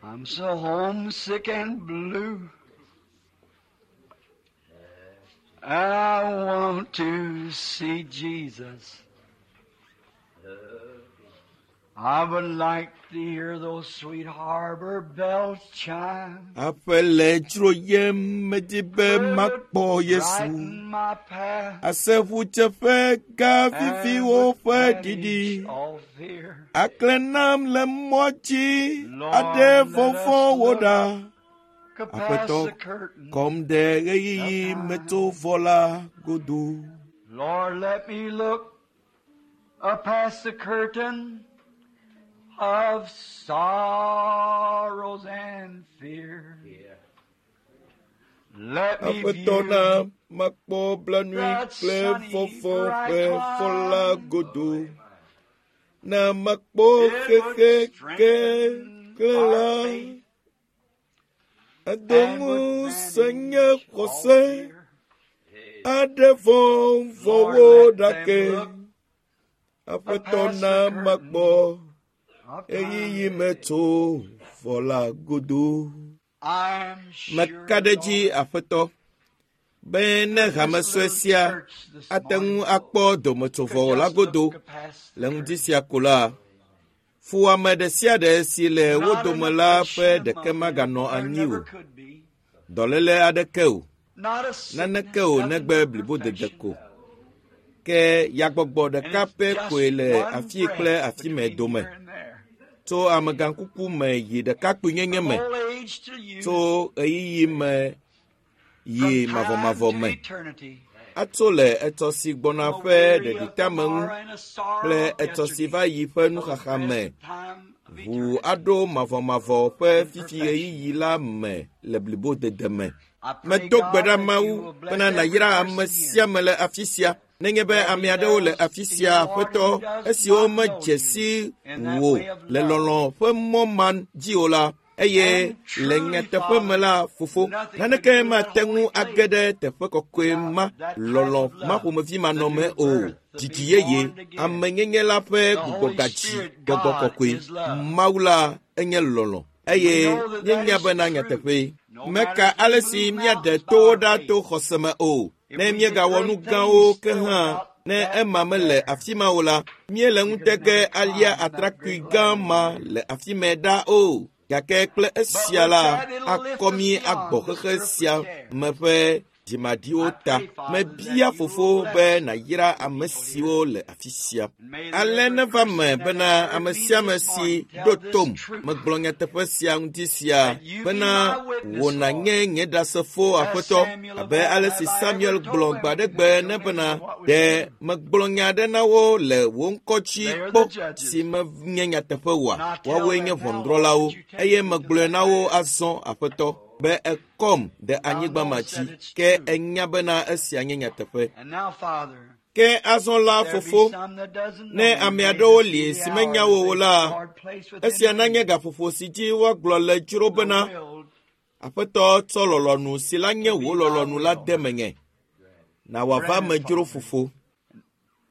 I'm so homesick and blue. I want to see Jesus. I would like to hear those sweet harbor bells chime. Aƒe le dzroyem medi be makpɔ Yesu. Brighten my path Ase ʋudzeƒe gã viviwo and ƒe would ɖiɖi. banish all fear. Aklẽ nam le mɔ dzi Lord, aɖe let us vɔvɔ̃wo look ɖa. Past Aƒetɔ, the curtain. kɔm ɖe ɣeyiɣi metovɔ la godo. Lord, let me look up past the curtain of sorrows and fear. Let me Aƒetɔ na view makpɔ blanui that kple sunny vɔvɔ̃ bright ƒe fɔ la cloud. godo. Na makpɔ It would xexe ke strengthen kle our la. faith Ado and would ŋusẽ nye banish all xɔse. fear. Aɖe vɔvɔ̃wo Lord, ɖa let ke. them look Aƒetɔ past na the curtain makpɔ of ɣeyiɣi time. metso vɔ la godo. I'm sure, Meka ɖe edzi Lord, Aƒetɔ be ne that hame this sue little sia church this ate ŋu morning akpɔ dometsovɔ could la just godo look past the le ŋdi curtain. sia ko la, fuwɔame ɖe sia ɖe si le wo Not an dome la ƒe affliction ɖeke among them. maganɔ There anyi o. never could be. Dɔléle aɖeke o, Not a naneke sickness, o nothing negbe but blibodede perfection. ko. Ke yagbɔgbɔ And ɖeka it's pɛ just koe le one afii kple breath afi me between dome. here and there. Tso amegãkuku me yi ɖekakpuinyenye From me, old age to youth, tso ɣeyiɣi me yi from time mavɔmavɔ to me. eternity, Atso le etsɔ si gbɔna from a ƒe weary of ɖeɖiteame ŋu tomorrow and a sorrow kple of etsɔ si yesterday va yi ƒe to the nuxaxa me present time of ʋu eternity aɖo mavɔmavɔ ƒe in fifi perfection. ɣeyiɣi la me le blibodede me. I pray, Medo gbe God, ɖa that you Mawu will bless bena every nàyra ame person sia here. ame le afi sia. Nenye be There ame be aɖewo le those afi in sia, the Lord Aƒetɔ, who does esiwo not know medze you si in that wò way of le love. lɔlɔ̃ ƒe mɔ ma dzi o la, eye And le truly, nyateƒe me Father, la, Fofo, nothing could naneke go to that mate ŋu holy age place ɖe teƒe kɔkɔe without ma that type lɔlɔ̃ of ma love, ƒomevi the manɔme new o. birth, the Dzidzi being yeye, born again. amenyenye la ƒe The Holy gbugbɔgadzi, Spirit, gbɔgbɔ God, kɔkɔe, is love. Mawu la enye lɔlɔ̃ We eye know that that míenya is bena true. nyateƒee. No matter Meka if we ale move si míaɖe mountains by towo our ɖa faith, to xɔse me o. if Ne we did míegawɔ nu great gãwo things ke still hã, without ne that ema mele there, afi ma o la, míele we could ŋutege never alia climb that atrakpui great gã ladder ma there. le afi mɛ ɖa o. Gake kple But esia with la, that, it'll lift akɔ us mí agbɔ beyond this xexe earthly sia care. me ƒe dzimaɖiwo I ta. pray, Father, that Mebia you will Fofo be bless nàyra ame people here. siwo le afi sia. And may that Ale every neva me person that bena has heard ame me sia ame this si morning tell ɖo this tom truth, megblɔ nyateƒe sia ŋuti sia that you be bena my witness, wò Lord, nànye nye ɖasefo as Aƒetɔ Samuel of abe old ale have si I ever Samuel told gblɔ them gbe aɖe if gbe they ne don't bena answer what was ɖe true. megblɔ nya aɖe na wo le wò ŋkɔ dzi They are kpɔ the judges. si menye nyateƒe oa? And I tell Woawoe them nye now, Lord, ʋɔnudrɔ̃lawo that you eye take me to megblɔe that na wo land. azɔ Aƒetɔ be ekɔm ɖe Thou anyigba ma knowest dzi that it's ke true. enya bena esia nye nyateƒe. And now, Father, Ke azɔ la if there be Fofo, some that doesn't ne know you, ame may aɖewo this be li the si hour menya that wo o they la, Lord place within esia nanye them gaƒoƒo si dzi woagblɔ le dzro the bena will Aƒetɔ tsɔ lɔlɔ̃nu si la nye to be wò thy lɔlɔ̃nu la will. de menye. Na wòava Grant me it, dzro Father. Fofo.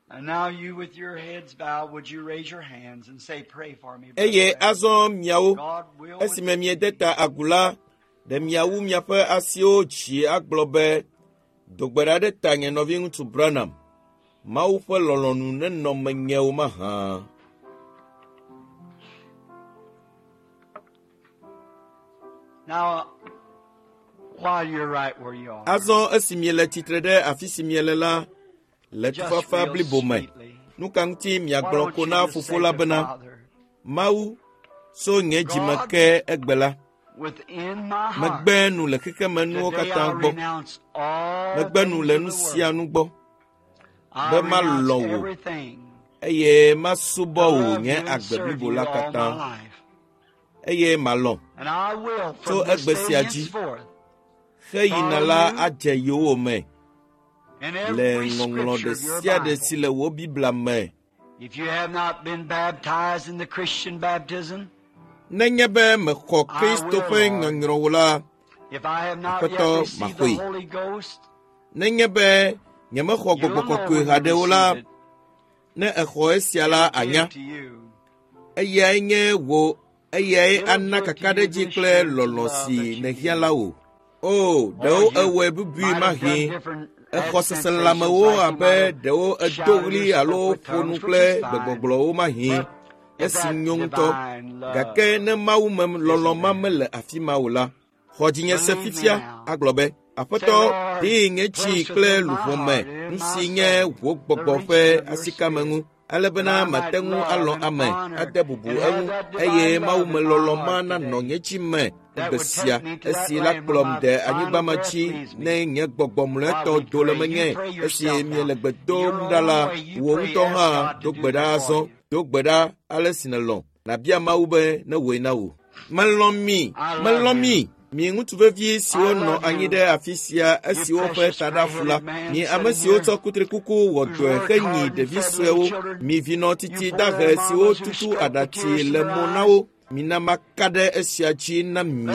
And now you with your heads bowed, would you raise your hands and say, pray for me, Brother Eye Branham. azɔ miawo, God will with esime miede ta agu la, ɖe miawu miaƒe asiwo dzi agblɔ be, do gbe ɖa ɖe tanye nɔviŋutsu Branham. Mawu ƒe lɔlɔ̃nu nenɔ menyewo mahã. Now, while you're right where you are, Azɔ esi miele tsitre ɖe afi si miele la, le just tufafa real blibo me, sweetly, nu ka ŋuti why miagblɔ don't ko you na just Fofo say la to bena, Father, Mawu, so nye dzime God, ke egbe la, within my heart, megbe nu le xexemenuwo today katã I gbɔ, renounce all megbe nu things le of nu the sia world. nu gbɔ, I be renounce malɔ̃ wò everything eye masubɔ to wò love nye you and agbe serve blibo you la all my katã life. eye malɔ̃ And I will tso from this egbe day sia dzi henceforth xeyina follow la you adze yowòme in le every ŋɔŋlɔ scripture ɖe of your sia ɖe si Bible. le wò Biblia me. If you have not been baptized in the Christian baptism, Nenye be mexɔ I Kristo will, ƒe Lord. nyɔnyrɔ o la, If I have not yet Aƒetɔ received the maxɔe. Holy Ghost, Nenye be nyemexɔ you'll gbɔgbɔ know kɔkɔe when you haɖe o la, receive it. ne exɔ esia la It'll give anya. to you. Eyae nye wò eyae It'll ana give to you kakaɖedzi the kple assurance of lɔlɔ̃ love si that you nèhiã need. la wò. O, Or ɖewo you ewɔe bubui might have done mahĩ. different had Exɔ sensations seselãmewo like you abe might have ɖewo edo shouted ɣli or alo spoke with ƒo nu tongues, which kple is fine. gbegbɔgblɔwo mahĩ. But Esi nyo ŋutɔ. Gake ne Mawu me lɔlɔ̃ ma mele afi ma o la, xɔ dzinye se fifia agblɔ be, Aƒetɔ, ɖee nye dzi kple luʋɔ me nu si nye wò gbɔgbɔ ƒe asikame ŋu, ale bena mate ŋu alɔ̃ ame, ade bubu eŋu, eye Mawu me lɔlɔ̃ ma nanɔ nye dzi me egbe sia, esi la kplɔm de anyigba ma dzi ne nye gbɔgbɔ mlɔetɔ do le menye. Esi miele gbe dom ɖa la, wò ŋutɔ hã do gbe ɖa azɔ, do gbe ɖa ale si nèlɔ̃. Nàbia Mawu be newɔe na wò. Melɔ̃ mi, melɔ̃ mi, mi ŋutsu vevi siwo nɔ anyi ɖe afi sia esiwo ƒe taɖa fu la, mi ame siwo tsɔ kutrikuku wɔ dɔe henyi ɖevi suewo, mi vinɔ titi dahe siwo tutu aɖatsi le mo na wo. Mina maka ɖe esia dzi na mi,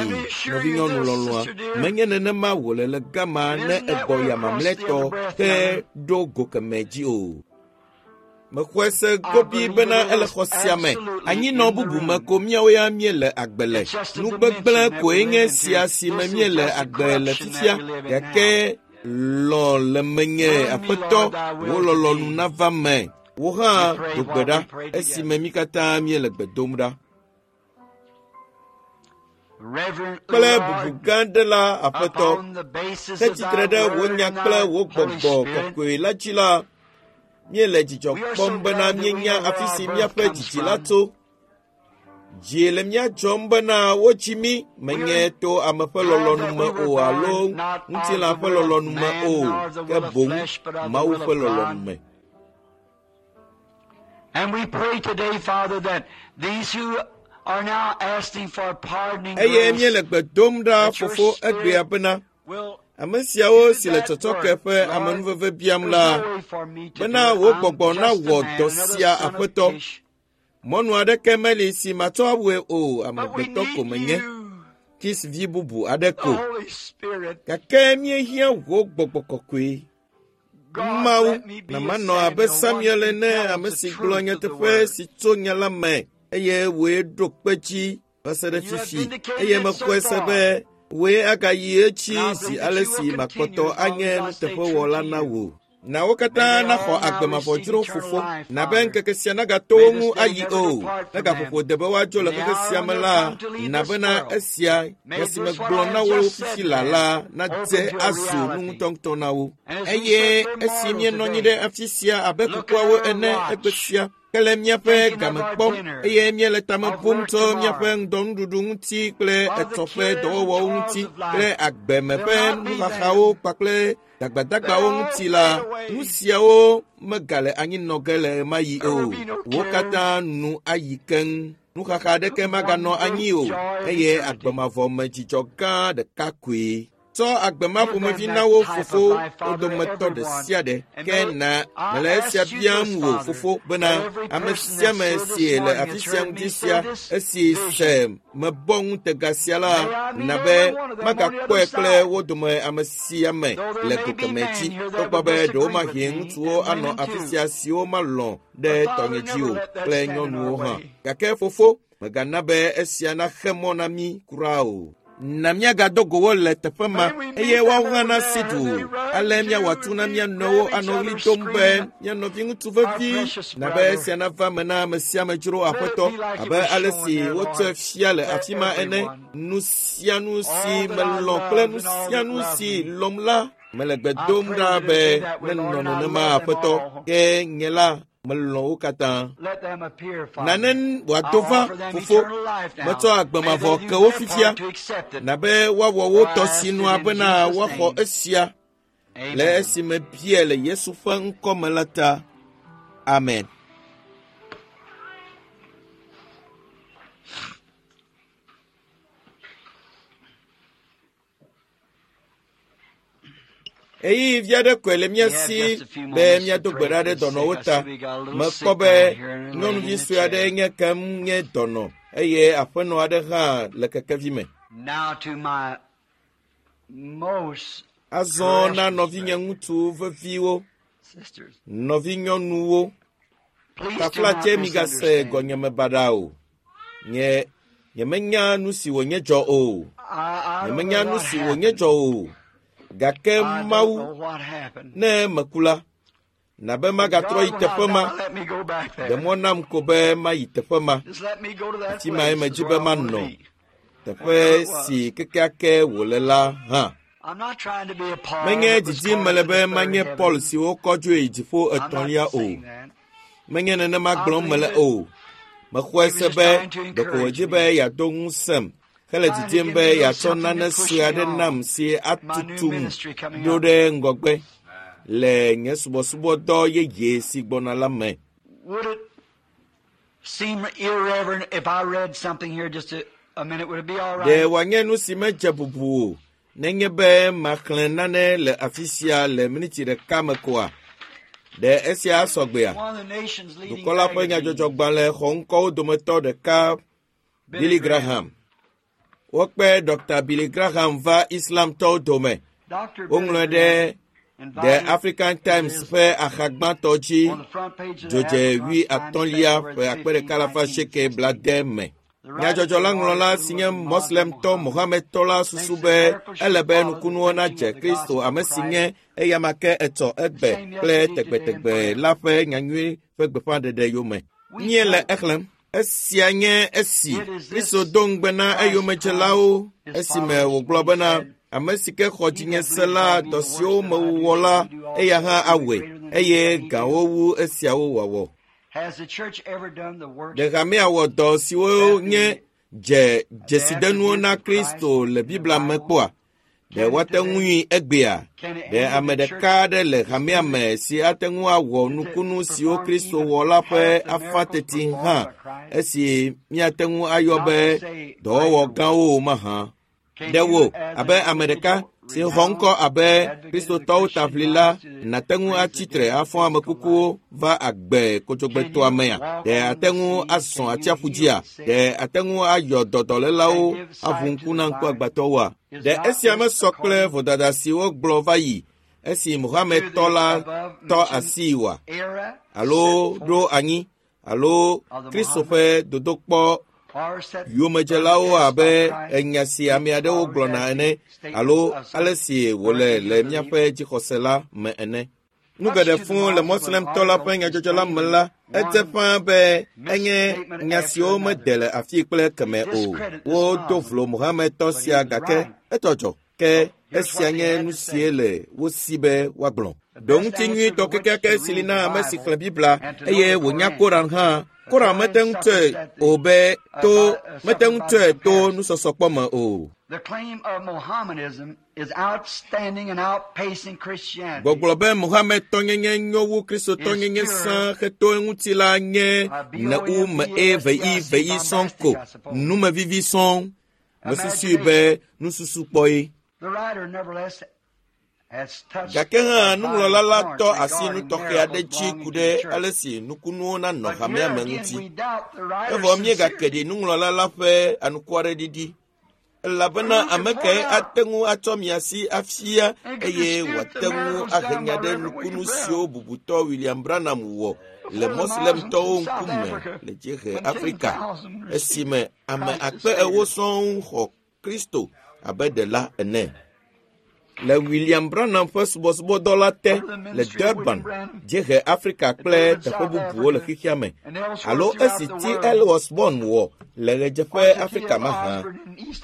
nɔvinyɔnu lɔlɔ̃a. Menye nenema wòle le gama ne egbɔ ya mamlɛtɔ ke ɖo go kemɛ dzi o. Mexɔe se gobi bena ele xɔ sia me. Anyinɔ bubu me ko míawo ya míele agbe le. Nu gbegblẽ koe nye sia si me míele agbe le fifia. Gake lɔ̃ le menye, Aƒetɔ, wò lɔlɔ̃nu nava me. Wò hã do gbe ɖa esime mí katã míele gbe dom ɖa. Kple bubu gã aɖe la, Aƒetɔ, he tsitre ɖe wò nya kple wò gbɔgbɔ kɔkɔe la dzi la, míele dzidzɔ kpɔm bena míenya afi si míaƒe dzidzi la tso. Dzi le mía dzɔm bena wotsi mí menye to ame ƒe lɔlɔ̃nu me o alo ŋutilã ƒe lɔlɔ̃nu me o, ke boŋ Mawu ƒe lɔlɔ̃nu me. And we pray today, Father, that these who are now asking for pardoning Eye grace míele gbe dom ɖa that your fofo Spirit egbea bena will ame siawo do si le that tsɔtsɔke work. ƒe Lord, amenuveve biam there's la, no way for me to do bena it. wò I'm gbɔgbɔ just a nawɔ man, dɔ another sia son of Aƒetɔ. Kish. Mɔnu aɖeke meli si matsɔ awɔe o, But we amegbetɔ ko need menye, you, Kis vi bubu aɖe the ko. Holy Spirit. Gake míehiã wò gbɔgbɔ kɔkɔe. God, Mawu, let me be na a manɔ abe Samuel, one Samuel who ene, tells ame the si gblɔ truth of the nyateƒe word. si tso nya la me, eye wòe ɖo kpe dzi va se ɖe And you have fifi. vindicated Eye it so mexɔe se far. be wòe agayi edzi And I zi believe that ale you will si continue makpɔtɔ as long anye as I stay true nuteƒewɔla to na you. wò. Na wo May katã they naxɔ all now agbe mavɔ receive dzro eternal fofo. life, Na be Father. ŋkeke sia nagato May wo this ŋu day ayi never o. depart Ne from them. gaƒoƒo de be woadzo le In the xexe hour sia when me they'll la, come to leave na this bena world, esia may nya si this what megblɔ I na have wo just said fifi to la them la nadze open to a azu nu reality. ŋutɔŋutɔ na wo. And as we Eye sit here esi mortal míenɔ anyi today, ɖe afi sia abe looking kukuawo at our ene egbe watch, sia, ke le míaƒe thinking of game our kpɔm dinner, eye míele tame of bum work tso míaƒe tomorrow, ŋdɔnuɖuɖu ŋuti kple of the etsɔ ƒe cares and dɔwɔwɔwo toils ŋuti of life, kple agbeme they'll ƒe not be nuxaxawo there. kpakple They'll dagbadagbawo all ŋuti la, fade away. nu siawo megale anyi nɔ ge le ɣemaɣi There will o. be no Wo cares, katã nu ayi keŋ. Nuxaxa aɖeke maganɔ one anyi great o joy of eye eternity. agbe mavɔ me dzidzɔ gã ɖeka koe. Tsɔ agbe ma Give them ƒomevi na that wo type of fofo life, wo Father, dometɔ ɖe everyone. sia ɖe. And Ke may na I mele esia ask you biam this, wò Father, fofo bena that every ame person sia that ame stood this si le morning afi has sia heard me ŋdi say sia this esi vision, se mebɔ ŋutega sia la, may I meet na every be one of them on the magakpɔe other kple side. wo dome ame sia ame Though there le may go be kemɛ men dzi. here that Togbɔ would be disagree with ɖewomahi me, ŋutsuwo and anɔ women afi too. sia siwo malɔ̃ ɖe But Father, tɔnye dzi never o let that kple stand in our nyɔnuwo hã. way. Gake fofo, mègana be esia naxe mɔ na mí kura o. Na míagado go wo le teƒe ma May we meet eye them woawo hã over nasi there du as they o. run Ale míawɔ to atu na and mía meet, nɔewo grab each anɔ ɣli other, dom be screaming, mía nɔviŋutsu our vevi precious na be brother. esia nava me na ame sia ame dzro Let it Aƒetɔ be like it abe was ale shown si there, wotsɔe Lord, fia le to afi ma ene. everyone. Nu sia nu si All that I melɔ̃ kple loved nu and all sia that nu loved si me. lɔ̃m la, mele gbe I dom pray ɖa that it be be that way, nenɔ Lord, and I nenema love them Aƒetɔ. all. Ke nye la, melɔ̃ wo katã. Let them appear, Father. Nane I wòado va, offer them fofo. eternal life now. Metsɔ agbe May mavɔ they do ke wo their fifia. part to accept it. Na be woawɔ wo For I tɔ ask it sinua in bena Jesus' woaxɔ name. esia le Amen. esime biae le Yesu ƒe ŋkɔ me la ta. Amen. Ɣeyiɣi vi aɖe koe le mía We have si just a few be moments to míado gbe pray ɖa for ɖe the sick. dɔnɔwo I ta. see we got a little Mekpɔ sick be girl here and a lady nyɔnuvi in a sue aɖe chair. nye kem nye dɔnɔ eye aƒenɔ aɖe hã le kekevi me. Now to my most Azɔ na precious nɔvinye brethren, ŋutsu veviwo, sisters, nɔvinyɔnuwo, please do taflatse not migase misunderstand. gɔnyeme baɖa o. Nye nyemenya nu si wònye dzɔ o. I don't know Nyemenya nu what si wònye happened. dzɔ o. Gake I don't Mawu know what happened. ne meku la, Na be magatrɔ yi teƒe ma. Ɖe mɔ nam ko be mayi teƒe ma. Afi mae medzi be manɔ. Teƒe si kekeake wòle la hã. Menye didim mele be manye Paul si wokɔ dzoe dziƒo etɔ̃lia o. Menye nenema gblɔm mele o. Mexɔe se be ɖeko wòdzi be yeado ŋusẽm hele didim be yeatsɔ nane sue aɖe nam si atutum ɖo ɖe ŋgɔgbe le nye subɔsubɔdɔ yeye si gbɔna la me. Would it seem irreverent if I read something here just a minute? Would it be all Ɖe right? wòanye nu si medze bubu o nenye be maxlẽ nane le afi sia le miniti ɖeka me koa? Ɖe esia sɔgbea? One of the nation's leading Dukɔ la ƒe magazines, nyadzɔdzɔgbalẽ xɔŋkɔwo dometɔ ɖeka Billy Graham. Wokpe Dr. Billy Graham va Islamtɔwo dome. Dr. Woŋlɔe Billy ɖe Graham The invited African Times his- ƒe axa gbãtɔ dzi on the front page of the dzodze African wui Times, atɔ̃lia February ƒe akpe 15, ɖeka alafa seeke 1960. blade me. The writer Nyadzɔdzɔ la ŋlɔla who si was nye a Muslim Moslemtɔ Mohammed Mohamedtɔ la susu be ele be nukunuwo nadze Kristo ame si nye eyama ke etsɔ egbe kple tegbetegbe la ƒe nyanyui ƒe gbeƒãɖeɖe yome. Míele exlẽm. Esia nye esi Kristo do ŋugbe na eyomedzelawo esime wògblɔ bena ame si ke xɔ dzinye se la dɔ siwo mewɔ la eya hã awɔe eye gãwo wu esiawo wɔwɔ. Has the church ever done the work Ɖe hamea wɔ dɔ siwo nye dze dzesidenuwo na Kristo le Biblia me kpɔa? Ɖe woate ŋui egbea? Ɖe ame ɖeka aɖe le hamea me si ate ŋu awɔ nukunu siwo Kristo wɔ la ƒe afã teti hã esi míate ŋu ayɔ be dɔwɔwɔ gãwo o mahã? Can Ɖe you, wò as abe an ame ɖeka individual si xɔ ŋkɔ abe renowned Kristotɔwo advocate of the taʋlila Christian nàte ŋu atsi tre afɔ ame kukuwo va agbe kodzogbetɔa mea? Ɖe ate ŋu azɔ atsiaƒu dzia? Ɖe ate ŋu ayɔ dɔdɔlélawo aʋu ŋku na ŋkuagbãtɔwoa? Ɖe esia mesɔ kple vodada si wogblɔ va yi esi Mohamedtɔ la tɔ asii oa? Era Alo set ɖo forth anyi alo Kristo ƒe dodokpɔ or set yomedzelawo by abe Christ, enya si ame aɖewo gblɔna ene alo ale si wòle le míaƒe dzixɔse la me ene. Nu geɖe fũu le Moslemtɔ la ƒe nyadzɔdzɔ la me la, edze ƒãa be enye nya siwo mede le afii kple keme o. Wodo vlo Mohamedtɔ sia gake etɔ dzɔ. Ke esia nye nu sie le wo si be woagblɔ. Ɖo ŋuti nyuitɔ kekeake si li na ame si xlẽ Biblia eye wònya Koran hã. Koran mete ŋu tsɔe o be to mete ŋu tsɔe to nusɔsɔkpɔ me o. The claim of Mohammedanism is outstanding and outpacing Christianity. Gbɔgblɔ be Mohamedtɔnyenye nyo wu Kristotɔnyenye sã heto eŋuti la nye ne u me e ve i ve i sɔŋ ko numevivi sɔŋ. Mesusui be nususukpɔe. The writer, nevertheless, has touched Gake hã a nuŋlɔla la vital tɔ point asi nu regarding tɔxɛ aɖe miracles dzi belonging ku to ɖe the church. ale si nukunuwo nanɔ But hamea here me again, ŋuti. we doubt the writer's Evɔ míegake sincerity. ɖi nuŋlɔla la ƒe anukwareɖiɖi. Elabena ame kae ate ŋu atsɔ mia si afia eye wòate ŋu ahe nya ɖe nukunu siwo bubutɔ William Branham wɔ le Moslemtɔwo ŋkume le dziehe Afrika esime ame akpe ewo sɔŋ xɔ Kristo abe ɖela ene. Le William Branham ƒe subɔsubɔdɔ la te le Durban, dziehe Afrika kple teƒe bubuwo le xexea me alo esi T. L. Osborn wɔ le ɣedzeƒe Afrika mahã.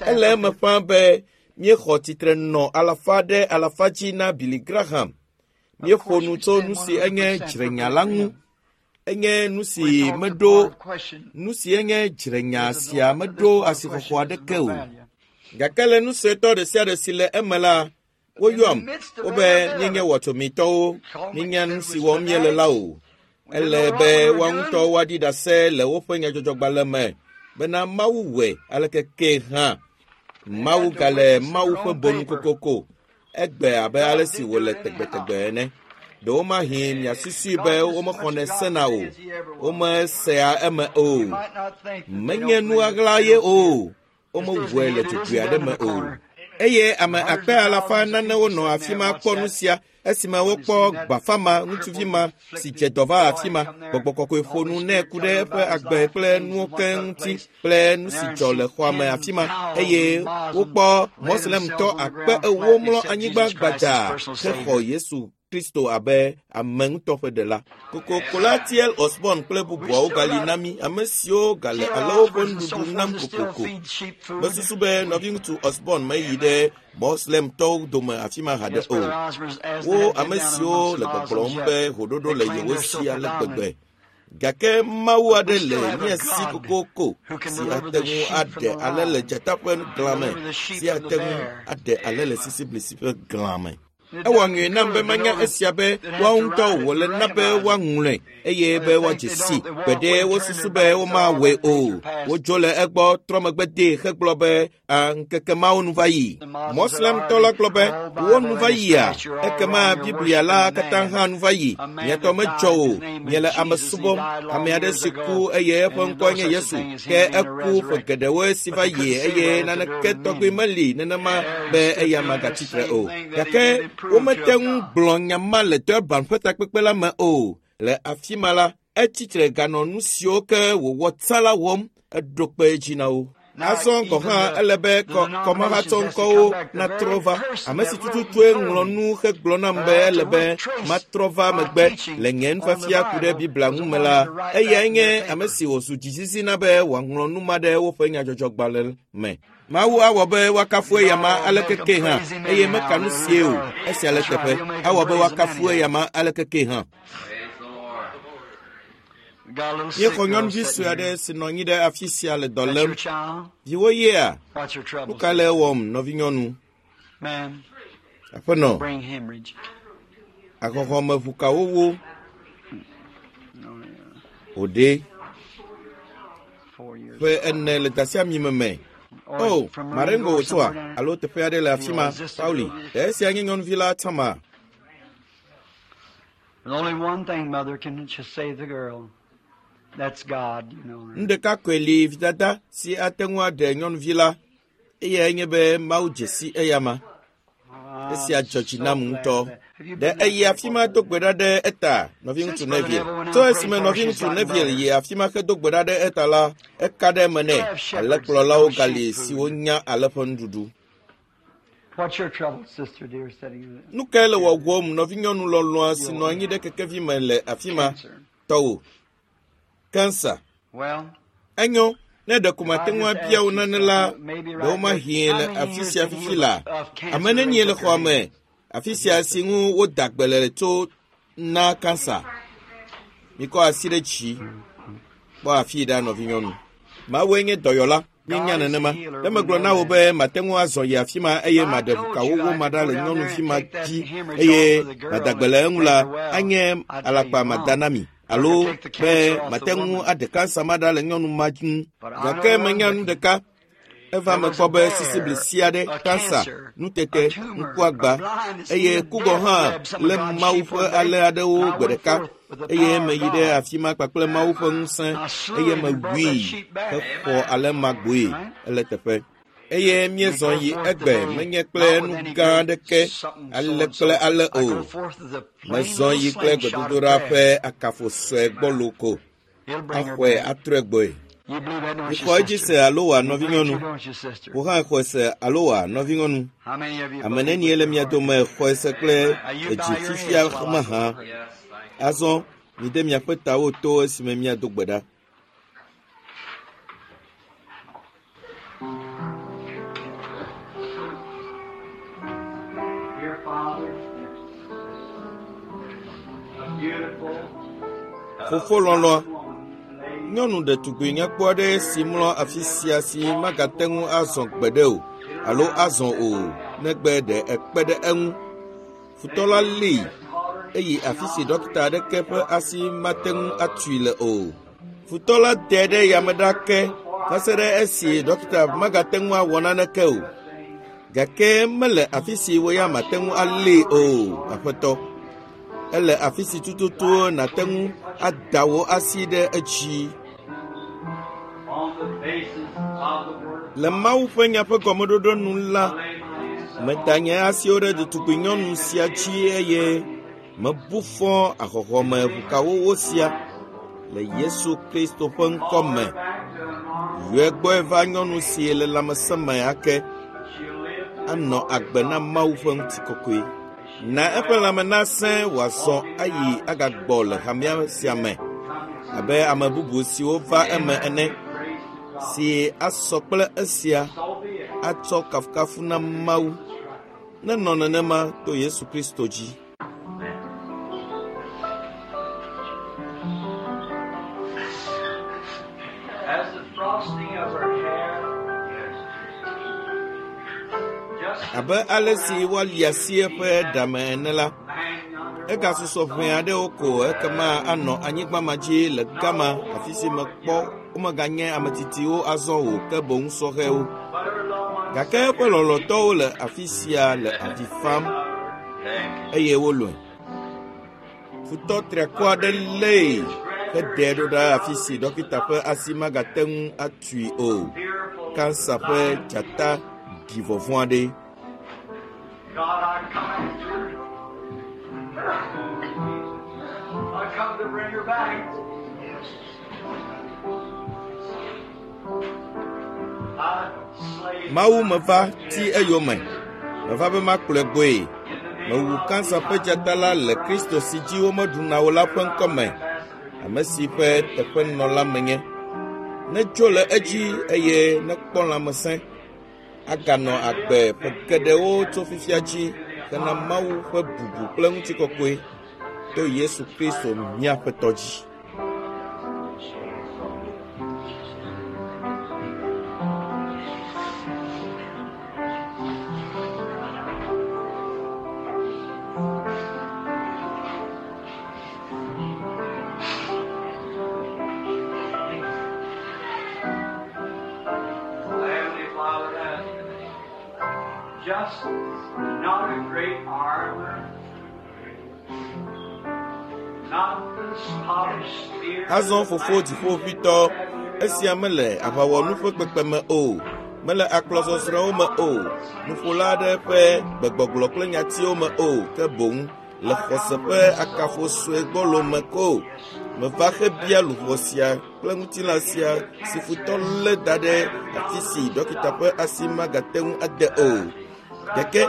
Ele eme ƒãa be míexɔ tsitre nɔ alafa ɖe alafa dzi na Billy Graham. Míeƒo nu tso nu si enye dzrenya la ŋu. Enye nu si meɖo nu si enye dzrenya sia meɖo asixɔxɔ aɖeke o. Gake le nu suetɔ ɖe sia ɖe si le eme la, woyɔam wobe míenye wɔtsomitɔwo, míenya nu si wɔm míele la o. Ele be woa ŋutɔ woaɖi ɖase le woƒe nyadzɔdzɔgbalẽ me bena Mawu wɔe aleke ke hã. Mawu gale Mawu ƒe bonu kokoko egbe abe ale si wòle tegbetegbe ene. Ɖewomahi miasusui be womexɔnɛ sena o, womesea eme o. Menye nu ɣaɣla ye o, womewɔe le dzogoe aɖe me o. Eye ame akpe alafa nanewo nɔ afi ma kpɔ nu sia esime wokpɔ gbafa ma ŋutsuvi ma si dze dɔ va afi ma. Gbɔgbɔ kɔkɔe ƒo nu nɛ ku ɖe eƒe agbe kple nuwo keŋ ŋuti kple nu si dzɔ le xɔa me afi ma eye wokpɔ Moslemtɔ akpe ewo mlɔ anyigba gbadzaa hexɔ Yesu Kristo abe ame ŋutɔ ƒe ɖela. Kokoko la T.L. Osborn kple bubuawo gali na mí, ame siwo gale alẽwo ƒe nuɖuɖu nam kokoko. Mesusu be nɔviŋutsu Osborn meyi ɖe Moslemtɔwo dome afi ma haɖe o. Wo ame siwo le gbɔgblɔm be hoɖoɖo le yewo si ale gbegbe. Gake Mawu aɖe le mía si kokoko si ate ŋu aɖe alẽ le dzata ƒe glã me, si ate ŋu aɖe alẽ le sisiblisi ƒe glã me. Ewɔ nyuie nam be manya esia be woawo ŋutɔ wòle na be woaŋlɔe eye be woadze si. Gbeɖe wosusu be womawɔe o. Wodzo le egbɔ trɔ megbe dee hegblɔ be a ŋkeke mawo nu va yi. Moslemtɔ la gblɔ be wo nu va yia, ekema Biblia la katã hã nu va yi. Miatɔ medzɔ o, miele ame subɔm. Ame aɖe si ku eye eƒe ŋkɔe nye Yesu, ke eku ƒe geɖewoe si va yi eye naneke tɔgbi meli nenema be eya magatsi tre o. Gake womete ŋu gblɔ nya ma le Durban ƒe takpekpe la me o. Le afi ma la, etsitre ganɔ nu siwo ke wòwɔ tsã la wɔm, eɖo kpe edzi na wo. Azɔ gɔ̃ hã ele be kɔmahatsɔŋkɔwo natrɔ va. Ame si tututue ŋlɔ nu hegblɔ nam be ele be matrɔ va megbe le nye nufiafia ku ɖe Biblia ŋu me la, eyae nye ame si wòzu dzizizi na be wòaŋlɔ nu ma ɖe woƒe nyadzɔdzɔgbalẽ me. Mawu awɔ be woakafu eyama aleke ke hã, eye meka nu sie o. Esia le teƒe. Awɔ be woakafu eyama aleke ke hã. Míexɔ nyɔnuvi sue aɖe si nɔ anyi ɖe afi sia le dɔ lém. Viwò yea? Nu ka le ewɔm, nɔvinyɔnu? Aƒenɔ, ahɔhɔmeʋukawo wo. Wòɖe ƒe ene le dasiamime me. Oh, Marengo wòtsoa alo teƒe aɖe le afi ma, Pauli. Ɖe esia nye nyɔnuvi la tsãma? There's only one thing, mother, can just save the girl. That's God, you know. Nu ɖeka koe li vidada si ate ŋu aɖe nyɔnuvi la, eyae nye be Mawu dze si eyama. Esia dzɔ dzi nam ŋutɔ. Ɖe eyi afi ma do gbe ɖa ɖe eta, nɔviŋutsu Neville. Tso esime nɔviŋutsu Neville yi afi ma hedo gbe ɖa ɖe eta la, eka ɖe eme nɛ. Alẽkplɔlawo gali siwo nya alẽ ƒe nuɖuɖu. What's your trouble, sister dear, sitting in Nu kae le wɔwɔm nɔvinyɔnu lɔlɔ̃a si nɔ anyi ɖe kekevi me le afi ma? Tɔwò. Kansa. Well, Enyo, ne ɖeko mate ŋu abia wò nane la, ɖewomahi le afi sia fifi la. Ame nenie le xɔa me afi sia si ŋu woda gbe le tso na kansa. Mikɔ asi ɖe dzi. Kpɔ afi ɖa nɔvinyɔnu. Mawue nye dɔyɔla. Míenya nenema. Ne megblɔ na wò be mate ŋu azɔ yi afi ma eye maɖe ʋukawowo ma ɖa le nyɔnuvi ma dzi eye mada gbe le eŋu la, anye alakpa mada na mi. Alo be mate ŋu aɖe kansa ma ɖa le nyɔnu ma ŋu. Gake menya nu ɖeka. Eva me kpɔ be sisiblisi aɖe, kansa, nutete, ŋkuagba eye ku gɔ̃ hã lé Mawu ƒe alẽ aɖewo gbe ɖeka eye meyi ɖe afi ma kpakple Mawu ƒe ŋusẽ eye mewui hexɔ alẽ ma gbɔe ele teƒe. Eye míezɔ yi egbe menye kple nu gã aɖeke ale kple ale o. Mezɔ yi kple gbedodoɖa ƒe akafo sue gbɔlo ko. Axɔe atrɔe gbɔe. You believe that, don't you, Mixɔ edzi sister? se alo wòa You believe nɔvinyɔnu. too, don't you, sister? Wò hã xɔe se alo wòa nɔvinyɔnu. How many of you Ame believe nenie with le your mia heart? dome xɔe se kple Now you edzi bow your fifia heads while I go mahã. pray. Azɔ mide miaƒe tawo to esime míado gbe ɖa. Dear Father, a beautiful Fofo lɔlɔ̃a, woman, lady, nyɔnu ɖetugbui nyakpɔ aɖe si mlɔ afi sia si magate ŋu azɔ gbeɖe o alo azɔ o negbe ɖe ekpe ɖe eŋu. Futɔ la lée eyi afi si ɖɔkita aɖeke ƒe asi mate ŋu atui le o. Futɔ la de ɖe yame ɖa ke va se ɖe esi ɖɔkita magate ŋu awɔ naneke o. Gake mele afi si wo ya mate ŋu alée o, aƒetɔ. Ele afi si tututu nàte ŋu ada wò asi ɖe edzi. on the basis of the word, Le Mawu ƒe nya ƒe gɔmeɖoɖo nu la, lay my hands meda nye asiwo ɖe ɖetugbi nyɔnu sia dzi eye mebu fɔ ahɔhɔme ʋukawowo sia le Yesu Kristo ƒe ŋkɔ me. back to a normal. Yɔe gbɔe va nyɔnu si le lãmesẽ me ake She'll live to anɔ agbe na Mawu ƒe ŋutikɔkɔe. Na eƒe lãme nasẽ wòazɔ ayi agagbɔ le hamea sia me abe ame bubu siwo va eme ene si asɔ kple esia atsɔ kafukafu na Mawu. Nenɔ nenema to Yesu Kristo dzi. As the frosting of her hair, just Abe ale si woali asi eƒe ɖame ene la, man yonder egasusɔ ʋɛ aɖewo ko ekema anɔ anyigba ma dzi le gama afi si mekpɔ womeganye ame tsitsiwo azɔ o ke boŋ sɔhɛwo. but her loved ones Gake eƒe lɔlɔ̃tɔwo le afi sia le avi fam eye wolɔ̃e. Futɔ triakɔ aɖe lée heɖee ɖo ɖa afi si ɖɔkita ƒe asi magate ŋu atui o. fearful. Kansa ƒe dzata ɖi vɔvɔ̃ aɖe. God, I come after her. I come to bring her back. I slay Mawu meva ti eyome. Meva be makplɔe gbɔe. Mewu kansa ƒe dzata la le Kristo si dzi womeɖuna o la ƒe ŋkɔme, ame si ƒe teƒenɔla menye. Netso le edzi eye nekpɔ lãmesẽ. Aganɔ agbe ƒe geɖewo tso fifia dzi hena Mawu ƒe bubu kple ŋutikɔkɔe to Yesu Kristo mía Aƒetɔ dzi. Heavenly Father, that just not a great armor, not this polished spear. Azɔ fofo dziƒoʋĩtɔ, esia mele aʋawɔnu ƒe kpekpeme o, mele akplɔzɔzrɔ̃wo me o, nuƒola aɖe ƒe gbegbɔgblɔ kple nyatiwo me o, ke boŋ le xɔse ƒe akafo sue gbɔlo me ko. Meva hebia luʋɔ sia kple ŋutilã sia si futɔ lé da ɖe afi si ɖɔkita ƒe asi magate ŋu ade o. Gake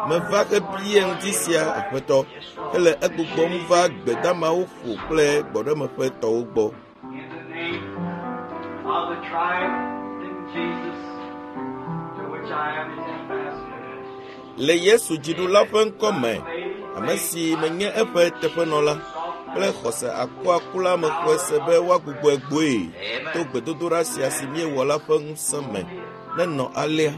meva hebia ŋdi sia Aƒetɔ, hele egbugbɔm va gbedamawo ƒo kple gbɔɖemeƒe tɔwo gbɔ. In the name of the triumphant Jesus, to which I am his ambassador. Le Yesu dziɖula ƒe ŋkɔ me, ame si menye eƒe teƒenɔla kple xɔse akuakula mexɔe se be woagbugbɔe gbɔe to gbedodoɖa sia si míewɔ la ƒe ŋusẽ me. Nenɔ alea.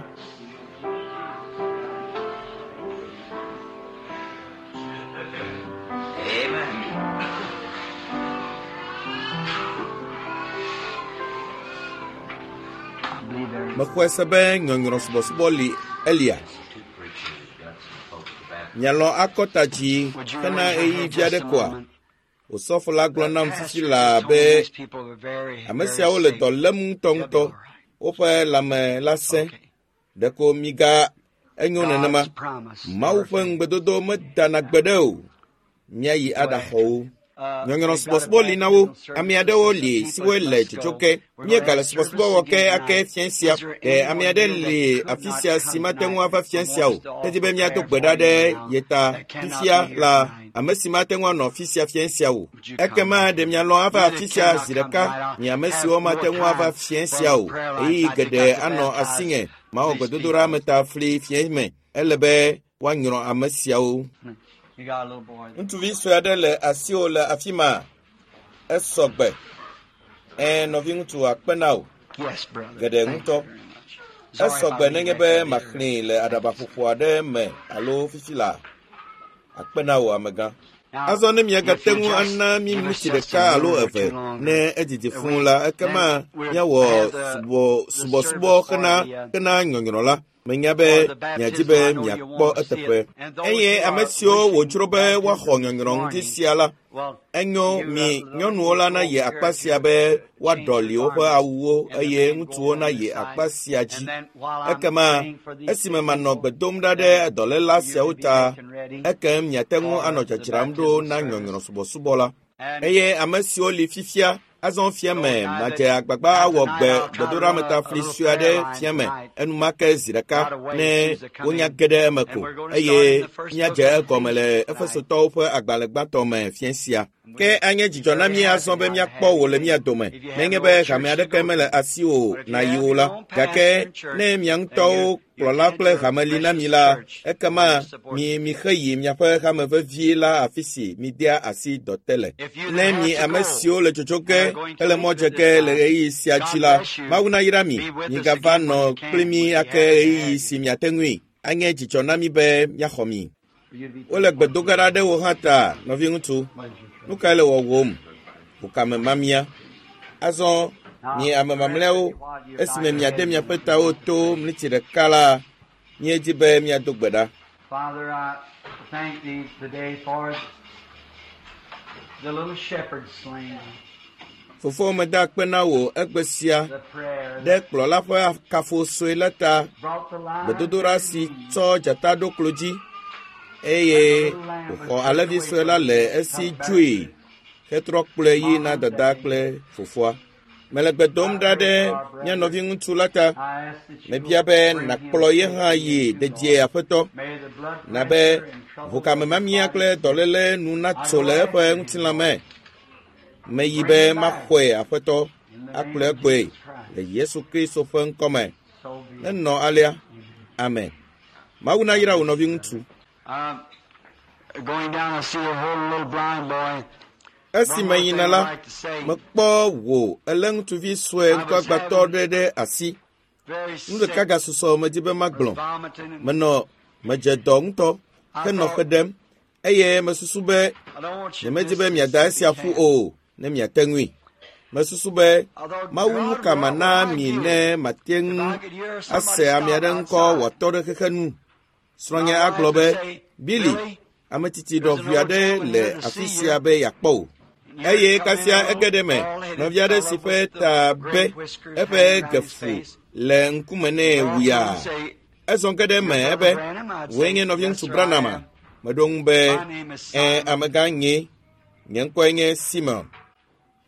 Mexɔe se be nyɔnyrɔ subɔsubɔ li Elia. Mialɔ̃ akɔ ta dzi hena ɣeyiɣi vi aɖe koa? Osɔfo la gblɔ nam fifi laa be ame siawo le dɔ lém ŋutɔŋutɔ. Woƒe lãme la sẽ. Ɖeko miga enyo nenema. Mawu ƒe ŋugbedodo medana gbeɖe o. Míayi aɖaxɔ wo. Nyɔnyrɔ subɔsubɔ li na wo. Ame aɖewo li siwo le dzodzo ke. Míegale subɔsubɔ wɔ ke ake fiẽ sia. Ɖe ame aɖe li afi sia si mate ŋu ava fiẽ sia o. Edi be míado gbe ɖa ɖe ye ta fifia la ame si mate ŋu anɔ afi sia fiẽ sia o. Ekema ɖe mialɔ̃ ava afi sia zi ɖeka mi ame siwo mate ŋu ava fiẽ sia o. Ɣeyiɣi geɖe anɔ asinye mawɔ gbedodoɖa me ta fli fiẽ me. Ele be woanyrɔ ame siawo. You got a little boy. Ŋutsuvi sue aɖe le asiwò le afi ma. Esɔ gbe. Ẽ, nɔviŋutsu akpe na wò. Yes, brother. Geɖe Thank ŋutɔ. you very much. Sorry Esɔ if I gbe leave nenye that be to you. maxlẽe le aɖabaƒoƒo aɖe me alo fifi laa. Akpe na wò amegã. Now, Azɔ ne miagate if you ŋu just ana mí give us miniti just a ɖeka alo minute or eve two longer, ne edidi fũu we- la, ekema then we'll míawɔ have the- subɔ the subɔsubɔ service for hena the, hena nyɔnyrɔ la. Menya be for the miadi baptism. be I know you miakpɔ want to see eteƒe. it. And those Eye who ame are siwo wishing wòdzro be baptism woaxɔ this nyɔnyrɔ ŋuti morning, sia la, well, enyo you, mi little nyɔnuwo la nayi folks here akpa sia to be change woaɖɔli your woƒe garments awuwo and the eye men go ŋutsuwo on nayi this akpa side. sia dzi. And then while I'm Ekema praying for these esime sick manɔ people, gbe dom ɖa ɖe then dɔléla you siawo can be ta, making ready ekem miate ŋu for anɔ the dzadzram ɖo baptismal na service. nyɔnyrɔ subɔsubɔ la. And Eye ame siwo li fifia Azɔ fia me madze agbagba awɔ gbe gbedoɖametafli sue aɖe fia me enumake zi ɖeka ne wonya ge ɖe eme ko eye míadze egɔme le Efesotɔwo ƒe agbalẽ gbãtɔ me fia sia. Ke anye dzidzɔ na mí azɔ be míakpɔ wò le mía dome, nenye be hame aɖeke mele asiwò nàyi o la. Gake ne mia ŋutɔwo kplɔla kple hame li na mi la, ekema mi mixe yi miaƒe hame vevie la afi si midea asi dɔ te le. Ne mi ame siwo le tsotso ge hele mɔ dze ge le ɣeyiɣi sia dzi la, Mawu nayra mi, migava nɔ kpli mí ake ɣeyiɣi si miate ŋui. Anye dzidzɔ na mí be míaxɔ mi. Wole gbe do ge ɖa ɖe wò hã ta, nɔviŋutsu. Nu kae le wɔwòm? Ʋukame mamia. Azɔ, mi ame mamlɛawo, esime miade miaƒe tawo to mliti ɖeka la, míedi be míado gbe ɖa. Father, I thank thee today for the little shepherd slain, Fofo, meda akpe na wò egbe sia the prayer ɖe that kplɔla ƒe kafo sue la ta, brought the lion gbedodoɖa to si his knees. tsɔ dzata ɖo klo dzi eye wòxɔ alẽvi sue la le esi dzoe hetrɔ kplɔe yi na dada kple fofoa. Mele gbe dom ɖa ɖe mía nɔviŋutsu la ta. I ask that you Mebia will be bring him nàkplɔ ye hã safely yi into dedie Lord. aƒetɔ. May the blood Na be pressure and trouble ʋukame of his mamia body kple dɔléle nu natso le eƒe ŋutilã me. Meyi be maxɔe aƒetɔ in the akplɔe name of gbɔe Jesus Christ. le Yesu Kristo ƒe ŋkɔme. So be it. Nenɔ alea. Amen. Mawu nayra wò nɔviŋutsu. Going down, I see a whole little blind boy. Esi One more meyina thing I'd la, like to say. mekpɔ wò elé ŋutsuvi sue I was ŋkuagbãtɔ having ɖe ɖe asi. very Nu ɖeka sick, gasusɔ medi be was magblɔ. vomiting, and Menɔ medze dɔ ŋutɔ I henɔ xe thought, ɖem eye mesusu be I don't want you to nyemedi miss be miada Mississippi esia ƒu camp. o ne miate ŋui. Mesusu be I thought, Mawu nu God, ka what mana would I mi do ne mate if ŋu I could hear somebody ase ame stop aɖe ŋkɔ outside? wòatɔ ɖe xexe nu. My Srɔ̃nye wife agblɔ would be, say, Billy, Billy, ame tsitsi there's an ɖɔʋui old aɖe gentleman le here to afi see sia you. be yeakpɔ wò. And here Eye come in kasia a ege little ɖe eme, bald-headed nɔvi aɖe si fellow ƒe with the ta gray be whiskers eƒe hanging around his gefu face. le ŋkume nɛ Walk to him wuyaa. and say, Ezɔ ge ɖe eme You're ebe, Brother Branham? I'd wòe say, nye Yes, nɔviŋutsu sir, I Branham am. Meɖo ŋu be, My name is Ẽ, Simon. amegã nye, nye ŋkɔe nye Simon.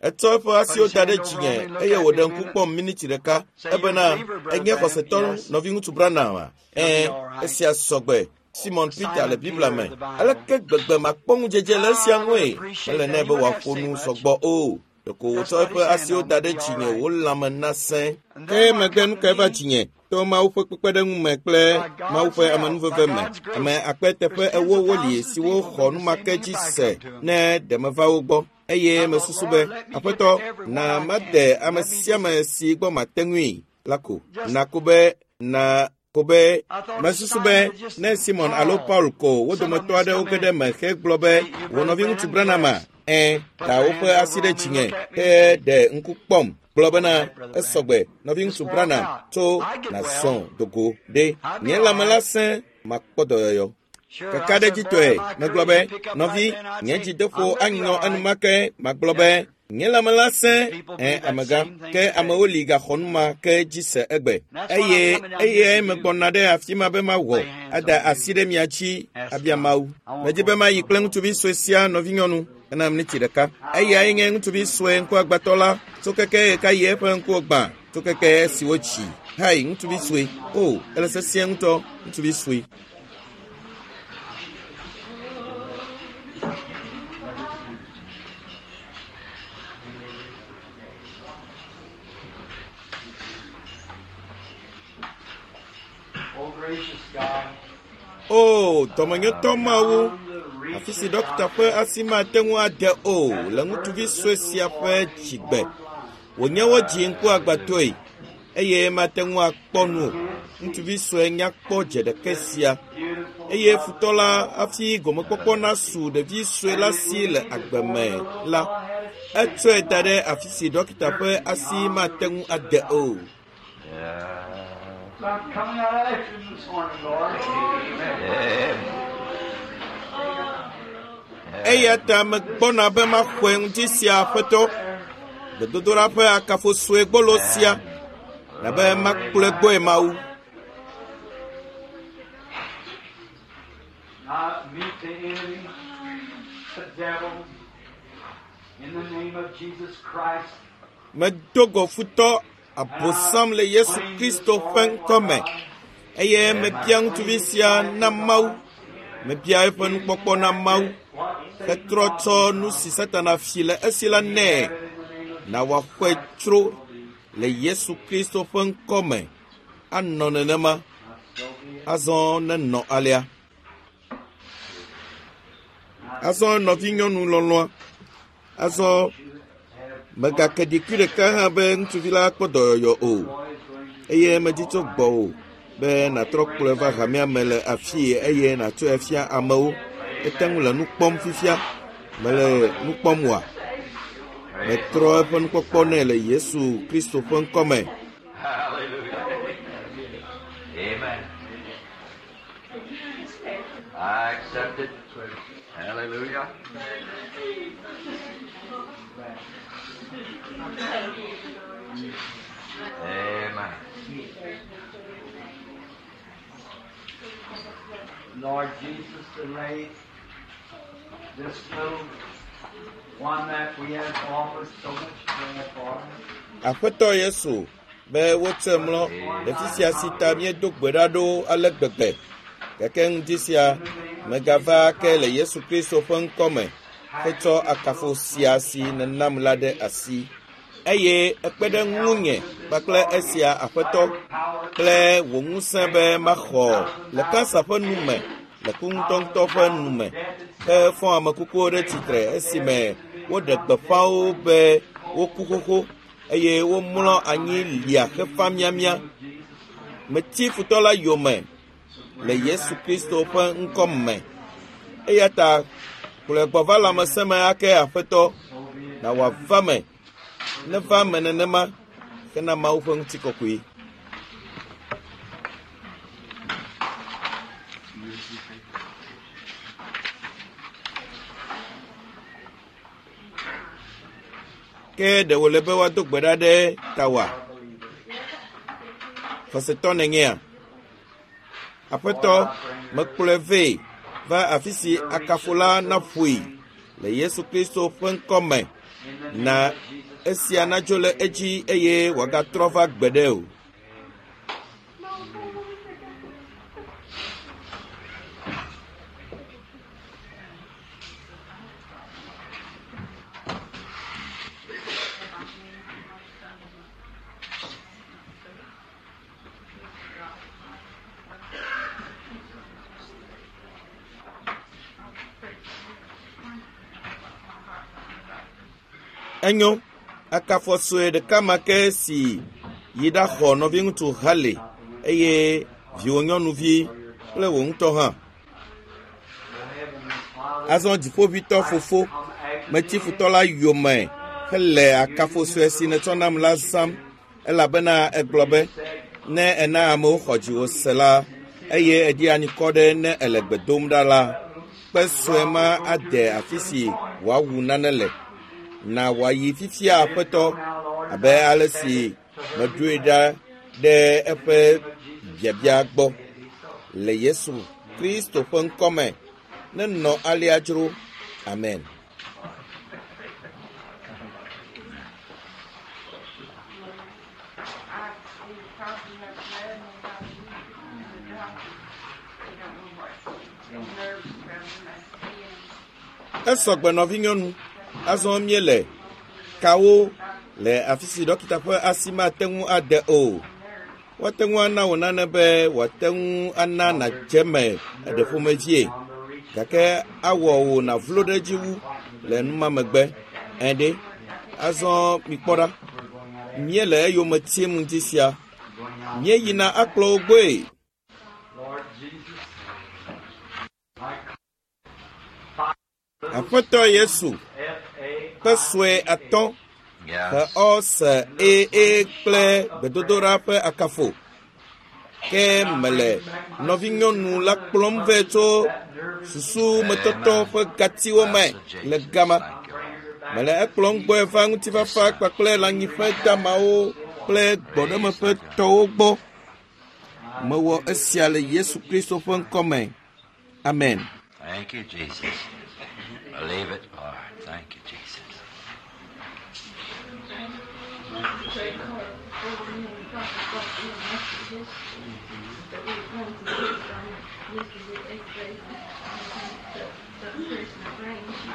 Etsɔ eƒe Put asiwo his da ɖe hand over dzinye on me, look eye at me wòɖe a ŋku minute. kpɔm miniti ɖeka Say, You're a ebena believer, Brother enye Branham? xɔsetɔ Yes. nɔviŋutsu Branham a? It'll be Ẽ, all right. esia sɔgbe. Simon Peter le Simon Biblia Peter me. of the Bible. Aleke gbegbe makpɔ ŋudzedze le esia I would ŋue? appreciate Mele that. nɛ He be wouldn't have to wòaƒo say nu much. sɔgbɔ o. Ɖeko Just wòtsɔ put eƒe his hand asiwo on da me, ɖe be all dzinye right. wò lãme nasẽ. And Ke then what megbe come nu to kae va me? dzinye to Mawu ƒe kpekpeɖeŋu me kple By Mawu God's ƒe help, by amenuveve me. God's Ame grace, akpe teƒe there's tens ewo of woli thousands of siwo people xɔ do nu the ma same ke thing dzi if I se come to 'em. ne ɖe meva wo gbɔ. Eye I thought, mesusu be, Lord, let me get to Aƒetɔ, everyone na I can. made ame Let me sia just, ame si gbɔ mate ŋui la ko. just, Na ko be, na ko be, I thought if mesusu be Simon would just ne Simon alo call Paul ko wo some of dometɔ them that's aɖewo come ge ɖe in, eme hegblɔ be, say, You wò Brother nɔviŋutsu Branham? Branham a? Yes. Ẽ, Put da their woƒe hands asi over ɖe on me, dzinye look at me, he and say, ɖe ŋku kpɔm gblɔ bena All right, Brother Branham. esɔgbe Just nɔviŋutsu walk Branham out. tso I get well. nàzɔ dogo ɖe I'll be nye all lãme la right. sẽ makpɔ dɔyɔyɔ. Sure, I said, Kakaɖedzitɔe Boy, my megblɔ courage be would pick up right nɔvi then. I'd nye say, dzideƒo I'm gonna be anyɔ all right. enumake magblɔ Yes, be sir. nye lãme la sẽ And people ẽ believe that amegã same thing ke today. amewo li gaxɔ nu ma ke dzi se egbe And that's what I'm eye coming down here eye to do. megbɔna ɖe afi ma be mawɔ Lay hands ada on you. asi ɖe mia dzi Ask abia God. Mawu. I want Medi to be go with mayi this kple little boy. ŋutsuvi sue sia nɔvinyɔnu ena miniti ɖeka. Eyae nye ŋutsuvi sue ŋkuagbãtɔ la tso keke ɣekaɣi eƒe ŋkuwo gbã tso keke esi wotsi. Hai, ŋutsuvi sue. O, ele sesĩe ŋutɔ, ŋutsuvi sue. Oh, gracious God, O, dɔmenyotɔ Mawu, beyond the reach afi si of ɖɔkita ƒe doctors, asi mate ŋu ade o at le the birth ŋutsuvi of sue this little sia ƒe boy dzigbe. born blind. Wònye wodzi ŋkuagbãtɔe eye mate ŋu akpɔ nu o. Can't see Ŋutsuvi sue nyakpɔ dze ɖeke this sia beautiful, eye lovely futɔ la boy. hafi gomekpɔkpɔ nasu ɖevi sue la And it si le would be agbe before me the little la, fellow had a chance etsɔe in da ɖe life, afi si ɖɔkita ƒe jerked asi beyond the mate ŋu reach of ade the o. doctor. So I'm coming out after him this morning, Lord. Eya ta megbɔna be maxɔe ŋuti sia aƒetɔ, gbedodoɖa ƒe akafo sue gbolo sia, na be makplɔe gbɔe Mawu. I meet the enemy, the devil, in the name of Jesus Christ. Medo go futɔ abosam le Yesu Kristo ƒe ŋkɔme eye mebia ŋutsuvi sia na Mawu. Mebia eƒe nukpɔkpɔ na Mawu hetrɔ tsɔ nu si Satana fi le esi la nɛ. Na wòaxɔe tsro le Yesu Kristo ƒe ŋkɔme. Anɔ nenema. Azɔ nenɔ alea. Azɔ nɔvinyɔnu lɔlɔ̃a. Azɔ megake ɖikui ɖeka hã be ŋutsuvi la kpɔ dɔyɔyɔ o eye medzi tso gbɔwò be nàtrɔ kplɔe va hamea me le afii eye nàtsɔe fia amewo. Ete ŋu le nu kpɔm fifia. Mele nu kpɔm oa? Metrɔ eƒe nukpɔkpɔ nɛ le Yesu Kristo ƒe ŋkɔme. Hallelujah. Amen. I accept it. Hallelujah. Amen. Lord Jesus, to lay this little one that we have offered so much prayer for. Aƒetɔ Yesu be wotsɔe mlɔ ɖevi sia si ta míedo gbe ɖa ɖo ale gbegbe. Gake ŋdi sia megava ke le Yesu Kristo ƒe ŋkɔme hetsɔ akafo sia si nènam la ɖe asi. Eye ekpe ɖe ŋunye kpakple esia Aƒetɔ kple wò ŋusẽ be maxɔ le kansa ƒe nu me, le ku ŋutɔŋutɔ ƒe nu me, hefɔ ame kukuwo ɖe tsitre esime woɖe gbeƒã wo be woku xoxo eye womlɔ anyi lia xefa miamia. Metsi futɔ la yome le Yesu Kristo ƒe ŋkɔ me. Eya ta kplɔe gbɔ va lãmesẽ me ake Aƒetɔ, na wòava me. Neva me nenema hena Mawu ƒe ŋutikɔkɔe. Ke ɖe wòle be woado gbe ɖa ɖe tawòa? Xɔsetɔ nènyea? Aƒetɔ, mekplɔe vɛ va afi si akafo la naƒoe le Yesu Kristo ƒe ŋkɔme. Na esia nadzo le edzi eye wòagatrɔ va gbeɖe o. Enyo, akafo sue ɖeka ma ke si yi ɖaxɔ nɔviŋutsu Hale eye viwò nyɔnuvi kple wò ŋutɔ hã. Azɔ dziƒoʋĩtɔ fofo, metsi futɔ la yome hele akafo sue si nètsɔ nam la zãm elabena egblɔ be, ne ena amewo xɔ dziwò se la, eye èɖi anyikɔ ɖe ne èle gbe dom ɖa la, kpe sue ma ade afi si wòawu nane le. Na wòayi fifia Aƒetɔ, abe ale si meɖoe ɖa ɖe eƒe biabia gbɔ. Le Yesu Kristo ƒe ŋkɔme, nenɔ alea dzro. Amen. Esɔgbe nɔvinyɔnu, azɔ míele kawo le afi si ɖɔkita ƒe asi mate ŋu ade o. Woate ŋu ana wò nane be wòate ŋu ana nàdze eme eɖe ƒomevie gake awɔ wò nàvlo ɖe edzi wu le nu ma megbe. Ẽ ɖe, azɔ mikpɔ ɖa. Míele eyome tim ŋdi sia. Míeyina akplɔ wo gbɔe. Lord Jesus, Aƒetɔ Yesu, F ƒe sue atɔ̃ Yes. he ɔ se e e kple gbedodoɖa ƒe akafo. Ke mele nɔvinyɔnu la kplɔm vɛ tso susumetɔtɔ ƒe gatiwo me le gama. Mele ekplɔm gbɔe va ŋutifafa kpakple lãnyiƒe damawo kple gbɔɖemeƒe tɔwo gbɔ. Mewɔ esia le Yesu Kristo ƒe ŋkɔme. Amen. Thank you, Jesus. Believe it, Lord. Thank you, Jesus. trade car before me and Dr. Buckley and Methodist that we went to Tucson yesterday, X-ray, and the person that rang, she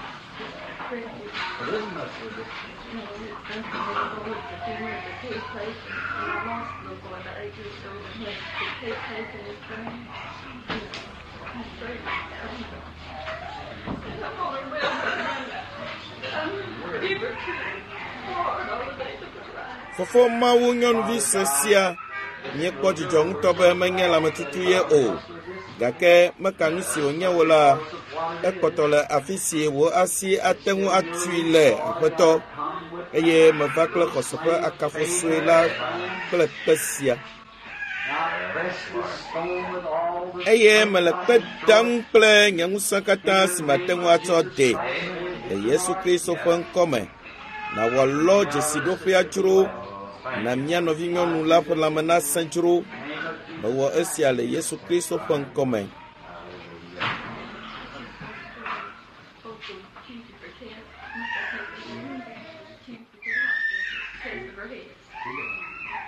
corrected, It isn't much of a difference. you know, it's nothing but a boy, the finger, the tooth place, and I lost a little boy about 8 years old and had the tooth place in his brain. You know, I'm afraid. And I'm only well, but I'm fever hard all the days of my life. Fofo Mawu nyɔnuvi sue sia míekpɔ dzidzɔ ŋutɔ be menye lãmetutu ye o gake meka nu si wònye wo la ekpɔtɔ le afi si wò asi ate ŋu atui le aƒetɔ eye meva kple xɔse ƒe akafo sue la kple kpe sia Now press this stone with all the eye mele kpe dam kple nye ŋusẽ katã si mate ŋu atsɔ de le Yesu Kristo ƒe ŋkɔme nawɔ lɔ dzesiɖoƒea dzro na mía nɔvinyɔnu la ƒe lãme nasẽ dzro mewɔ esia le Yesu Kristo ƒe ŋkɔme. Vocal Tuesday for test. Must I take the Tuesday to the hospital. Test of her head.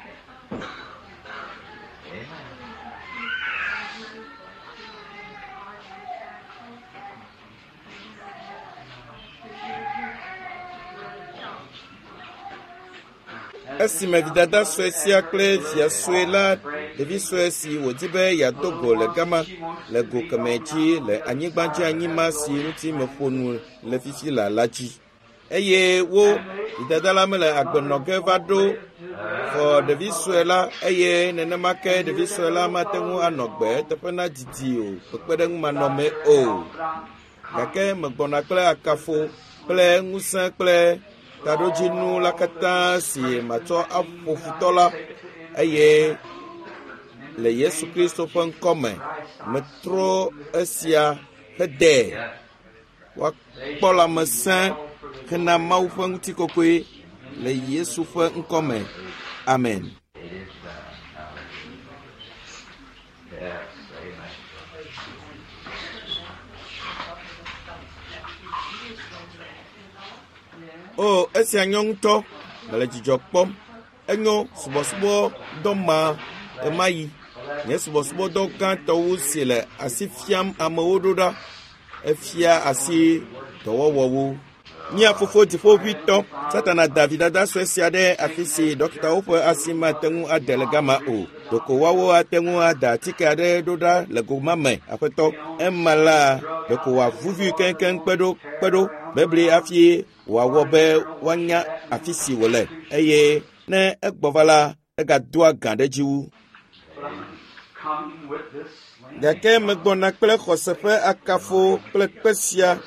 Esime vidada sue sia kple via sue la ɖevi sue si wòdi be yeado go le gama le go kemɛ dzi le anyigbadzi anyima si ŋuti meƒo nu le fifi la la dzi. Eye wo vidada la mele agbe nɔ ge va ɖo xɔ ɖevi sue la eye nenema ke ɖevi sue la mate ŋu anɔ gbe eteƒe na didi o kpekpeɖeŋu manɔmee o. Gake megbɔna kple akafo kple ŋusẽ kple taɖodzinu la katã si matsɔ aƒo futɔ la eye le Yesu Kristo ƒe ŋkɔme metrɔ esia hede woakpɔ lãmesẽ hena Mawu ƒe ŋutikɔkɔe le Yesu ƒe ŋkɔme. Amen. It is done. Hallelujah. Yes, amen. O, esia nyɔ ŋutɔ. Mele dzidzɔ kpɔm. Enyo subɔsubɔdɔ ma ɣemaɣi. Nye subɔsubɔdɔ gãtɔwo si le asi fiam amewo ɖo ɖa. Efia asi dɔwɔwɔwo. Mía fofo dziƒoʋĩtɔ, Satana da vidada sue sia ɖe afi si ɖɔkitawo ƒe asi mate ŋu ade le gama o. Ɖeko woawo ate ŋu ada atike aɖe ɖo ɖa le go ma me, aƒetɔ. Ema la, ɖeko wòavuvi keŋkeŋ kpeɖo kpeɖo bebli hafi wòawɔ be woanya afi si wòle eye ne egbɔ va la, egadoa gã ɖe edzi wu. coming with this sling. Gake megbɔna kple xɔse ƒe akafo kple kpe sia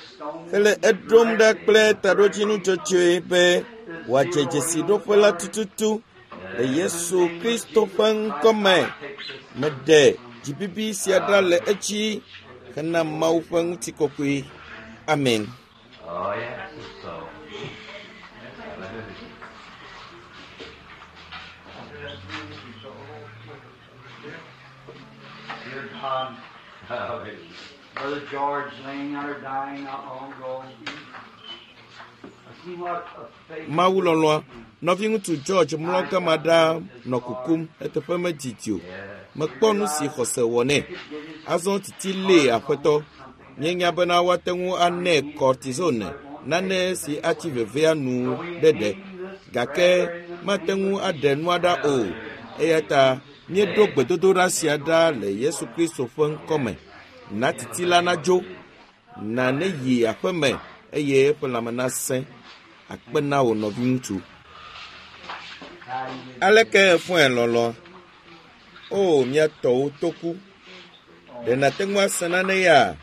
hele eɖom ɖa kple taɖodzinu dzɔdzɔe be wòadze dzesiɖoƒe la tututu le Yesu Kristo ƒe ŋkɔme. Meɖe dzibibi sia ɖa le edzi hena Mawu ƒe ŋutikɔkɔe. Amen. Oh, yes, it's so. Hallelujah. Dear God, Hallelujah. Brother George laying out or dying not long ago. I see what a faith Mawu lɔlɔ̃a, nɔviŋutsu George mlɔ gama ɖaa nɔ kukum eteƒe medidi o. Mekpɔ nu si xɔse wɔ nɛ. Azɔ titi lée aƒetɔ. Míenya bena woate ŋu anɛ cortisone, nane si atsi vevea nu ɖeɖe. Gake mate ŋu aɖe nua ɖa o. Eya ta míeɖo gbedodoɖa sia ɖa le Yesu Kristo ƒe ŋkɔme. Na titi la nadzo, na neyi aƒeme eye eƒe lãme nasẽ. Akpe na wò nɔviŋutsu. Aleke efɔe lɔlɔ̃a? O, mía tɔwo toku. Ɖe nàte ŋu ase nane ya?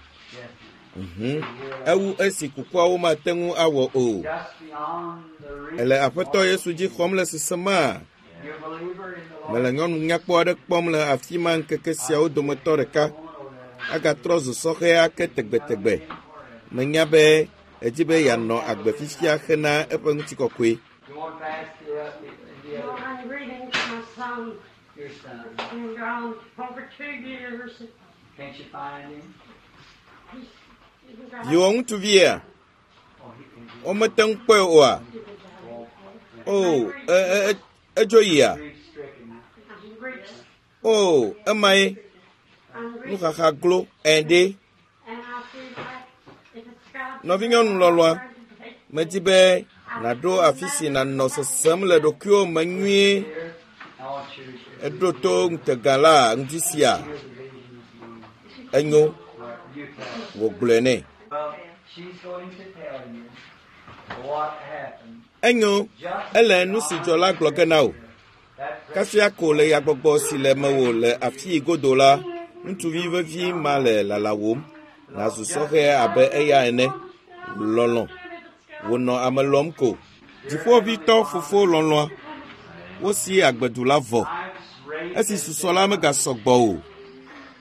Mhm. Ewu esi kukuawo mate ŋu awɔ o. just beyond the reach. Ele Aƒetɔ Yesu dzi xɔm le sesema? You believer in the Lord. Mele nyɔnu nyakpɔ aɖe kpɔm le afi ma ŋkeke siawo dometɔ ɖeka. Agatrɔ zu sɔhɛ ake tegbetegbe. Menya be edi be yeanɔ agbe fifia hena eƒe ŋutikɔkɔe. You want to ask the Well, other, I'm reading to my son. your son. He's been gone over 2 years. Can't you find him? He's been gone. Viwò ŋutsuvia, Oh, he can be. womete ŋu kpɔe oa? O, e, e, e, Edzo yia? Grief-stricken. I'm grief. O, emae I'm grief. nuxaxa glo ɛɖe. And I feel like if it's God's Nɔvinyɔnu lɔlɔ̃a, medi be nàɖo afi si nànɔ sesem le ɖokuiwò me nyuie. Here, I want you to Eɖo to ŋutega la ŋdi sia. hear the vision this morning. Enyo, Right, you tell. wògblɔe nɛ. Well, she's going to tell you what happened. Enyo, Just ele nu si dzɔ la gblɔ ge na wò. that Kasia ko le yagbɔgbɔ si le mewò le afii godo la, ŋutsuvi vevi ma le lalawòm. Nàzu sɔhɛ abe eya ene. Lɔlɔ̃. Wònɔ ame lɔm ko. Dziƒoʋĩtɔ fofo lɔlɔ̃a, wosi agbedu la vɔ. life's rate Esi susɔ la megasɔ gbɔ o.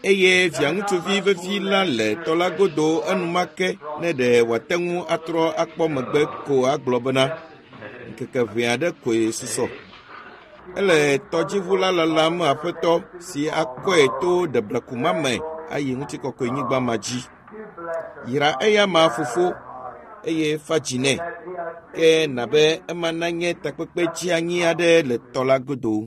Eye viaŋutsuvi vevi la le tɔ la godo enumake ne ɖe wòate ŋu atrɔ akpɔ megbe ko agblɔ bena ŋkeke ʋɛ aɖe koe susɔ. Ele tɔdziʋu la lalam aƒetɔ si akɔe to ɖebleku ma me ayi ŋutikɔkɔenyigba ma dzi. Yra eya ma fofo eye fa dzi nɛ. Ke na be ema nanye takpekpe dzeanyi aɖe le tɔ la godo.